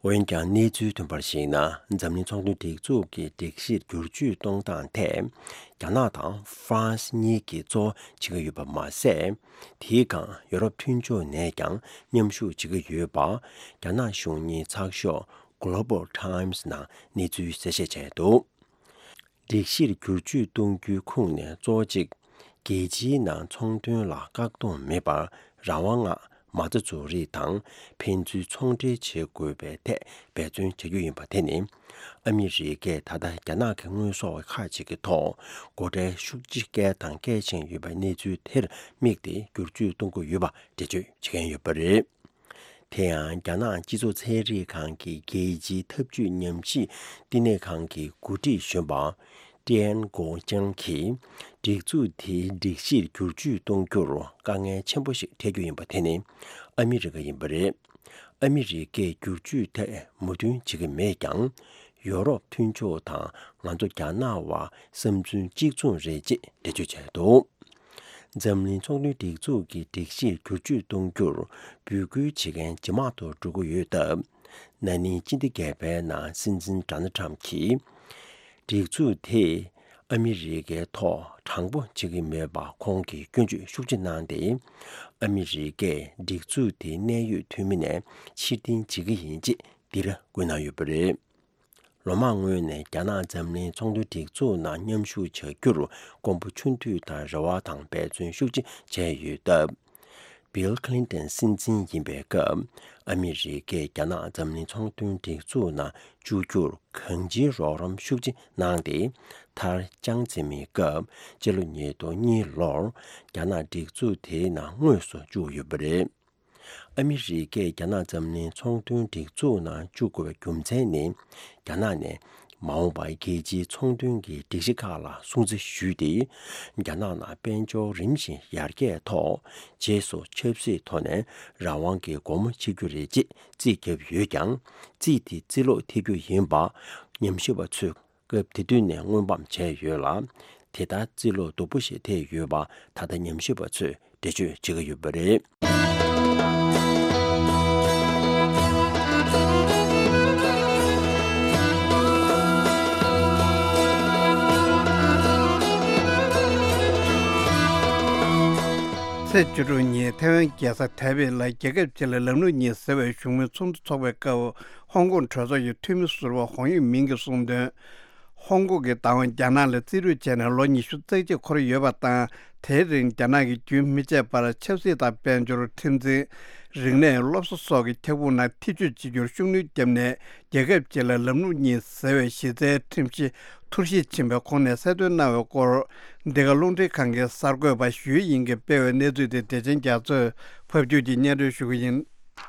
འོན་ཀྱང་གནས་ཚུལ་ཐོན་པར་གཞིགས་ན། འཛམ་གླིང་ཚོང་དོན་སྒྲིག་འཛུགས་ཀྱི་སྒྲིག་གཞིར་བསྒྱུར་བཅོས་གཏོང་སྟངས་ཐད། རྒྱ་ནག་དང་ཧྥ་རན་སི་གཉིས་ཀྱིས་གཙོ་བོ་བྱེད་ཀྱི་ཡོད་པ་མ་ཟད། དེའི་སྒང་ཡོ་རོབ་མཐུན་ཕྱོགས་ནས་ཀྱང་མཉམ་ཞུགས་བྱེད་ཀྱི་ཡོད་པ། རྒྱ་ནག་གཞུང་གཉེར་ཚགས་ཤོག་Global Times ནང་གནས་ཚུལ་གསལ་བཤད་བྱས་འདུག་སྒྲིག་གཞིར་བསྒྱུར་བཅོས་གཏོང་རྒྱུའི་ཁུངས་ནས་གཙོ་བོ་གཅིག་རྒྱལ་སྤྱིའི་ནང་ཚོང་དོན་ལ་བཀག་སྡོམ་མེད་པར་རང་དབང་ལྔ། མ་རྩ་འཛུགས་རིགས་དང་ཕན་ཚུན་ཚོང་འབྲེལ་བྱེད་དགོས་པའི་ཐད་འབད་བརྩོན་བྱ་རྒྱུ་ཡིན་པ་དེ་ནི། ཨ་མི་རི་ཀས་ད་ལྟ་རྒྱ་ནག་གི་དངོས་ཟོག་ཁག་ཅིག་གི་ཐོག་སྒོ་ཁྲལ་ཤུགས་ཆེ་བཀལ་དང་བཀལ་བཞིན་ཡོད་པའི་གནས་ཚུལ་དེར་དམིགས་ཏེ་བསྒྱུར་བཅོས་གཏོང་གི་ཡོད་པ་འགྲེལ་བརྗོད་བྱེད་མཁན་ཡོད་པ་རེད། དེ་ཡང་རྒྱ་ནག་སྤྱི་ཚོགས་ཚན་རིག་ཁང་གི་རྒྱལ་སྤྱིའི་འཐབ་ཇུས་ཉམས་ཞིབ་བསྟི་གནས་ཁང་གི་འགོ་ཁྲིད་གཞོན་པ་ཀྲེན་གོ་ཅང་གིས། སྒྲིག་འཛུགས་དེའི་སྒྲིག་གཞིར་བསྒྱུར་བཅོས་གཏོང་རྒྱུར་དཀའ་ངལ་ཆེན་པོ་ཞིག་འཕྲད་རྒྱུ་ཡིན་པ་དེ་ནི་ཨ་མི་རི་ཀ་ཡིན་པ་རེད། ཨ་མི་རི་ཀས་བསྒྱུར་བཅོས་ཐད་མོས་མཐུན་བྱེད་ཀྱི་མེད་ཀྱང་། ཡོ་རོབ་མཐུན་ཕྱོགས་དང་ང་ཚོ་རྒྱ་ནག་བར་བསམ་ཚུལ་གཅིག་མཚུངས་རེད་ཅེས་འགྲེལ་བརྗོད་བྱས་འདུག། འཛམ་གླིང་ཚོང་དོན་སྒྲིག་འཛུགས་ཀྱི་སྒྲིག་གཞིར་བསྒྱུར་བཅོས་གཏོང་རྒྱུར་འབོད་སྐུལ་བྱེད་མཁན་ཇེ་མང་དུ་འགྲོ་གི་ཡོད་སྟབས། ན་ནིང་སྤྱི་ཟླ་བརྒྱད་པའི་ནང་སྲིད་འཛིན་ཌོ་ནལ་ཊམ་གྱིས། སྒྲིག་འཛུགས་དེས་ཨ་མི་རི་ཀའི་ཐོག་དྲང་པོ་བྱེད་ཀྱི་མེད་པ་ཁོང་གིས་སྐྱོན་བརྗོད་ཤུགས་ཆེ་གནང་སྟེ། ཨ་མི་རི་ཀས་སྒྲིག་འཛུགས་དེའི་གནད་ཡོད་འཐུས་མི་ནས་ཕྱིར་འཐེན་བྱེད་ཀྱི་ཡིན་ཅེས་འདིར་བཀོད་གནང་ཡོད་པ་རེད། ལོ་མང་སྔོན་ནས་རྒྱ་ནག་འཛམ་གླིང་ཚོང་དོན་སྒྲིག་འཛུགས་ནང་མཉམ་ཞུགས་བྱ་རྒྱུར་མགོན་པོ་ཆུང་དུས་དང་རེ་བ་དང་འབད་བརྩོན་ཤུགས་ཆེ་བྱས་ཡོད་སྟབས། བིལ་ཁི་ལིན་ཏན་སྲིད་འཛིན་ཡིན་པའི་སྐབས། ཨ་མི་རི་ཀས་རྒྱ་ནག་འཛམ་གླིང་ཚོང་དོན་སྒྲིག་འཛུགས་ནང་བཅུག་རྒྱུར་གང་ཅིའི་རོགས་རམ་ཤུགས་ཆེ་གནང་སྟེ། མཐར་ཅང་ཙེ་མིན་སྐབས་སྤྱི་ལོ་ཉིས་སྟོང་གཉིས་ལོར་རྒྱ་ནག་སྒྲིག་འཛུགས་དེའི་ནང་དངོས་སུ་བཅུག་ཡོད་པ་རེད། ཨ་མི་རི་ཀས་རྒྱ་ནག་འཛམ་གླིང་ཚོང་དོན་སྒྲིག་འཛུགས་ནང་བཅུག་དགོས་པའི་རྒྱུ་མཚན་ནི། རྒྱ་ནག་ནས་མ་འོངས་པར་རྒྱལ་སྤྱིའི་ཚོང་དོན་གྱི་སྒྲིག་གཞི་ཁག་ལ་སྲུང་བརྩི་ཞུས་ཏེ། རྒྱ་ནག་ནང་དཔལ་འབྱོར་རིམ་བཞིན་ཡར་རྒྱས་ཐོག་རྗེས་སུ་ཆབ་སྲིད་ཐོག་ནས་རང་དབང་གི་སྒོ་མོ་ཕྱེ་རྒྱུ་རེད་ཅེས་རྩིས་བརྒྱབ་ཡོད་ཀྱང་། རྩིས་དེ་རྩིས་ལོག་ཐེབས་རྒྱུ་ཡིན་པ་ཉམས་ཞིབ་པ་ཚོས་སྐབས་དེ་དུས་ནས་སྔོན་དཔག་བྱས་ཡོད་ལ། དེ་ལྟར་རྩིས་ལོག་སྡུག་པོ་ཞིག་ཐེབས་ཡོད་པ་ད་ལྟ་ཉམས་ཞིབ་པ་ཚོས་འགྲེལ་བརྗོད་བྱེད་ཀྱི་ཡོད་པ་རེད། ཚེས་བཅུ་དྲུག་ཉིན་ཐའེ་ཝན་རྒྱལ་ས་ཐའེ་པེ་ལ་རྒྱལ་ཁབ་སྤྱི་ལ་ལམ་ལུགས་གཉིས་ཟེར་བའི་བཞུགས་མོལ་ཚོགས་འདུ་འཚོགས་པའི་སྐབས། ཧོང་ཀོང་གྲོས་ཚོགས་ཀྱི་འཐུས་མི་ཟུར་པ་ཧོང་ཡུས་མིང་གིས་གསུངས་དོན། ཧོང་ཀོང་གི་བདག་དབང་རྒྱ་ནག་ལ་རྩིས་སྤྲོད་བྱས་ནས་ལོ་ཉི་ཤུ་རྩ་གཅིག་འཁོར་ཡོད་པ་དང་། དེའི་རིང་རྒྱ་ནག་གིས་རྒྱུན་མི་ཆད་པར་ཆབ་སྲིད་དང་དཔལ་འབྱོར། ཁྲིམས་འཛིན། རིག་གནས། སློབ་གསོ་སོགས་ཀྱི་ཁྱབ་ཁོངས་ནང་ཐེ་ཇུས་བྱེད་རྒྱུར་ཤུགས་སྣོན་བརྒྱབ་ནས། རྒྱལ་ཁབ་སྤྱི་ལ་ལམ་ལུགས་གཉིས་ཟེར་བའི་གཞི་རྩའི་ཁྲིམས་གཞི་འཐུར་ཞིག་ཕྱིན་པའི་ཁོངས་ནས་གསལ་སྟོན་གནང་བའི་སྐོར། འདི་ག་རླུང་འཕྲིན་ཁང་གི་གསར་འགོད་པ་ཞུས་དབྱིང་གིས་སྤེལ་བའི་གནས་ཚུལ་དེ་བདེ་ཆེན་རྒྱ་མཚོས་ཕབ་སྒྱུར་གྱིས་སྙན་སྒྲོན་ཞུ་གི་ཡིན།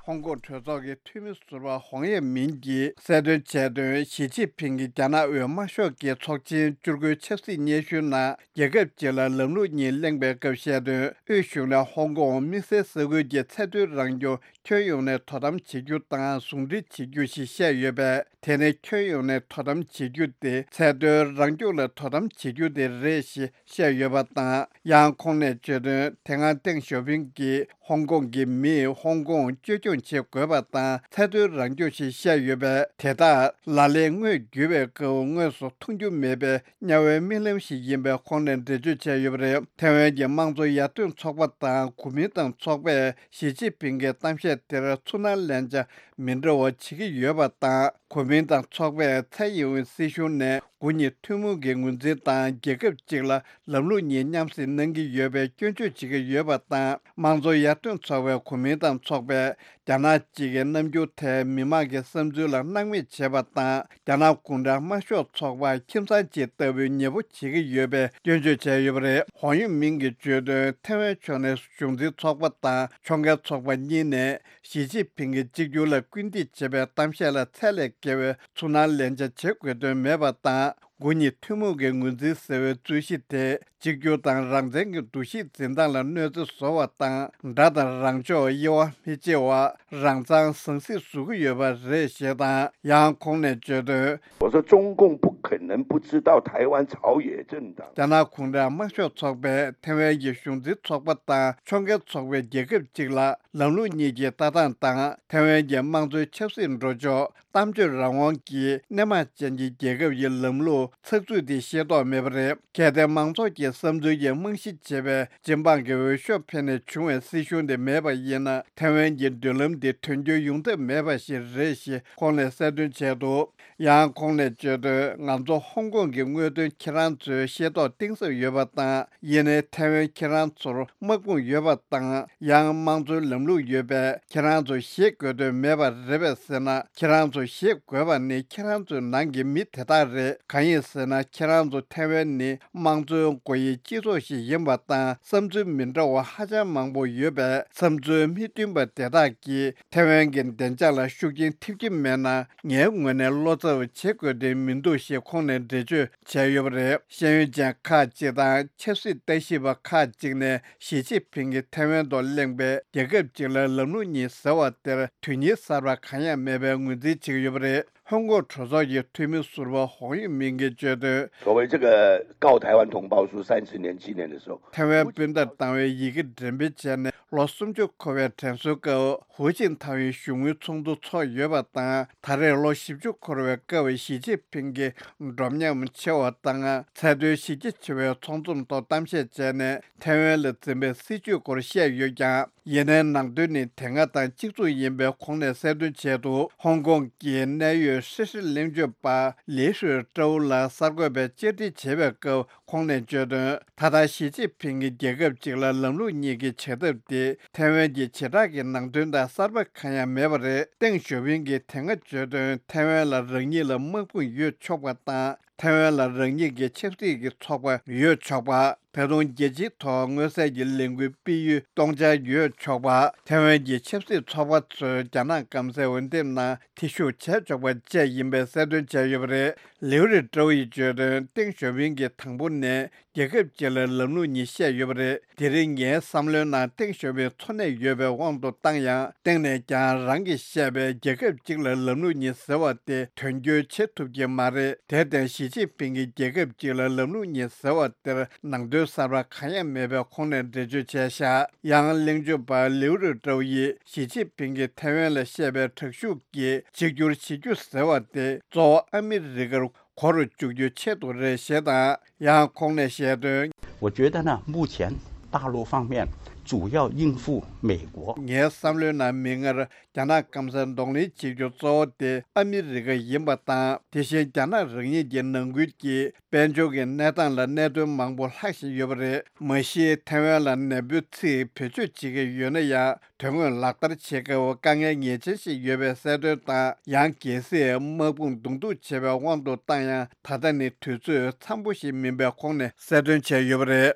ཧོང་ཀོང་གྲོས་ཚོགས་ཀྱི་འཐུས་མི་ཟུར་པ་ཧོང་ཡེ་མིན་གྱིས་གསལ་སྟོན་བྱས་དོན། ཞི་ཅིན་ཕིང་གིས་རྒྱ་ནག་དབུས་དམར་ཤོག་གི་ཚོགས་ཆེན་བཅུ་དགུའི་ཆབ་སྲིད་སྙན་ཞུའི་ནང་རྒྱལ་ཁབ་སྤྱི་ལ་ལམ་ལུགས་གཉིས་གླེང་པའི་སྐབས་བཤད་དོན། དབུས་གཞུང་ནས་ཧོང་ཀོང་དམིགས་བསལ་ས་ཁུལ་གྱི་ཚད་མཐོའི་རང་སྐྱོང་ཁྱོན་ཡོངས་ནས་དོ་དམ་བྱེད་རྒྱུ་དང་ཟུང་འབྲེལ་བྱེད་རྒྱུ་ཞེས་བཤད་ཡོད་པས། དེ་ནི་ཁྱོན་ཡོངས་ནས་དོ་དམ་བྱེད་རྒྱུ་དེ་ཚད་མཐོའི་རང་སྐྱོང་ལ་དོ་དམ་བྱེད་རྒྱུ་དེ་རེད་ཞེས་བཤད་ཡོད་པ་དང་། ཡང་ཁོང་ནས་བརྗོད་དོན། དེ་སྔ་ཏེང་ཞའོ་ཕིང་གིས་ཧོང་ཀོང་གི་མིས་ཧོང་ཀོང་བཅོས་སྐྱོང་བྱེད་དགོས་པ་དང་ཚད་མཐོའི་རང་སྐྱོང་ཞེས་བཤད་ཡོད་པས། དེ་དག་ལག་ལེན་དངོས་བརྒྱུད་པའི་སྐབས་དངོས་སུ་མཐོང་རྒྱུ་མེད་པའི་དམྱལ་བའི་རྨི་ལམ་ཞིག་ཡིན་པའི་ཁོང་ནས་འགྲེལ་བརྗོད་བྱས་ཡོད་པ་རེད། ཐའེ་ཝན་གྱི་དམངས་གཙོ་ཡར་ཐོན་ཚོགས་པ་དང་གོ་མིན་ཏང་ཚོགས་པས་ཞི་ཅིན་ཕིང་གི་གཏམ་བཤད་དེར་ཚུར་སྣང་ལན་ཆགས་མི་འདྲ་བ་བྱེད་ཀྱི་ཡོད་པ་དང་། གོ་མིན་ཏང་ཚོགས་པས་ཚའེ་ཡིན་ཝིན་སྲིད་གཞུང་ནས་དགུ་གཉིས་ཐུན་མོང་གི་ངོས་འཛིན་དང་རྒྱལ་ཁབ་གཅིག་ལ་ལམ་ལུགས་གཉིས་མཉམ་བསྲེས་གནང་གི་ཡོད་པའི་སྐྱོན་བརྗོད་བྱེད་ཀྱི་ཡོད་པ་དང་། དམངས་གཙོ་ཡར་ཐོན་ཚོགས་པའི་གོ་མིན་ཏང་ཚོགས་པས་རྒྱ་ནག་གཅིག་གི་རྣམ་འགྱུར་ཐད་མི་མང་གི་བསམ་ཚུལ་ལ་སྣང་མེད་བྱས་པ་དང་། རྒྱ་ནག་གུང་ཁྲན་དམར་ཤོག་ཚོགས་པ་ཁྱིམ་ཚང་གཅིག་ལྟ་བུའི་ཉེ་པོ་བྱེད་ཀྱི་ཡོད་པའི་སྐྱོན་བརྗོད་བྱས་ཡོད་པ་རེད། ཧོང་ཡུས་མིང་གིས་བརྗོད་དོན། ཐའེ་ཝན་ཕྱོགས་ནས་གཞུང་འཛིན་ཚོགས་པ་དང་ཕྱོགས་འགལ་ཚོགས་པ་གཉིས་ནས་ཞི་ཅིན་ཕིང་གིས་གཅིག་གྱུར་ལ་སྐུལ་འདེད་བྱེད་པའི་གཏམ་བཤད་ལ་ཚད་ལས་བརྒལ་བའི་ཚུར་སྣང་ལན་ཆགས་བྱེད་དགོས་དོན་མེད་པ་དང་། དགུ་གཉིས་ཐུན་མོང་གི་ངོས་འཛིན་ཟེར་བའི་རྩོད་གཞི་དེ་གཅིག་གྱུར་དང་རང་བཙན་གྱི་འདུ་ཤེས་འཛིན་སྟངས་ལ་གནོད་འཚེ་བཟོ་བ་དང་། དགྲ་དང་རང་ཕྱོགས་དབྱེ་བ་མི་ཕྱེ་བ། རང་མཚང་ཟང་ཟིང་བཟོ་གི་ཡོད་པ་རེད་ཞེས་དང་། ཡང་ཁོང་ནས་བརྗོད་དོན། 我说中共不可能不知道台湾朝野政党。 རྒྱ་ནག་གུང་ཁྲན་དམར་ཤོག་ཚོགས་པས་ཐའེ་ཝན་གྱི་གཞུང་འཛིན་ཚོགས་པ་དང་ཕྱོགས་འགལ་ཚོགས་པའི་རྒྱལ་ཁབ་གཅིག་ལ་ལམ་ལུགས་གཉིས་ཀྱི་ལྟ་སྟངས་དང་། ཐའེ་ཝན་གྱི་དམངས་གཙོའི་ཆབ་སྲིད་འགྲོ་ཕྱོགས། གཏམ་བརྗོད་རང་དབང་གི་སྣེ་མང་ཅན་གྱི་རྒྱལ་ཁབ་ཀྱི་ལམ་ལུགས་ཚགས་ཚུད་དེ་ཤེས་རྟོགས་མེད་པ་རེད། གལ་ཏེ་མང་ཚོགས་ཀྱི་བསམ་ཚུལ་གྱི་རྨང་གཞི་བྱས་པའི་སྤྱི་འབངས་ཀྱི་འོས་ཤོག་འཕེན་ནས་བྱུང་བའི་སྲིད་གཞུང་དེ་མེད་པ་ཡིན་ན། ཐའེ་ཝན་གྱི་མདུན་ལམ་དེ་དོན་འཁྱོལ་ཡོང་ཐབས་མེད་པ་ཞིག་རེད་ཞེས་ཁོང་ནས་གསལ་སྟོན་བྱས་འདུག། ཡང་ཁོང་ནས་བརྗོད་དོན། ང་ཚོ་ཧོང་ཀོང་གི་དངོས་དོན་ཁྱེད་རང་ཚོས་ཤེས་རྟོགས་གཏིང་ཟབ་ཡོད་པ་དང་། ཡིན་ནའི་ཐའེ་ཝན་ཁྱེད་རང་ཚོར་དམག་དཔུང་ཡོད་པ་དང་། ཡང་དམངས་གཙོའི་ལམ་ལུགས་ཡོད་པས་ཁྱེད་རང་ཚོ་ཤེས་དགོས་དོན་མེད་པ་རེད་པས་ཟེར་ན། ཁྱེད་རང་ཚོ་ཤེས་དགོས་པ་ནི་ཁྱེད་རང་ཚོའི་ནང་གི་མི་དེ་དག་རེད། གང་ཡིན། ཅི་ཟེར་ན། ཁྱེད་རང་ཚོ་ཐའེ་ཝན་ནི་དམངས་གཙོའི་སྒོ་དབྱེའི་སྤྱི་ཚོགས་ཤིག་ཡིན་པ་དང་། བསམ་ཚུལ་མི་འདྲ་བ་ཧ་ཅང་མང་པོ་ཡོད་པས། བསམ་ཚུལ་མི་མཐུན་པ་དེ་དག་གིས་ཐའེ་ཝན་གྱི་བདེ་འཇགས་ལ་ཤུགས་རྐྱེན་ཐེབས་ཀྱི་མེད་ན། ངའི་ངོས་ནས་བློ་འཚབ་བྱེད་དགོས་དོན་མི་འདུག་ཞེས་ཁོང་ནས་འགྲེལ་བརྗོད་བྱས་ཡོད་པ་རེད། ཤེས་ཡོན་ཅན་ཁག་ཅིག་དང་ཆབ་སྲིད་ལྟ་ཞིབ་པ་ཁག་ཅིག་ནས། ཞི་ཅིན་ཕིང་གིས་ཐའེ་ཝན་ཐོག་གླེང་བའི་རྒྱལ་ཁབ་གཅིག་ལ་ལམ་ལུགས་གཉིས་ཟེར་བ་དེར། དོན་སྙིང་གསར་པ་གང་ཡང་མེད་པའི་ངོས་འཛིན་བྱེད་ཀྱི་ཡོད་པ་རེད། ཧོང་ཀོང་གྲོས་ཚོགས་ཀྱི་འཐུས་མི་ཟུར་པ་ཧོང་ཡུས་མིང་གིས་བརྗོད་དོན། 所谓这个告台湾同胞书三十年纪念的时候， ཐའེ་ཝན་སྤུན་ཟླར་བཏང་བའི་ཡི་གེ་འགྲེམས་སྤེལ་བྱས་ནས་ལོ་སུམ་ཅུ་འཁོར་བའི་དྲན་གསོའི་སྐབས། ཧུའུ་ཅིན་ཐའོ་ཡི་གཞུང་དངུལ་ཚོགས་འདུ་འཚོགས་ཡོད་པ་དང་། ད་རེས་ལོ་བཞི་བཅུ་འཁོར་བའི་སྐབས། ཞི་ཅིན་ཕིང་གིས་འགྲོ་མཉམ་ཆེ་བ་དང་ཚད་མཐོའི་གཞི་རྒྱ་ཆེ་བའི་ཚོགས་འཛོམས་ཐོག་གཏམ་བཤད་བྱས་ནས། ཐའེ་ཝན་ལ་འཛིན་པའི་སྲིད་བྱུས་སྐོར་བཤད་ཡོད་ཀྱང་། ཡིན་ནའི་ནང་དོན་ནི་དེ་སྔ་དང་གཅིག་མཚུངས་ཡིན་པའི་ཁོང་ནས་གསལ་སྟོན་བྱས་འདུག་ཧོང་ཀོང་གི་གནད་ཡོད་ཧྲི་ཧྲི་གླེང་བརྗོད་པ་ལི་ཧྲུའེ་ཀྲོའུ་ལགས་གསར་འགོད་པས་བཅར་འདྲི་བྱས་པའི་སྐབས་ཁོང་ནས་བརྗོད་དོན། ད་ལྟ་ཞི་ཅིན་ཕིང་གིས་རྒྱལ་ཁབ་གཅིག་ལ་ལམ་ལུགས་གཉིས་ཀྱི་བྱ་ཐབས་དེ་ཐའེ་ཝན་གྱི་བྱེ་བྲག་གི་ནང་དོན་དང་གསར་པ་གང་ཡང་མེད་པ་རེད། ཏེང་ཞའོ་ཕིང་གིས་དེ་སྔ་བརྗོད་དོན། ཐའེ་ཝན་ལ་རང་ཉིད་ལ་དམག་དཔུང་ཡོད་ཆོག་པ་དང་། ཐའེ་ཝན་ལ་རང་ཉིད་ཀྱི་ཆབ་སྲིད་ཀྱི་ཚོགས་པ་ཡོད་ཆོག་པ། ད་དུང་རྒྱལ་སྤྱིའི་ཐོག་མངོན་གསལ་གྱི་ལས་འགུལ་སྤེལ་ཡུལ་སྟོང་ཆ་ཡོད་ཆོག་པ། ཐའེ་ཝན་གྱི་ཆབ་སྲིད་ཚོགས་པ་ཚོས་རྒྱ་ནག་སྐམ་སའི་འོས་འདེམས་ནང་ཐེ་ཞུགས་བྱས་ཆོག་པ་བཅས་ཡིན་པའི་གསལ་སྟོན་བྱས་ཡོད་པ་རེད། ལིའུ་རི་ཀྲོའུ་ཡིས་བརྗོད་དོན། ཏེང་ཞའོ་ཕིང་གིས་དང་པོ་ནས་རྒྱལ་ཁབ་གཅིག་ལ་ལམ་ལུགས་གཉིས་བཤད་ཡོད་པ་རེད། དེ་རིང་ངའི་བསམ་བློའི་ནང་ཏེང་ཞའོ་ཕིང་འཚོ་གནས་ཡོད་པའི་དབང་དུ་བཏང་ཡང་། སྟེང་ནས་ཀྱང་རང་གིས་བཤད་པའི་རྒྱལ་ཁབ་གཅིག་ལ་ལམ་ལུགས་གཉིས་ཟེར་བ་དེ་དོན་འཁྱོལ་བྱེད་ཐུབ་ཀྱི་མ་རེད། དེར་བརྟེན་ཞི་ཅིན་ཕིང་གིས་རྒྱལ་ཁབ་གཅིག་ལ་ལམ་ལུགས་གཉིས་ཟེར་བ་དེར་ནང་དོན་གསར་པ་གང་ཡང་མེད་པའི་ཁོང་ནས་འགྲེལ་བརྗོད་བྱས་བཞག་ཡང་གླེང་བརྗོད་པ་ལིའུ་རི་ཀྲོའུ་ཡིས་ཞི་ཅིན་ཕིང་གིས་ཐའེ་ཝན་ལ་བཤད་པའི་དྲག་ཤུགས་ཀྱིས་གཅིག་གྱུར་བྱེད་རྒྱུ་ཟེར་བ་དེ་གཙོ་བོ་ཨ་མི་རི་ཀར་གོ་རུ་བཅུག་རྒྱུའི་ཆེད་དུ་རེད་ཞེས་དང་། ཡང་ཁོང་ནས་བཤད་དོན། 我觉得呢，目前大陆方面主要应付美国。 ངའི་བསམ་བློའི་ནང་མིག་སྔར་རྒྱ་ནག་སྐམ་སར་གདོང་ལེན་བྱེད་རྒྱུ་གཙོ་བོ་དེ་ཨ་མི་རི་ཀ་ཡིན་པ་དང་། དེ་བཞིན་རྒྱ་ནག་རང་ཉིད་ཀྱི་ནང་ཁུལ་གྱི་དཔལ་འབྱོར་གྱི་གནས་སྟངས་ལ་གནད་དོན་མང་པོ་ལྷག་བཞིན་ཡོད་པ་རེད། མ་གཞི་ཐའེ་ཝན་ལ་ནད་འབུའི་ཚིག་བེད་སྤྱོད་བྱེད་ཀྱི་ཡོད་ན་ཡང་། དོན་དངོས་ལག་བསྟར་བྱེད་སྐབས་དཀའ་ངལ་ངེས་ཅན་ཞིག་ཡོད་པའི་གསལ་སྟོན་དང་། ཡང་གལ་སྲིད་དམག་དཔུང་གདོང་ཐུག་བྱས་པའི་དབང་དུ་བཏང་ཡང་། ད་ལྟ་ནི་དུས་ཚོད་འཚམ་པོ་ཞིག་མིན་པའི་ཁོང་ནས་གསལ་སྟོན་བྱས་ཡོད་པ་རེད།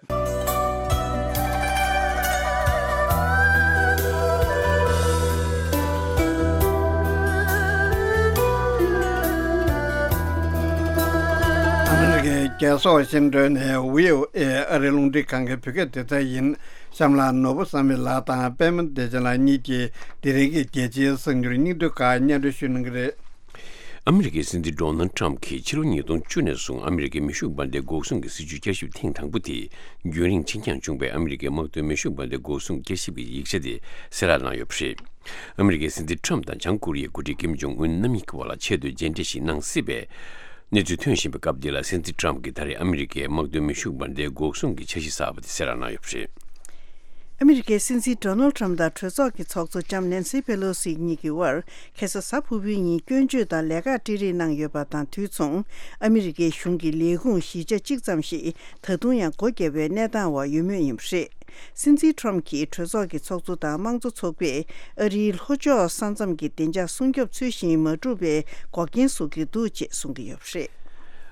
ཨ་མི་རི་ཀའི་རྒྱལ་ས་ཝ་ཤིང་ཏོན་ནས་བྷི་ཨོ་ཨེ་ཨ་རིའི་རླུང་འཕྲིན་ཁང་གི་བོད་སྐད་སྡེ་ཚན་ཡིན། གཤམ་ལ་ནོར་བུ་བསམ་འཕེལ་ལགས་དང་པད་མ་བདེ་ཆེན་ལགས་གཉིས་ཀྱིས་དེ་རིང་གི་རྒྱལ་སྤྱིའི་གསར་འགྱུར་སྙིང་བསྡུས་ཁག་སྙན་སྒྲོན་ཞུ་གནང་གི་རེད། ཨ་མི་རི་ཀའི་སྲིད་འཛིན་ཌོ་ནལ་ཊམ་གྱིས་ཕྱི་ལོ་ཉིས་སྟོང་བཅུ་ནས་བཟུང་ཨ་མི་རི་ཀའི་མེ་ཤུགས་འབར་མདེལ་འགོག་སྲུང་གི་སྲིད་ཇུས་བསྐྱར་ཞིབ་ཐེངས་དང་པོ་དེ་རྒྱུན་རིང་ཕྱིན་འགྱངས་བྱུང་བའི་ཨ་མི་རི་ཀའི་དམག་དོན་མེ་ཤུགས་འབར་མདེལ་འགོག་སྲུང་བསྐྱར་ཞིབ་ཀྱི་ཡིག་ཆ་དེ་གསལ་བསྒྲགས་གནང་ཡོད་པ་རེད། ཨ་མི་རི་ཀའི་སྲིད་འཛིན་ཊམ་དང་བྱང་ཀོ་རི་ཡའི་འགོ་ཁྲིད་ཀིམ་ཇོང་ཨུན་རྣམ་གཉིས་ཀྱི་བར་ལ་ཆེས་མཐོའི་མཇལ་འཕྲད་ཞིག་གནང་སྲིད་པའི་གནས་ཚུལ་ཐོན་བཞིན་པའི་སྐབས་འདི་ལ། སྲིད་འཛིན་ཊམ་གྱིས་ད་རེས་ཨ་མི་རི་ཀའི་དམག་དོན་མེ་ཤུགས་འབར་མདེལ་འགོག་སྲུང་གི་འཆར་གཞི་གསར་པ་དེ་གསལ་བསྒྲགས་གནང་ཡོད་པ་རེད། ཨ་མི་རི་ཀའི་སྲིད་འཛིན་ཌོ་ནལ་ཊམ་དང་གྲོས་ཚོགས་ཀྱི་ཚོགས་གཙོ་ལྕམ་ནན་སི་པེ་ལོ་སི་གཉིས་ཀྱི་དབར་ཁ་སང་གཟའ་ཕུར་བུའི་ཉིན་སྐྱོན་བརྗོད་དང་ལས་ཀར་སྤྲད་རེས་གནང་ཡོད་པ་དང་དུས་མཚུངས། ཨ་མི་རི་ཀའི་གཞུང་གི་ལས་ཁུངས་བཞི་ཆ་གཅིག་ཙམ་ཞིག་ད་དུང་ཡང་སྒོ་བརྒྱབ་པའི་གནས་སྟངས་འོག་ཡོད་མུས་ཡིན་པ་རེད། སྲིད་འཛིན་ཊམ་གྱིས་གྲོས་ཚོགས་ཀྱི་ཚོགས་གཙོ་དང་དམངས་གཙོ་ཚོགས་པས་ཨ་རིའི་ལྷོ་ཕྱོགས་ས་མཚམས་ཀྱི་བདེ་འཇགས་སྲུང་སྐྱོབ་ཚུལ་བཞིན་མ་བསྒྲུབས་པའི་འགོག་རྐྱེན་བཟོ་གི་འདུག་ཅེས་གསུང་གི་ཡོད་པ་རེད།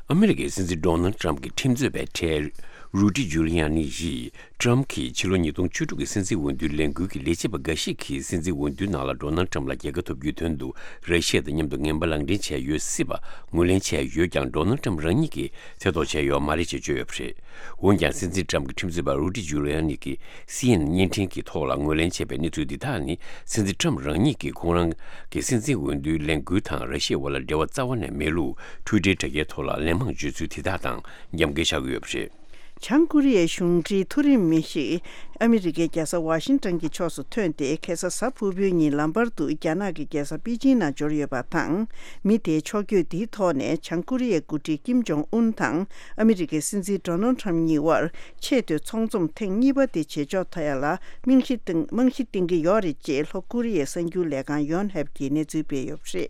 ཨ་མི་རི་ཀའི་སྲིད་འཛིན་ཌོ་ནལ་ཊམ་གྱི་ཁྲིམས་རྩོད་པའི་གྲས་རུ་ཏི་ཇུ་ལི་ཡ་ནི་ཡིས། ཊམ་གྱིས་ཕྱི་ལོ་ཉིས་སྟོང་བཅུ་དྲུག་གི་སྲིད་འཛིན་འོས་བསྡུའི་ལས་འགུལ་གྱི་ལས་བྱེད་པ་འགའ་ཞིག་གིས་སྲིད་འཛིན་འོས་བསྡུའི་ནང་ལ་ཌོ་ནལ་ཊམ་ལ་རྒྱལ་ཁ་ཐོབ་རྒྱུའི་དོན་དུ་ར་ཤི་ཡ་དང་མཉམ་དུ་ངན་པ་ལག་འབྲེལ་བྱས་ཡོད་སྲིད་པ་ངོས་ལེན་བྱས་ཡོད་ཀྱང་། ཌོ་ནལ་ཊམ་རང་ཉིད་ཀྱིས་ཐེ་གཏོགས་བྱས་ཡོད་མ་རེད་ཅེས་བརྗོད་ཡོད་པ་རེད། འོན་ཀྱང་། སྲིད་འཛིན་ཊམ་གྱི་ཁྲིམས་རྩོད་པ་རུ་ཏི་ཇུ་ལི་ཡ་ནི་གིས་སི་ཨེན་ཨེན་བརྙན་འཕྲིན་གྱི་ཐོག་ལ་ངོས་ལེན་བྱས་པའི་གནས་ཚུལ་འདི་དག་ནི། སྲིད་འཛིན་ཊམ་རང་ཉིད་ཀྱིས་ཁོང་རང་གི་སྲིད་འཛིན་འོས་བསྡུའི་ལས་འགུལ་དང་ར་ཤི་ཡའི་དབར་ལ་འབྲེལ་བ་རྩ་བ་ནས་མེད་ལུགས་ཊུའི་ཊར་དྲ་རྒྱའི་ཐོག་ལ་ལན་མང་བརྗོད་ཚུལ་དེ་དག་དང་། རྒྱབ་འགལ་ཆགས་ཀྱི་ཡོད་པ་རེད། བྱང་ཀོ་རི་ཡའི་གཞུང་འབྲེལ་མཐོ་རིམ་མི་ཞིག་ཨ་མི་རི་ཀའི་རྒྱལ་ས་ཝ་ཤིང་ཏོན་གྱི་ཕྱོགས་སུ་ཐོན་ཏེ། ཁ་སང་གཟའ་ཕུར་བུའི་ཉིན་ལམ་བར་དུ་རྒྱ་ནག་གི་རྒྱལ་ས་པེ་ཅིང་ནང་འབྱོར་ཡོད་པ་དང་། མི་དེའི་ཕྱོགས་བསྐྱོད་འདིའི་ཐོག་ནས་བྱང་ཀོ་རི་ཡའི་འགོ་ཁྲིད་ཀིམ་ཇོང་ཨུན་དང་ཨ་མི་རི་ཀའི་སྲིད་འཛིན་ཌོ་ནལ་ཊམ་གཉིས་དབར་ཆེས་མཐོའི་ཚོགས་འཛོམས་ཐེངས་གཉིས་པ་དེ་བྱེད་ཕྱོགས་ཐོག་ཡ་ལ་རྨང་གཞི་བཏིང་རྨང་གཞི་བཏིང་གི་ཡོད་རེད་ཅེས་ལྷོ་ཀོ་རི་ཡའི་གསར་འགྱུར་ལས་ཁང་ཡོན་ཧེབ་ཀྱིས་གནས་ཚུལ་སྤེལ་ཡོད་པ་རེད།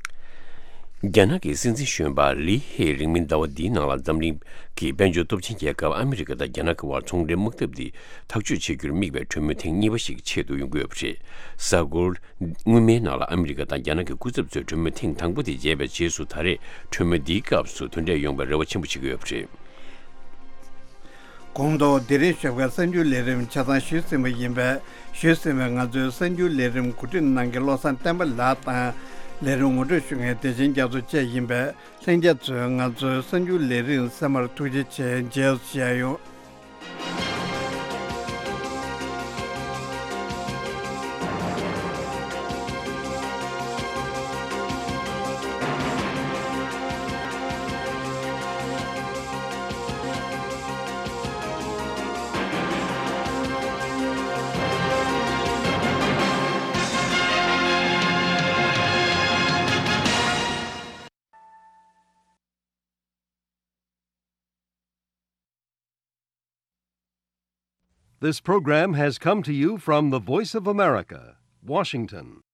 རྒྱ་ནག་གི་སྲིད་འཛིན་གཞོན་པ་ལི་ཧེ་རིང་མིན་ཟླ་བ་འདིའི་ནང་ལ་འཛམ་གླིང་གི་དཔལ་འབྱོར་སྟོབས་ཆེན་རྒྱལ་ཁབ་ཨ་མི་རི་ཀ་དང་རྒྱ་ནག་གི་དབར་ཚོང་འབྲེལ་དམག་འཐབ་འདི་ཐག་གཅོད་བྱེད་རྒྱུར་དམིགས་པའི་གྲོས་མོལ་ཐེངས་གཉིས་པ་ཞིག་ཆེད་དུ་ཡོང་གི་ཡོད་པ་རེད། གཟའ་འཁོར་སྔོན་མའི་ནང་ལ་ཨ་མི་རི་ཀ་དང་རྒྱ་ནག་གི་སྐུ་ཚབ་ཚོས་གྲོས་མོལ་ཐེངས་དང་པོ་དེ་བརྗེས་པའི་རྗེས་སུ་ད་རེས་གྲོས་མོལ་འདིའི་སྐབས་སུ་དོན་འབྲས་ཡོང་བའི་རེ་བ་ཆེན་པོ་བྱེད་ཀྱི་ཡོད་པ་རེད། གོང་དུ་དེ་རིང་ཞོགས་ཀའི་གསར་འགྱུར་ལས་རིམ་ཆ་ཚང་ཞུས་ཟིན་པ་ཡིན་པས། ཞུས་ཟིན་པའི་ང་ཚོའི་གསར་འགྱུར་ལས་རིམ་གོ་སྒྲིག་གནང་མཁན་བློ་བཟང་བསྟན་པ་ལགས་དང་། ལས་རིམ་ངོ་སྤྲོད་ཞུ་མཁན་བདེ་ཆེན་རྒྱ་མཚོ་བཅས་ཡིན་པས། ལྷན་རྒྱས་ཚོས་ང་ཚོའི་གསར་འགྱུར་ལས་རིམ་གསན་པར་ཐུགས་རྗེ་ཆེ། མཇལ་ཡོང་། This program has come to you from the Voice of America, Washington.